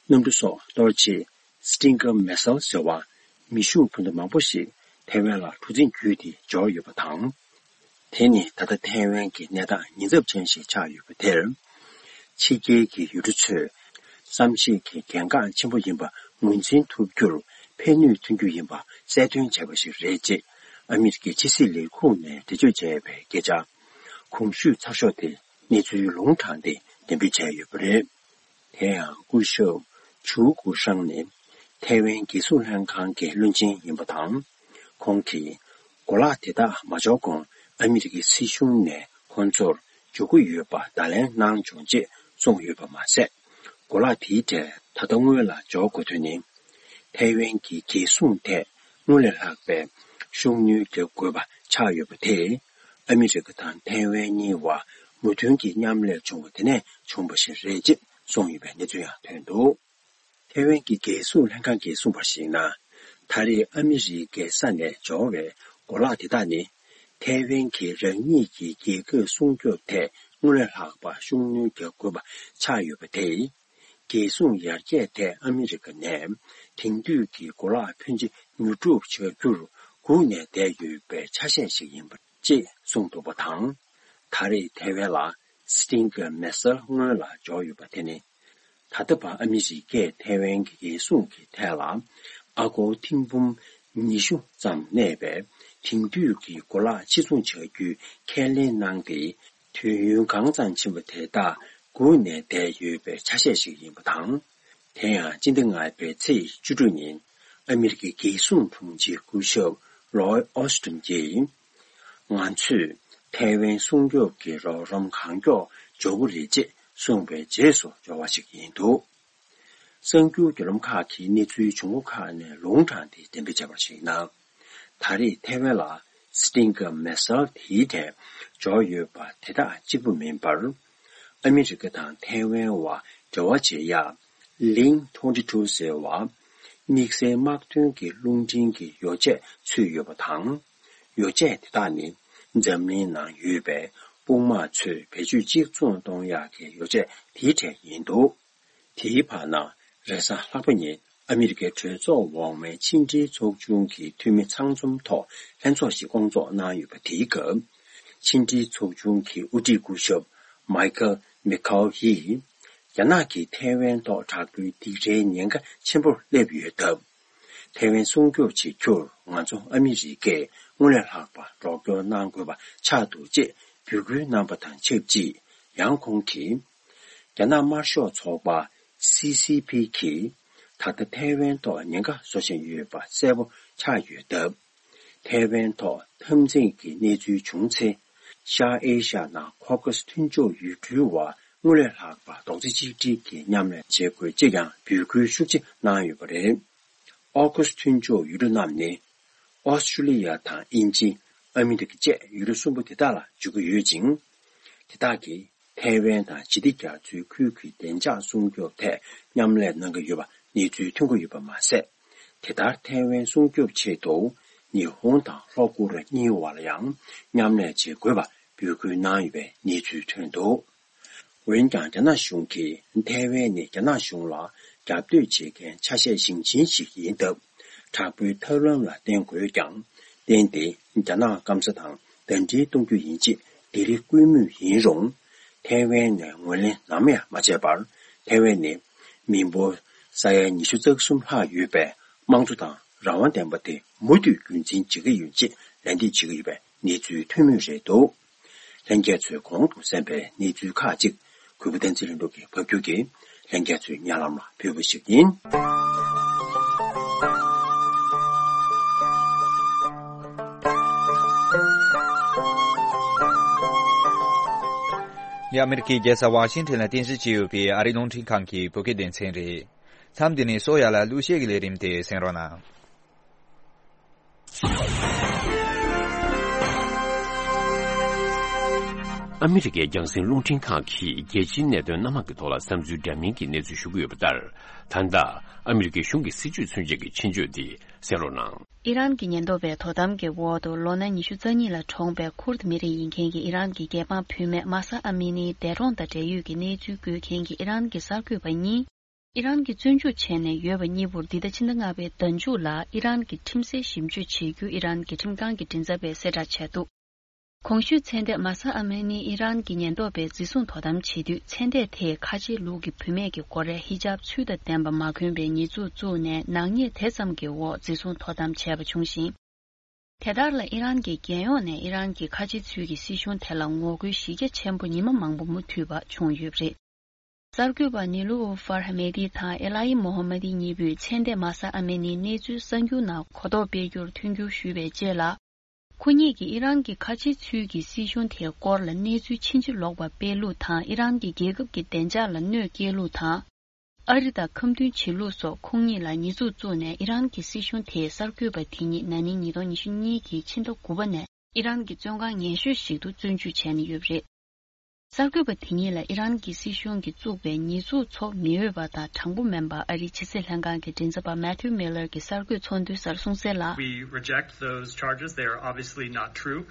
གནམ་གྲུ་སོགས་གཏོར་ཆེད་Stinger Missile་ཟེར་བ་མེ་ཤུགས་འཕུར་མདའ་མང་པོ་ཞིག་ཐའེ་ཝན་ལ་གྲུ་གཟིངས་བརྒྱུད་དེ་འབྱོར་ཡོད་པ་དང་། དེ་ནི་ད་ལྟ་ཐའེ་ཝན་གྱི་གནས་སྟངས་ཉེན་ཚབས་ཅན་ཞིག་ཆགས་ཡོད་པ་དེར། ཕྱི་རྒྱལ་གྱི་ཡུལ་གྲུ་ཚོས་བསམ་ཤེས་ཀྱི་གལ་འགངས་ཆེན་པོ་ཡིན་པ་ངོས་འཛིན་ཐུབ་རྒྱུར་ཕན་ནུས་ཐོན་རྒྱུ་ཡིན་པ་གསལ་སྟོན་བྱས་པ་ཞིག་རེད་ཅེས་ཨ་མི་རི་ཀའི་ཕྱི་སྲིད་ལས་ཁུངས་ནས་འགྲེལ་བརྗོད་བྱས་པའི་སྐད་ཆ། གོང་ཞུས་ཚགས་ཤོག་དེ་གནས་ཚུལ་ལུང་དྲངས་ཏེ་འགྲེམས་སྤེལ་བྱས་ཡོད་པ་རེད། དེ་ཡང་སྐུ་ཞབས་ཇུའུ་ཀུའུ་ཧྲང་ནི་ཐའེ་ཝན་རྒྱལ་སྲུང་ལྷན་ཁང་གི་བློན་ཆེན་ཡིན་པ་དང་། ཁོང་གིས་གོ་ལག་དེ་དག་མ་འབྱོར་གོང་ཨ་མི་རི་ཀའི་སྲིད་གཞུང་ནས་ཁོང་ཚོར་འབྱོར་གྱི་ཡོད་པ་བརྡ་ལན་གནང་བྱུང་ཅེས་གསུངས་ཡོད་པ་མ་ཟད། གོ་ལག་དེའི་གྲས་ད་ལྟ་སྔོན་ལ་འབྱོར་དགོས་དོན་ནི། ཐའེ་ཝན་གྱི་རྒྱལ་སྲུང་ཐད་སྔོན་ལས་ལྷག་པའི་ཤུགས་སྣོན་རྒྱག་དགོས་པ་ཆགས་ཡོད་པ་དེས། ཨ་མི་རི་ཀ་དང་ཐའེ་ཝན་གཉིས་བར་མོས་མཐུན་གྱི་མཉམ་ལས་བྱུང་བ་དེ་ནས་བྱུང་བ་ཞིག་རེད་ཅེས་གསུངས་ཡོད་པའི་གནས་ཚུལ་ཡང་ཐོན་འདུག་ཐའེ་ཝན་གྱི་རྒྱལ་སྲུང་ལྷན་ཁང་གིས་གསུངས་པར་གཞིགས་ན། ད་རེས་ཨ་མི་རི་ཀའི་ས་ནས་འབྱོར་བའི་གོ་ལག་དེ་དག་ནི། ཐའེ་ཝན་གྱིས་རང་ཉིད་ཀྱི་རྒྱལ་ཁབ་སྲུང་སྐྱོབ་ཐད་སྔོན་ལས་ལྷག་པ་ཤུགས་སྣོན་རྒྱག་དགོས་པ་ཆགས་ཡོད་པ་དེས། རྒྱལ་སྲུང་ཡར་རྒྱས་ཐད་ཨ་མི་རི་ཀ་ནས་དེང་དུས་ཀྱི་གོ་ལག་ཕོན་ཆེ་ཉོ་སྒྲུབ་བྱ་རྒྱུར་སྒུག་ནས་བསྡད་ཡོད་པའི་ཆ་ཤས་ཤིག་ཡིན་པ་ཅེས་གསུངས་འདུག་པ་དང་། ད་རེས་ཐའེ་ཝན་ལ་Stinger Missile་སྔོན་ལ་འབྱོར་ཡོད་པ་དེ་ནི། ད་ལྟ་བར་ཨ་མི་རི་ཀས་ཐའེ་ཝན་གྱི་རྒྱལ་སྲུང་གི་ཐད་ལ་ཨ་སྒོར་ཐེར་འབུམ་ཉི་ཤུ་ཙམ་གནས་པའི་དེང་དུས་ཀྱི་གོ་ལག་ཕྱིར་ཚོང་བྱ་རྒྱུའི་ཁས་ལེན་གནང་སྟེ། དུས་ཡུན་གང་ཙམ་ཕྱིན་པ་དེ་དག་སྒུག་ནས་བསྡད་ཡོད་པའི་ཆ་ཤས་ཤིག་ཡིན་པ་དང་། དེ་ཡང་སྤྱི་ཟླ་ལྔ་པའི་ཚེས་བཅུ་དྲུག་ཉིན། ཨ་མི་རི་ཀའི་རྒྱལ་སྲུང་དྲུང་ཆེ་སྐུ་ཞབས་ལོའི་ཨོ་སི་ཏིན་གྱིས། ང་ཚོས་ཐའེ་ཝན་སྲུང་སྐྱོབ་ཀྱི་རོགས་རམ་གང་མགྱོགས་འབྱོར་གྱི་རེད་ཅེས་གསུངས་པའི་རྗེས་སུ་འབྱོར་བ་ཞིག་ཡིན་འདུག་གསར་འགྱུར་བརྒྱུད་ལམ་ཁག་གིས་གནས་ཚུལ་བྱུང་ཁུངས་ཁག་ནས་ལུང་དྲངས་ཏེ་གཏན་འབེབས་བྱས་པར་གཞིགས་ན། ད་རེས་ཐའེ་ཝན་ལ་སི་ཏིང་གི་མེ་སལ་དེའི་གྲས་འབྱོར་ཡོད་པ་དེ་དག་གཅིག་པུ་མིན་པར། ཨ་མི་རི་ཀ་དང་ཐའེ་ཝན་བར་འབྲེལ་བ་བྱེད་ཡག་ལིང་ཊུ་ཝེན་ཊི་ཊུ་ཟེར་བ། དམིགས་བསལ་དམག་དོན་གྱི་རླུང་འཕྲིན་གྱི་ཡོ་བྱད་ཚུད་ཡོད་པ་དང་། ཡོ་བྱད་དེ་དག་ནི་འཛམ་གླིང་ནང་ཡོད་པའི་དཔུང་དམག་ཚོས་བེད་སྤྱོད་གཅིག་མཚུངས་གཏོང་ཡག་གི་ཡོ་བྱད་དེའི་གྲས་ཡིན་འདུག་དེའི་བར་ན། རེས་གཟའ་ལྷག་པ་ཉིན་ཨ་མི་རི་ཀའི་གྲོས་ཚོགས་འོག་མའི་ཕྱི་འབྲེལ་ཚོགས་ཆུང་གི་འཐུས་མི་ཚང་འཛོམས་ཐོག་ལྷན་ཚོགས་ཤིག་བསྐོང་ཚོགས་གནང་ཡོད་པ་དེའི་སྐབས། ཕྱི་འབྲེལ་ཚོགས་ཆུང་གི་དབུ་ཁྲིད་སྐུ་ཞབས་མའི་ཁལ་མེ་ཁའོ་ཡིས། རྒྱ་ནག་གིས་ཐའེ་ཝན་ཐོག་དྲག་པོའི་སྡིགས་རའི་ཉེན་ཁ་ཆེན་པོར་སླེབས་ཡོད་སྟབས། ཐའེ་ཝན་སྲུང་སྐྱོབ་བྱེད་རྒྱུར་ང་ཚོ་ཨ་མི་རི་ཀས་སྔོན་ལས་ལྷག་པ་རོགས་སྐྱོར་གནང་དགོས་པ་ཆགས་འདུག་ཅེས་འབོད་སྐུལ་གནང་པ་དང་ཆབས་ཅིག་ཡང་ཁོང་གིས། རྒྱ་ནག་དམར་ཤོག་ཚོགས་པ་སི་སི་ཕི་གིས་ད་ལྟ་ཐའེ་ཝན་ཐོག་ཉེན་ཁ་བཟོ་བཞིན་ཡོད་པ་གསལ་པོ་ཆགས་ཡོད་སྟབས། ཐའེ་ཝན་ཐོག་འཐབ་འཛིང་གི་གནས་ཚུལ་བྱུང་ཚེ། ཤར་ཨེ་ཤ་ནང་ཁོ་ཁ་སི་མཐུན་ཕྱོགས་ཡུལ་གྲུའི་བར་སྔོན་ལས་ལྷག་པ་རྡོག་རྩ་གཅིག་སྒྲིལ་གྱིས་མཉམ་ལས་བྱེད་དགོས་ཅེས་ཀྱང་འབོད་སྐུལ་ཤུགས་ཆེ་གནང་ཡོད་པ་རེད། ཨོ་ཁུ་སི་མཐུན་ཕྱོགས་ཡུལ་གྲུ་རྣམས་ནི། ཨོ་སི་ཀྲུ་ལི་ཡ་དང་དབྱིན་ཇི། ཨ་མི་རི་ཀ་བཅས་ཡུལ་གྲུ་གསུམ་པོ་དེ་དག་ལ་འཇུག་གི་ཡོད་ཅིང་། དེ་དག་གིས་ཐའེ་ཝན་དང་ཞི་བདེ་རྒྱ་མཚོའི་ཁུལ་གྱི་བདེ་འཇགས་སྲུང་སྐྱོབ་ཐད་མཉམ་ལས་གནང་གི་ཡོད་པ་གནས་ཚུལ་ཐོན་གྱི་ཡོད་པ་མ་ཟད། དེ་ལྟར་ཐའེ་ཝན་སྲུང་སྐྱོབ་ཆེད་དུ་ཉི་ཧོང་དང་ལྷོ་ཀོ་རི་ཡ་གཉིས་བར་ལ་ཡང་མཉམ་ལས་བྱེད་དགོས་པ་འབོད་སྐུལ་གནང་ཡོད་པའི་གནས་ཚུལ་ཐོན་འདུག་འོན་ཀྱང་། རྒྱ་ནག་གཞུང་གིས་ཐའེ་ཝན་ནི་རྒྱ་ནག་གཞུང་ལ་རྒྱབ་གཏོད་བྱེད་མཁན་ཆ་ཤས་ཞེང་ཆེན་ཞིག་ཡིན་སྟབས། དྲག་པོའི་ཐབས་ལམ་ལ་བརྟེན་དགོས་ཀྱང་། བརྟེན་ཏེ་རྒྱ་ནག་སྐམ་ས་དང་ཟླ་སྒྲིལ་གཏོང་རྒྱུ་ཡིན་ཅེས་སྡིགས་ར་སྐུལ་མུས་ཡིན་རུང་། ཐའེ་ཝན་ནས་ངོས་ལེན་ནམ་ཡང་མ་བྱས་པར། ཐའེ་ཝན་ནི་མི་འབོར་ས་ཡ་ཉི་ཤུ་རྩ་གསུམ་ལྷག་ཡོད་པའི་དམངས་གཙོ་དང་རང་དབང་ལྡན་པ་དེ་མུ་མཐུད་རྒྱུན་འཛིན་བྱེད་ཀྱི་ཡོད་ཅེས་ལན་འདེབས་བྱེད་ཀྱི་ཡོད་པའི་གནས་ཚུལ་ཐོན་མུས་རེད་འདུག་ལྷན་རྒྱས་ཚོས་གོང་དུ་གསན་པའི་གནས་ཚུལ་ཁག་ཅིག་གུས་པ་བསྟན་འཛིན་ལྷུན་གྲུབ་ཀྱིས་ཕབ་སྒྱུར་གྱིས་ལྷན་རྒྱས་ཚོའི་སྙན་ལམ་ལ་ཕུལ་བ་ཞིག་ཡིན། འདི་ཨ་མི་རི་ཀའི་རྒྱལ་ས་ཝ་ཤིང་ཊོན་ལ་རྟེན་གཞི་བྱས་ཡོད་པའི་ཨ་རིའི་རླུང་འཕྲིན་ཁང་གི་བོད་སྐད་སྡེ་ཚན་རེད། མཚམས་འདི་ནས་སོ་ཡ་ལ་གླུ་གཞས་ཀྱི་ལས་རིམ་དེ་གསན་རོགས་གནང་། ཨ་མི་རི་ཀའི་རྒྱང་སྲིང་རླུང་འཕྲིན་ཁང་གིས་རྒྱལ་སྤྱིའི་གནད་དོན་སྣ་མང་གི་ཐོག་ལ་བསམ་ཚུལ་འདྲ་མིན་གྱི་གནས་ཚུལ་ཞུ་གི་ཡོད་པ་ལྟར། ད་ལྟ་ཨ་མི་རི་ཀའི་གཞུང་གི་སྲིད་བྱུས་མཚོན་བྱེད་ཀྱི་ཆེད་བརྗོད་དེ་གསན་རོགས་གནང་། ཨི་རན་གྱི་ཉེན་རྟོག་པའི་དོ་དམ་གྱི་འོག་ཏུ་ལོ་ན་ཉི་ཤུ་རྩ་གཉིས་ལ་གྲོངས་པའི་ཁུར་ད་མི་རིགས་ཡིན་མཁན་གྱི་ཨི་རན་གྱི་རྒྱལ་འབངས་བུད་མེད་མཱ་ས་ཨ་མི་ནིའི་འདས་གྲོངས་དང་འབྲེལ་ཡོད་ཀྱི་གནས་ཚུལ་འགོད་མཁན་གྱི་ཨི་རན་གྱི་གསར་འགོད་པ་གཉིས། ཨི་རན་གྱིས་བཙོན་འཇུག་བྱས་ནས་ཡོད་པ་གཉིས་པོར་འདི་ཟླ་ཕྱི་ཟླ་ལྔ་པའི་ཟླ་མཇུག་ལ་ཨི་རན་གྱི་ཁྲིམས་སའི་ཞིབ་དཔྱོད་བྱེད་རྒྱུ་ཨི་རན་གྱི་ཁྲིམས་ཁང་གི་མགྲིན་ཚབ་པས་གསལ་བསྒྲགས་བྱས་འདུག་གོང་ཞུས་ཚེ་འདས་མཱ་ས་ཨ་མི་ནི་ཨི་རན་གྱི་ཉེན་རྟོག་པས་འཛིན་བཟུང་དོ་དམ་བྱེད་དུས། ཚེ་འདས་དེས་ཁ་ཆེའི་ལུགས་ཀྱི་བུད་མེད་ཀྱི་སྒོ་རས་ཧི་ཇབ་ཚུལ་དང་ལྡན་པ་མ་གོན་པའི་ཉེས་འཛུགས་བཙུགས་ནས། ནག་ཉེས་དེ་ཙམ་གྱི་འོག་འཛིན་བཟུང་དོ་དམ་བྱས་པ་བྱུང་ཞིང་། དེ་ལྟར་ལ་ཨི་རན་གྱི་རྒྱལ་ཡོངས་ནས་ཨི་རན་གྱི་ཁ་ཆེ་ཚུལ་གྱི་སྲིད་གཞུང་དེ་ལ་ངོ་རྒོལ་གཞི་རྒྱ་ཆེན་པོ་ཉི་མ་མང་པོ་མུ་མཐུད་པ་བྱུང་ཡོད་པ་རེད། གསར་འགོད་པ་ནི་ལུ་ཨུ་ཧྥར་ཧ་མེ་ཏི་དང་ཨེ་ལ་ཡི་མོ་ཧ་མ་ཏི་གཉིས་པོས་ཚེ་འདས་མཱ་ས་ཨ་མི་ནིའི་གནས་ཚུལ་གསར་འགྱུར་ནང་གོ་རྟོགས་སྤེལ་རྒྱུར་མཐུན་འགྱུར་ཞུས་པའི་རྗེས་ལ། ཁོ་གཉིས་ཀྱིས་ཨི་རན་གྱི་ཁ་ཆེ་ཚུལ་གྱི་སྲིད་གཞུང་དེའི་སྐོར་ལ་གནས་ཚུལ་ཕྱིན་ཅི་ལོག་པ་སྤེལ་ལུགས་དང་། ཨི་རན་གྱི་རྒྱལ་ཁབ་ཀྱི་བདེ་འཇགས་ལ་གནོད་སྐྱེལ་ལུགས་དང་། ཨ་རི་དང་ཁ་མཐུན་བྱེད་ལུགས་སོགས་ཁོང་གཉིས་ལ་ཉེས་འཛུགས་བཙུགས་ནས། ཨི་རན་གྱི་སྲིད་གཞུང་དེས་གསར་འགོད་པ་དེ་གཉིས་ན་ནིང་ཉིས་སྟོང་ཉི་ཤུ་གཉིས་ཀྱི་ཕྱི་ཟླ་དགུ་པ་ནས་ཨི་རན་གྱི་བཙོན་ཁང་ངན་ཤོས་ཤིག་ཏུ་བཙོན་འཇུག་བྱས་ནས་ཡོད་པ་རེད། གསར་འགོད་པ་དེ་གཉིས་ལ་ཨི་རན་གྱི་སྲིད་གཞུང་གིས་བཙུགས་པའི་ཉེས་འཛུགས་ཚོ་མི་འོས་པ་དང་དྲང་པོ་མིན་པ། ཨ་རིའི་ཕྱི་སྲིད་ལྷན་ཁང་གི་མགྲིན་ཚབ་པ་Matthew Miller་གྱིས་གསར་འགོད་ཚོགས་འདུའི་སར་གསུངས་གསལ་ལ། We reject those charges. They are obviously not true.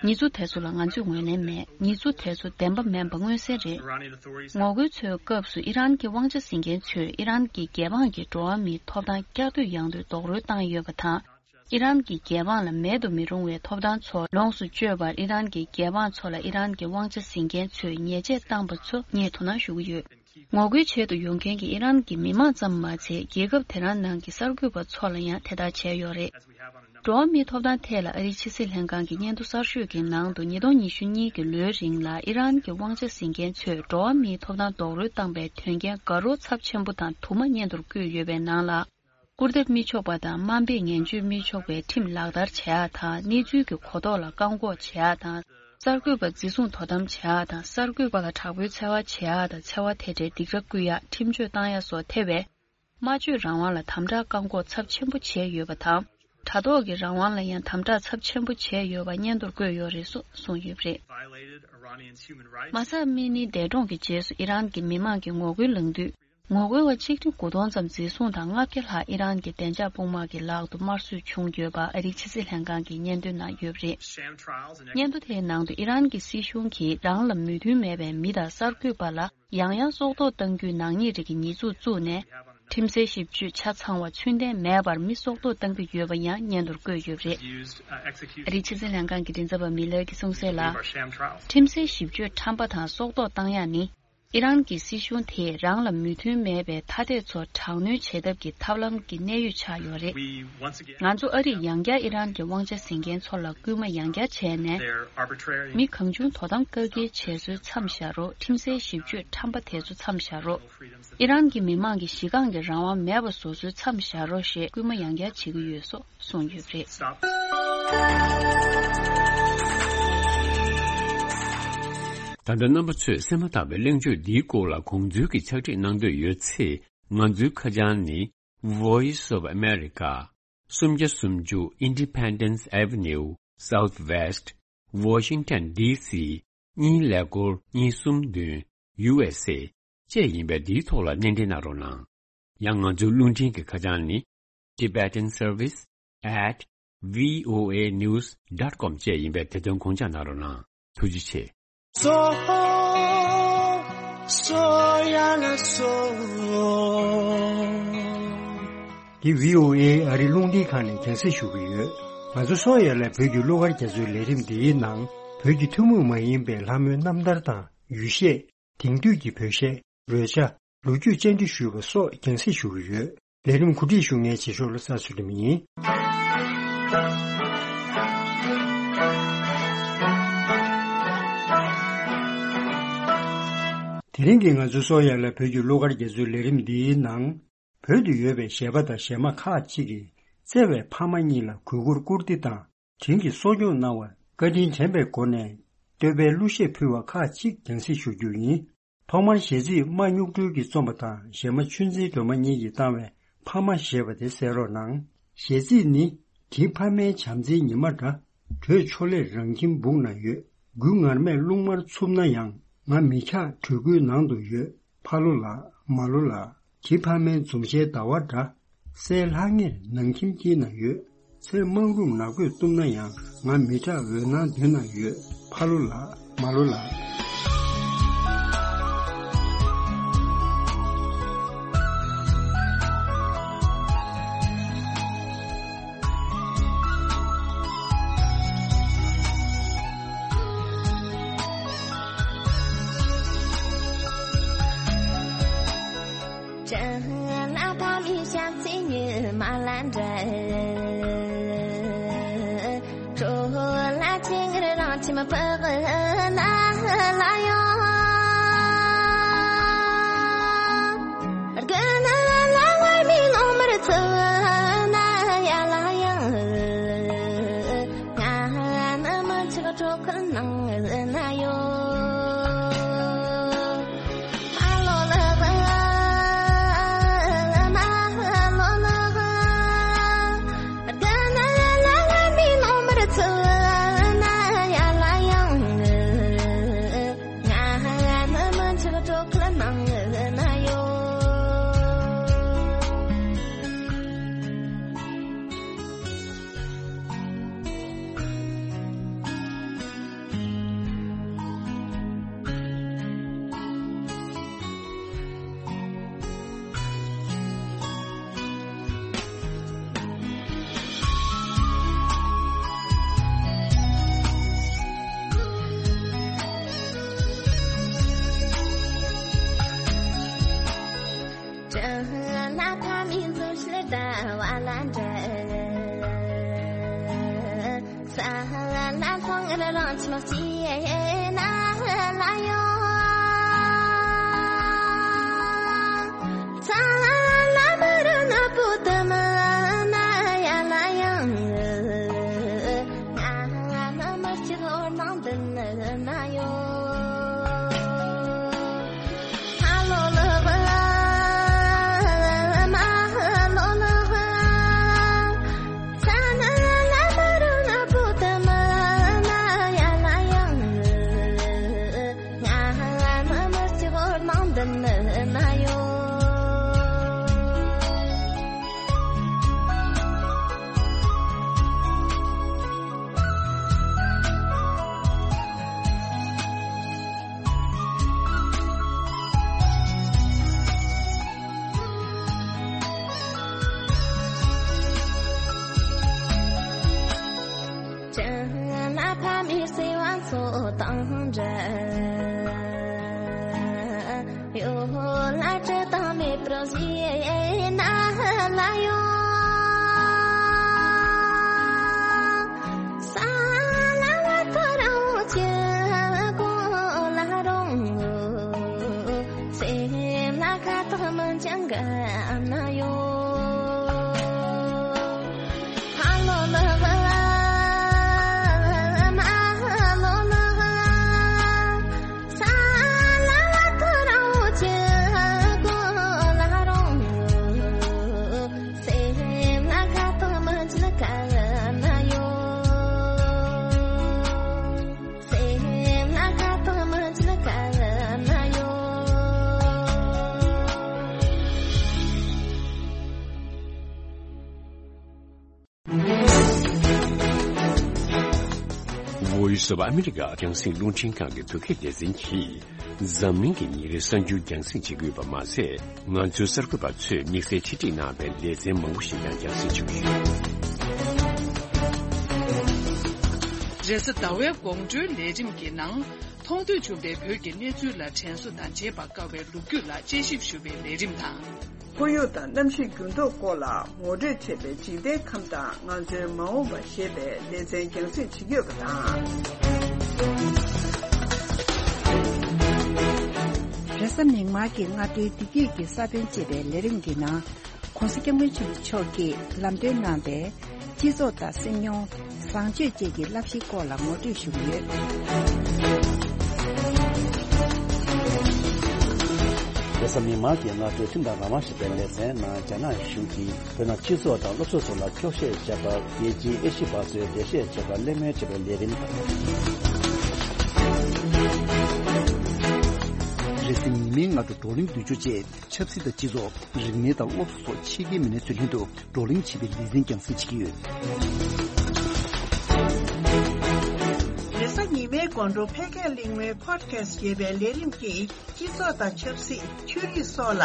ཉེས་འཛུགས་དེ་ཚོ་ལ་ང་ཚོས་ངོས་ལེན་མེད། ཉེས་འཛུགས་དེ་ཚོ་བདེན་པ་མིན་པ་མངོན་གསལ་རེད། Iranian authorities ངོ་རྒོལ་ཚོའི་སྐབས་སུ་ཨི་རན་གྱི་དབང་ཆ་འཛིན་མཁན་ཚོས་ཨི་རན་གྱི་རྒྱལ་འབངས་ཀྱི་འགྲོ་བ་མིའི་ཐོབ་ཐང་བསྐྱར་ཟློས་ཡང་ཟློས་རྡོག་རོལ་བཏང་ཡོད་པ་དང་། ཨི་རན་གྱི་རྒྱལ་འབངས་ལ་མེད་དུ་མི་རུང་བའི་ཐོབ་ཐང་ཚོ་ལོངས་སུ་སྤྱོད་པར། ཨི་རན་གྱི་རྒྱལ་འབངས་ཚོ་ལ་ཨི་རན་གྱི་དབང་ཆ་འཛིན་མཁན་ཚོས་ཉེས་ཆད་བཏང་པ་ཚོ་ངས་དོ་སྣང་ཞུ་གི་ཡོད། ངོ་རྒོལ་བྱེད་དུ་ཡོང་མཁན་གྱི་ཨི་རན་གྱི་མི་མང་ཙམ་མ་ཚད། རྒྱལ་ཁབ་དེ་རང་ནང་གི་གསར་འགོད་པ་ཚོ་ལ་ཡང་དེ་ལྟར་བྱས་ཡོད་རེད། འགྲོ་བ་མིའི་ཐོབ་ཐང་ཐད་ལ་ཨ་རིའི་ཕྱི་སྲིད་ལྷན་ཁང་གི་སྙན་ཐོ་གསར་ཤོས་ཀྱི་ནང་དུ། ཉིས་སྟོང་ཉི་ཤུ་གཉིས་ཀྱི་ལོའི་རིང་ལ་ཨི་རན་གྱི་དབང་ཆ་འཛིན་མཁན་ཚོས་འགྲོ་བ་མིའི་ཐོབ་ཐང་རྡོག་རོལ་བཏང་པའི་དོན་རྐྱེན་དགའ་རབ་ཚབས་ཆེན་པོ་དང་དུ་མ་སྙན་ཐོར་བཀོད་ཡོད་པའི་ནང་ལ། སྐུར་འདེབས་མི་ཆོག་པ་དང་དམའ་འབེབས་ངན་བྱུས་མི་ཆོག་པའི་ཁྲིམས་ལག་བསྟར་བྱེད་ཡག་དང་། གནས་ཚུལ་གྱི་གོ་རྟོགས་ལ་བཀག་འགོག་བྱེད་ཡག་དང་། གསར་འགོད་པ་འཛིན་བཟུང་དོ་དམ་བྱེད་ཡག་དང་། གསར་འགོད་པ་ལ་དྲག་པོའི་འཚེ་བ་བྱེད་ཡག་དང་། འཚེ་བ་དེ་འདྲའི་སྡིགས་ར་བསྐུལ་ཡག་ཁྲིམས་གཅོད་བཏང་ཡག་སོགས་ཐེ་བའི་སྨྲ་བརྗོད་རང་དབང་ལ་དམ་དྲག་བཀག་འགོག་ཚབས་ཆེན་པོ་བྱས་ཡོད་པ་དང་། དྲ་ཐོག་གི་རང་དབང་ལ་ཡང་དམ་དྲག་ཚབས་ཆེན་པོ་བྱས་ཡོད་པ་སྙན་ཐོར་བཀོད་ཡོད་རེད་སོགས་གསུངས་ཡོད་པ་རེད། Violated Iranians' human rights. མ་ས་མི་ནི་འདས་གྲོངས་ཀྱི་རྗེས་སུ་ཨི་རན་གྱི་མི་མང་གིས་ངོ་རྒོལ་ལངས་དུས། ངོ་རྒོལ་བ་ཆིག་ཁྲི་དགུ་སྟོང་ཙམ་འཛིན་བཟུང་དང་ལྔ་བརྒྱ་ལྷག་ཨི་རན་གྱི་བདེ་འཇགས་དཔུང་དམག་གི་ལག་ཏུ་དམར་གསོད་བྱུང་ཡོད་པ་ཨ་རིའི་ཕྱི་སྲིད་ལྷན་ཁང་གིས་སྙན་ཐོའི་ནང་ཡོད་པ་རེད། Sham trials and སྙན་ཐོ་དེའི་ནང་དུ་ཨི་རན་གྱི་སྲིད་གཞུང་གིས་རང་ལ་མོས་མཐུན་མེད་པའི་མི་དང་གསར་འགོད་པ་ལ་ཡང་ཡང་སྲོག་ཐོག་གཏང་རྒྱུའི་ནག་ཉེས་རིགས་ཀྱི་ཉེས་འཛུགས་བཙུགས་ནས། ཁྲིམས་སའི་ཞིབ་དཔྱོད་ཆ་ཚང་བ་ཚུལ་ལྡན་མེད་པར་མི་སྲོག་ཐོག་གཏང་གི་ཡོད་པ་ཡང་སྙན་ཐོར་བཀོད་ཡོད་པ་རེད། ཨ་རིའི་ཕྱི་སྲིད་ལྷན་ཁང་གི་མགྲིན་ཚབ་པ་མི་ལར་གྱིས་གསུངས་གསལ་ལ། ཁྲིམས་སའི་ཞིབ་དཔྱོད་ཁྲམ་པ་དང་སྲོག་ཐོག་གཏང་ཡག་ནི། ཨི་རན་གྱི་སྲིད་གཞུང་དེས་རང་ལ་མོས་མཐུན་མེད་པའི་ཐ་དད་ཚོ་དྲག་གནོན་བྱེད་ཐབས་ཀྱི་ཐབས་ལམ་གྱི་གནད་ཡོད་ཆགས་ཡོད་རེད། ང་ཚོ་ཨ་རིས་ཡང་བསྐྱར་ཨི་རན་གྱི་དབང་ཆ་ཟིན་མཁན་ཚོ་ལ་སྐུལ་མ་ཡང་བསྐྱར་བྱས་ནས། མི་གང་བྱུང་དོ་དམ་བཀག་སྐྱིལ་བྱས་སྲོལ་མཚམས་བཞག་རོགས། ཁྲིམས་སའི་ཞིབ་དཔྱོད་ཁྲམ་པ་དེ་ཚོ་མཚམས་བཞག་རོགས། ཨི་རན་གྱི་མི་མང་གི་གཞི་རྐང་གི་རང་དབང་མེད་པ་བཟོ་སྲོལ་མཚམས་བཞག་རོགས་ཞེས་སྐུལ་མ་ཡང་བསྐྱར་བྱེད་ཀྱི་ཡོད་སོགས་གསུངས་ཡོད་པ་རེད། ད་ལྟ་རྣམ་པ་ཚོས་གསན་མ་ཐག་པའི་གླེང་བརྗོད་འདིའི་སྐོར་ལ་དགོངས་ཚུལ་གྱི་ཕྱག་བྲིས་གནང་འདོད་ཡོད་ཚེ། ང་ཚོའི་ཁ་བྱང་ནི། Voice of America། སུམ་བརྒྱ་སུམ་ཅུ་Independence Avenue Southwest Washington D C གཉིས་ཀླད་ཀོར་གཉིས་གསུམ་བདུན། U S A བཅས་ཡིན་པས། འདིའི་ཐོག་ལ་སྣེ་འདྲེན་གནང་རོགས་གནང་། ཡང་ང་ཚོའི་རླུང་འཕྲིན་གྱི་ཁ་བྱང་ནི། Tibetan Service at V O A news dot com བཅས་ཡིན་པས། དེ་དོན་དགོངས་འཇགས་གནང་རོགས་གནང་། ཐུགས་རྗེ་ཆེ། སོ་སོ་ཡ་ལ་སོ། འདི་V O A ཨ་རི་རླུང་འཕྲིན་ཁང་ནས་རྒྱང་སྲིང་ཞུ་གི་ཡོད། ང་ཚོ་སོ་ཡ་ལ་བོད་ཀྱི་གླུ་གར་རྒྱ་མཚོའི་ལས་རིམ་འདིའི་ནང་། བོད་ཀྱི་ཐུན་མོང་མ་ཡིན་པའི་ལྷ་མོའི་རྣམ་ཐར་དང་ཡུལ་གཞས། དེང་དུས་ཀྱི་བོད་གཞས། རོལ་ཆ། ལོ་རྒྱུས་བཅར་འདྲི་ཞུས་པ་སོགས་རྒྱང་སྲིང་ཞུ་གི་ཡོད། ལས་རིམ་གོ་སྒྲིག་ཞུ་མཁན་རྗེས་ཕྱོགས་ལ་ས་ཚུལ་ཁྲིམས་ཡིན། དེ་རིང་གི་ང་ཚོའི་སོ་ཡ་ལ་བོད་ཀྱི་གླུ་གར་རྒྱ་མཚོའི་ལས་རིམ་འདིའི་ནང་། བོད་དུ་ཡོད་པའི་གཞས་པ་དང་གཞས་མ་ཁག་ཅིག་གིས་བརྩེ་བའི་ཕ་མ་གཉིས་ལ་གུས་བཀུར་བཀུར་སྟི་དང་། དྲིན་གྱིས་གསོ་སྐྱོང་གནང་བར་བཀའ་དྲིན་དྲན་པའི་སྒོ་ནས། བསྟོད་པའི་གླུ་གཞས་ཕུལ་བ་ཁག་ཅིག་རྒྱང་སྲིང་ཞུ་རྒྱུ་ཡིན། ཐོག་མར་གཞས་ཚིག་རྨ་གཉུག་སྒྲོལ་གྱིས་རྩོམ་པ་དང་། གཞས་མ་ཆོས་འཛིན་སྒྲོལ་མ་གཉིས་ཀྱིས་བཏང་བའི་ཕ་མ་ཞེས་པ་དེ་གསན་རོགས་གནང་། གཞས་ཚིག་ནི། དྲིན་ཕ་མའི་བྱམས་བརྩེའི་ཉི་མ་འདྲ། བགྲོད་ཕྱོགས་ལས་རང་ཁྱིམ་སྦུག་ན་ཡོད། དགུན་ངར་མས་རླུང་དམར་འཚུབ་ན་ཡང་། ང་མི་འཁྱག་གྲོད་ཁོག་ནང་དུ་ཡོད། ཕ་ལོ་ལགས། མ་ལོ་ལགས། དྲིན་ཕ་མའི་འཛུམ་ཞལ་ཟླ་བ་འདྲ། སའི་ལྷང་ངེར་ནང་ཁྱིམ་དཀྱིལ་ན་ཡོད། ཚེར་མང་རུམ་ནག་པོས་བཏུམ་ན་ཡང་། ང་མི་སྐྲག་འོད་སྣང་མདུན་ན་ཡོད། ཕ་ལོ་ལགས། མ་ལོ་ལགས། Voice of America རྒྱང་སྲིང་རླུང་འཕྲིན་ཁང་གི་བོད་སྐད་སྡེ་ཚན་གྱིས། འཛམ་གླིང་གི་ཉིན་རེའི་གསར་འགྱུར་རྒྱང་སྲིང་བྱེད་ཀྱི་ཡོད་པ་མ་ཟད། ང་ཚོའི་གསར་འགོད་པ་ཚོས་དམིགས་བསལ་ཆེད་སྒྲིག་གནང་བའི་ལེ་ཚན་མང་པོ་ཞིག་ཀྱང་རྒྱང་སྲིང་བྱེད་ཀྱི་ཡོད། རེས་གཟའ་ཟླ་བའི་དགོང་དྲོའི་ལས་རིམ་གྱི་ནང་། མཐོང་ཐོས་བྱུང་བའི་བོད་ཀྱི་གནས་ཚུལ་ལ་དྲན་གསོ་དང་བརྗེད་པར་དཀའ་བའི་ལོ་རྒྱུས་ལ་དཔྱད་ཞིབ་ཞུ་བའི་ལས་རིམ་དང་། ཁོར་ཡུག་དང་གནམ་གཤིས་འགྱུར་ལྡོག་སྐོར་ལ་ངོ་སྤྲོད་བྱས་པའི་འཇིག་རྟེན་ཁམས་དང་ང་ཚོའི་མ་འོངས་པ་ཞེས་པའི་ལེ་ཚན་རྒྱང་སྲིང་བྱེད་ཀྱི་ཡོད་པ་དང་། རེས་གཟའ་མིག་དམར་གྱི་སྔ་དྲོའི་བདེ་སྐྱིད་ཀྱི་ས་བོན་ཅེས་པའི་ལས་རིམ་གྱི་ནང་། ༸གོང་ས་༸སྐྱབས་མགོན་ཆེན་པོ་མཆོག་གིས་ལམ་སྟོན་གནང་པའི་སྤྱི་ཚོགས་དང་སེམས་མྱོང་། བཟང་སྤྱོད་བཅས་ཀྱི་བསླབ་གཞིའི་སྐོར་ལ་ངོ་སྤྲོད་ཞུ་གི་ཡོད། རེས་གཟའ་མིག་དམར་གྱི་སྔ་དྲོའི་ཁྲིམས་དང་རང་དབང་ཞེས་པའི་ལེ་ཚན་ནང་། རྒྱ་ནག་གཞུང་གིས་བོད་ནང་སྤྱི་ཚོགས་དང་སློབ་གསོ་སོགས་ལ་འཁྱོག་བཤད་བྱས་པར་རྒྱལ་སྤྱིའི་ཨེ་ཤི་བ་ཚོས་འགྲེལ་བཤད་བྱས་པར་གླེང་མོལ་བྱས་པའི་ལས་རིམ་དང་། རེས་གཟའ་ཉི་མའི་སྔ་དྲོ་བགྲོ་གླེང་བསྡུས་བསྒྱུར་བཅས། ཆབ་སྲིད་དང་སྤྱི་ཚོགས། རིག་གནས་དང་སློབ་གསོ་སོགས་ཕྱི་རྒྱལ་མི་སྣ་ཚོའི་ལྷན་དུ་བགྲོ་གླེང་བྱེད་པའི་ལེ་ཚན་རྒྱང་སྲིང་བྱེད་ཀྱི་ཡོད། རེས་གཟའ་ཉི་མའི་དགོང་དྲོ་འཕེལ་རྒྱས་གླེང་མོལ་Podcast ཞེས་པའི་ལས་རིམ་གྱིས་སྤྱི་ཚོགས་དང་ཆབ་སྲིད། ཆོས་རིག་སོགས་ལ་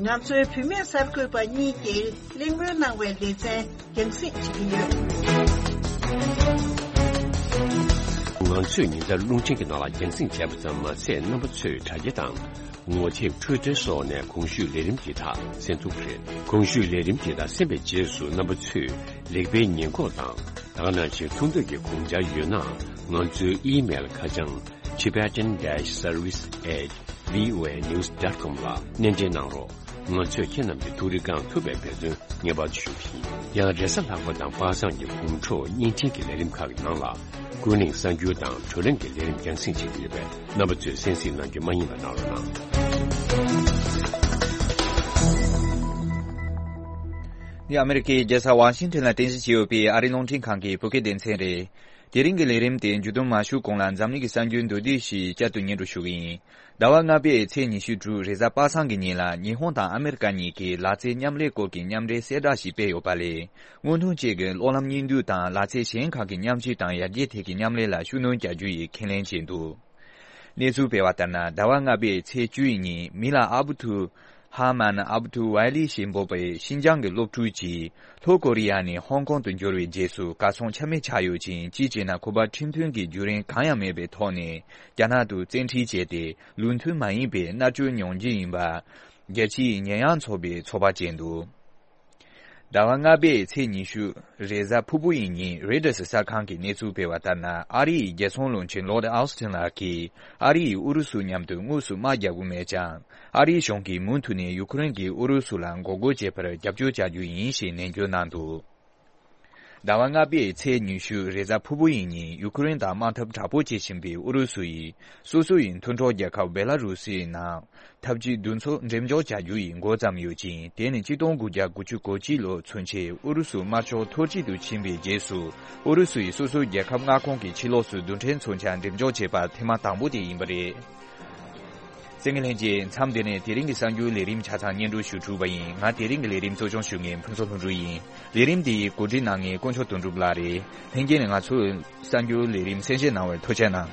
ང་ཚོའི་བུད་མེད་གསར་འགོད་པ་གཉིས་ཀྱིས་གླེང་མོལ་གནང་བའི་ལེ་ཚན་རྒྱང་སྲིང་བྱེད་ཀྱི་ཡོད། ང་ཚོས་ཉིན་ལྟར་རླུང་འཕྲིན་གྱི་ནང་ལ་རྒྱང་སྲིང་བྱས་པ་ཙམ་མ་ཟད། རྣམ་པ་ཚོས་དྲ་རྒྱ་དང་། ངོ་དེབ། Twitter སོགས་ནས་གོང་ཞུས་ལས་རིམ་འདི་དག་གསན་ཐུབ་ཀྱི་རེད། གོང་ཞུས་ལས་རིམ་འདི་དག་གསན་པའི་རྗེས་སུ་རྣམ་པ་ཚོས་རིག་པའི་ཉེན་འགོག་དང་། ད་ག་ནང་བཞིན་མཐོང་ཐོས་ཀྱི་དགོངས་འཆར་ཡོད་ན། ང་ཚོའི་ཨི་མེལ་ཁ་བྱང་tibetan dash service at voa news dot com ལ་སྣེ་འདྲེན་གནང་རོགས། ང་ཚོས་ཁྱེད་རྣམས་ཀྱི་ཐུགས་རེ་བསྐང་ཐུབ་པའི་འབད་བརྩོན་ངེས་པར་དུ་ཞུ་གི་ཡིན། ཡང་རེས་གཟའ་ལྷག་པ་དང་པ་སངས་ཀྱི་དགོང་དྲོ་བརྙན་འཕྲིན་གྱི་ལས་རིམ་ཁག་གི་ནང་ལ། ཀུན་གླེང་གསར་འགྱུར་དང་བགྲོ་གླེང་གི་ལས་རིམ་རྒྱང་སྲིང་བྱེད་ཀྱི་ཡོད་པས། རྣམ་པ་ཚོས་གསན་གཟིགས་གནང་རྒྱུ་མ་བསྙེལ་བ་གནང་རོགས་གནང་། འདི་ཨ་མེ་རི་ཀའི་རྒྱལ་ས་ཝ་ཤིང་ཊོན་ལ་རྟེན་གཞི་བྱས་ཡོད་པའི་ཨ་རིའི་རླུང་འཕྲིན་ཁང་གི་བོད་སྐད་སྡེ་ཚན་རེད། དེ་རིང་གི་ལས་རིམ་དེ་མཇུག་བསྡོམས་མ་ཞུ་གོང་ལ། འཛམ་གླིང་གི་གསར་འགྱུར་མདོར་བསྡུས་ཤིག་བསྐྱར་དུ་སྙན་སྒྲོན་ཞུ་གི་ཡིན། ཟླ་བ་ལྔ་པའི་ཚེས་ཉི་ཤུ་དྲུག་རེས་གཟའ་པ་སངས་ཀྱི་ཉིན་ལ། ཉི་ཧོང་དང་ཨ་མེ་རི་ཀ་གཉིས་ཀྱིས་ལག་རྩལ་མཉམ་ལས་སྐོར་གྱི་མཉམ་འབྲེལ་གསལ་བསྒྲགས་ཤིག་སྤེལ་ཡོད་པ་ལས། སྔོན་ཐོན་བཅས་ཀྱི་གློག་ལམ་གཉིས་འདུས་དང་ལག་རྩལ་གཞན་ཁག་གི་མཉམ་སྤྱོད་དང་ཡར་རྒྱས་ཐད་ཀྱི་མཉམ་ལས་ལ་ཤུགས་སྣོན་རྒྱག་རྒྱུ་ཡི་ཁས་ལེན་བྱས་འདུག་གནས་ཚུལ་སྤེལ་བ་ལྟར་ན། ཟླ་བ་ལྔ་པའི་ཚེས་བཅུ་ཡི་ཉིན་མི་ལ་ཨ་བུ་ཐུ་ཧ་མན་ཨ་བུ་ཐུ་ཝའི་ལི་ཞེས་འབོད་པའི་ཤིན་ཅང་གི་སློབ་ཕྲུག་ཅིག་ལྷོ་ཀོ་རི་ཡ་ནས་ཧོང་ཀོང་དུ་འབྱོར་བའི་རྗེས་སུ་གར་སོང་ཆ་མེད་ཆགས་ཡོད་ཅིང་། གཅིག་བྱས་ན་ཁོ་པ་ཁྲིམས་མཐུན་གྱི་བརྒྱུད་རིམ་གང་ཡང་མེད་པའི་ཐོག་ནས་རྒྱ་ནག་ཏུ་བཙན་ཁྲིད་བྱས་ཏེ། ལུགས་མཐུན་མ་ཡིན་པའི་མནར་གཅོད་མྱོང་རྒྱུ་ཡིན་པ། རྒྱལ་སྤྱིའི་ཉེས་ཡངས་ཚོགས་པས་ཚོད་དཔག་བྱས་འདུག་ཟླ་བ་ལྔ་པའི་ཚེས་ཉི་ཤུ་རེས་གཟའ་ཕུར་བུ་ཡི་ཉིན་རོའི་ཊར་གསར་ཁང་གིས་གནས་ཚུལ་སྤེལ་བ་ལྟར་ན། ཨ་རི་ཡི་རྒྱལ་སྲུང་བློན་ཆེན་ལོར་ཌི་ཨོ་སི་ཊིན་ལགས་ཀྱིས་ཨ་རི་ཡིས་ཨུ་རུ་སུ་མཉམ་དུ་དངོས་སུ་དམག་རྒྱག་གི་མེད་ཀྱང་། ཨ་རིའི་གཞུང་གིས་མུ་མཐུད་ནས་ཡུ་ཁུ་རེན་གྱིས་ཨུ་རུ་སུ་ལ་འགོག་རྒོལ་བྱེད་པར་རྒྱབ་སྐྱོར་བྱ་རྒྱུ་ཡིན་ཞེས་ནན་བརྗོད་གནང་འདུག་ཟླ་བ་ལྔ་པའི་ཚེས་ཉི་ཤུ་རེས་གཟའ་ཕུར་བུ་ཡི་ཉིན་ཡུ་ཁུ་རེན་དང་དམག་འཐབ་དྲག་པོ་བྱེད་བཞིན་པའི་ཨུ་རུ་སུ་ཡིས་སོ་སོ་ཡི་མཐུན་གྲོགས་རྒྱལ་ཁབ་བེ་ལ་རུ་སིའི་ནང་འཐབ་ཇུས་འདུ་འཛོམས་འགྲེམས་འཇོག་བྱ་རྒྱུ་ཡི་འགོ་བརྩམས་ཡོད་ཅིང་། དེ་ནི་གཅིག་སྟོང་དགུ་བརྒྱ་དགུ་བཅུ་གོ་གཅིག་ལོ་ཚུན་ཆད་ཨུ་རུ་སུ་དམར་ཤོག་འཐོར་བྱེད་དུ་ཕྱིན་པའི་རྗེས་སུ། ཨུ་རུ་སུ་ཡིས་སོ་སོའི་རྒྱལ་ཁབ་མངའ་ཁོངས་ཀྱི་ཕྱི་ལོགས་སུ་རྡུལ་ཕྲན་མཚོན་ཆ་འགྲེམས་འཇོག་བྱས་པ་ཐེངས་མ་དང་པོ་དེ་ཡིན་པ་རེད། གསན་མཁན་ལྷན་རྒྱས། མཚམས་འདི་ནས་དེ་རིང་གི་གསར་འགྱུར་ལས་རིམ་ཆ་ཚང་སྙན་སྒྲོན་ཞུ་གྲུབ་པ་ཡིན། ང་དེ་རིང་གི་ལས་རིམ་གཙོ་སྐྱོང་ཞུ་མཁན་ཕུན་ཚོགས་ལྷུན་གྲུབ་ཡིན། ལས་རིམ་འདི་གོ་སྒྲིག་གནང་མཁན་དཀོན་མཆོག་དོན་གྲུབ་ལགས་རེད། ལྷན་རྒྱས་ནས་ང་ཚོའི་གསར་འགྱུར་ལས་རིམ་གསན་བཞེས་གནང་བར་ཐུགས་རྗེ་གནང་།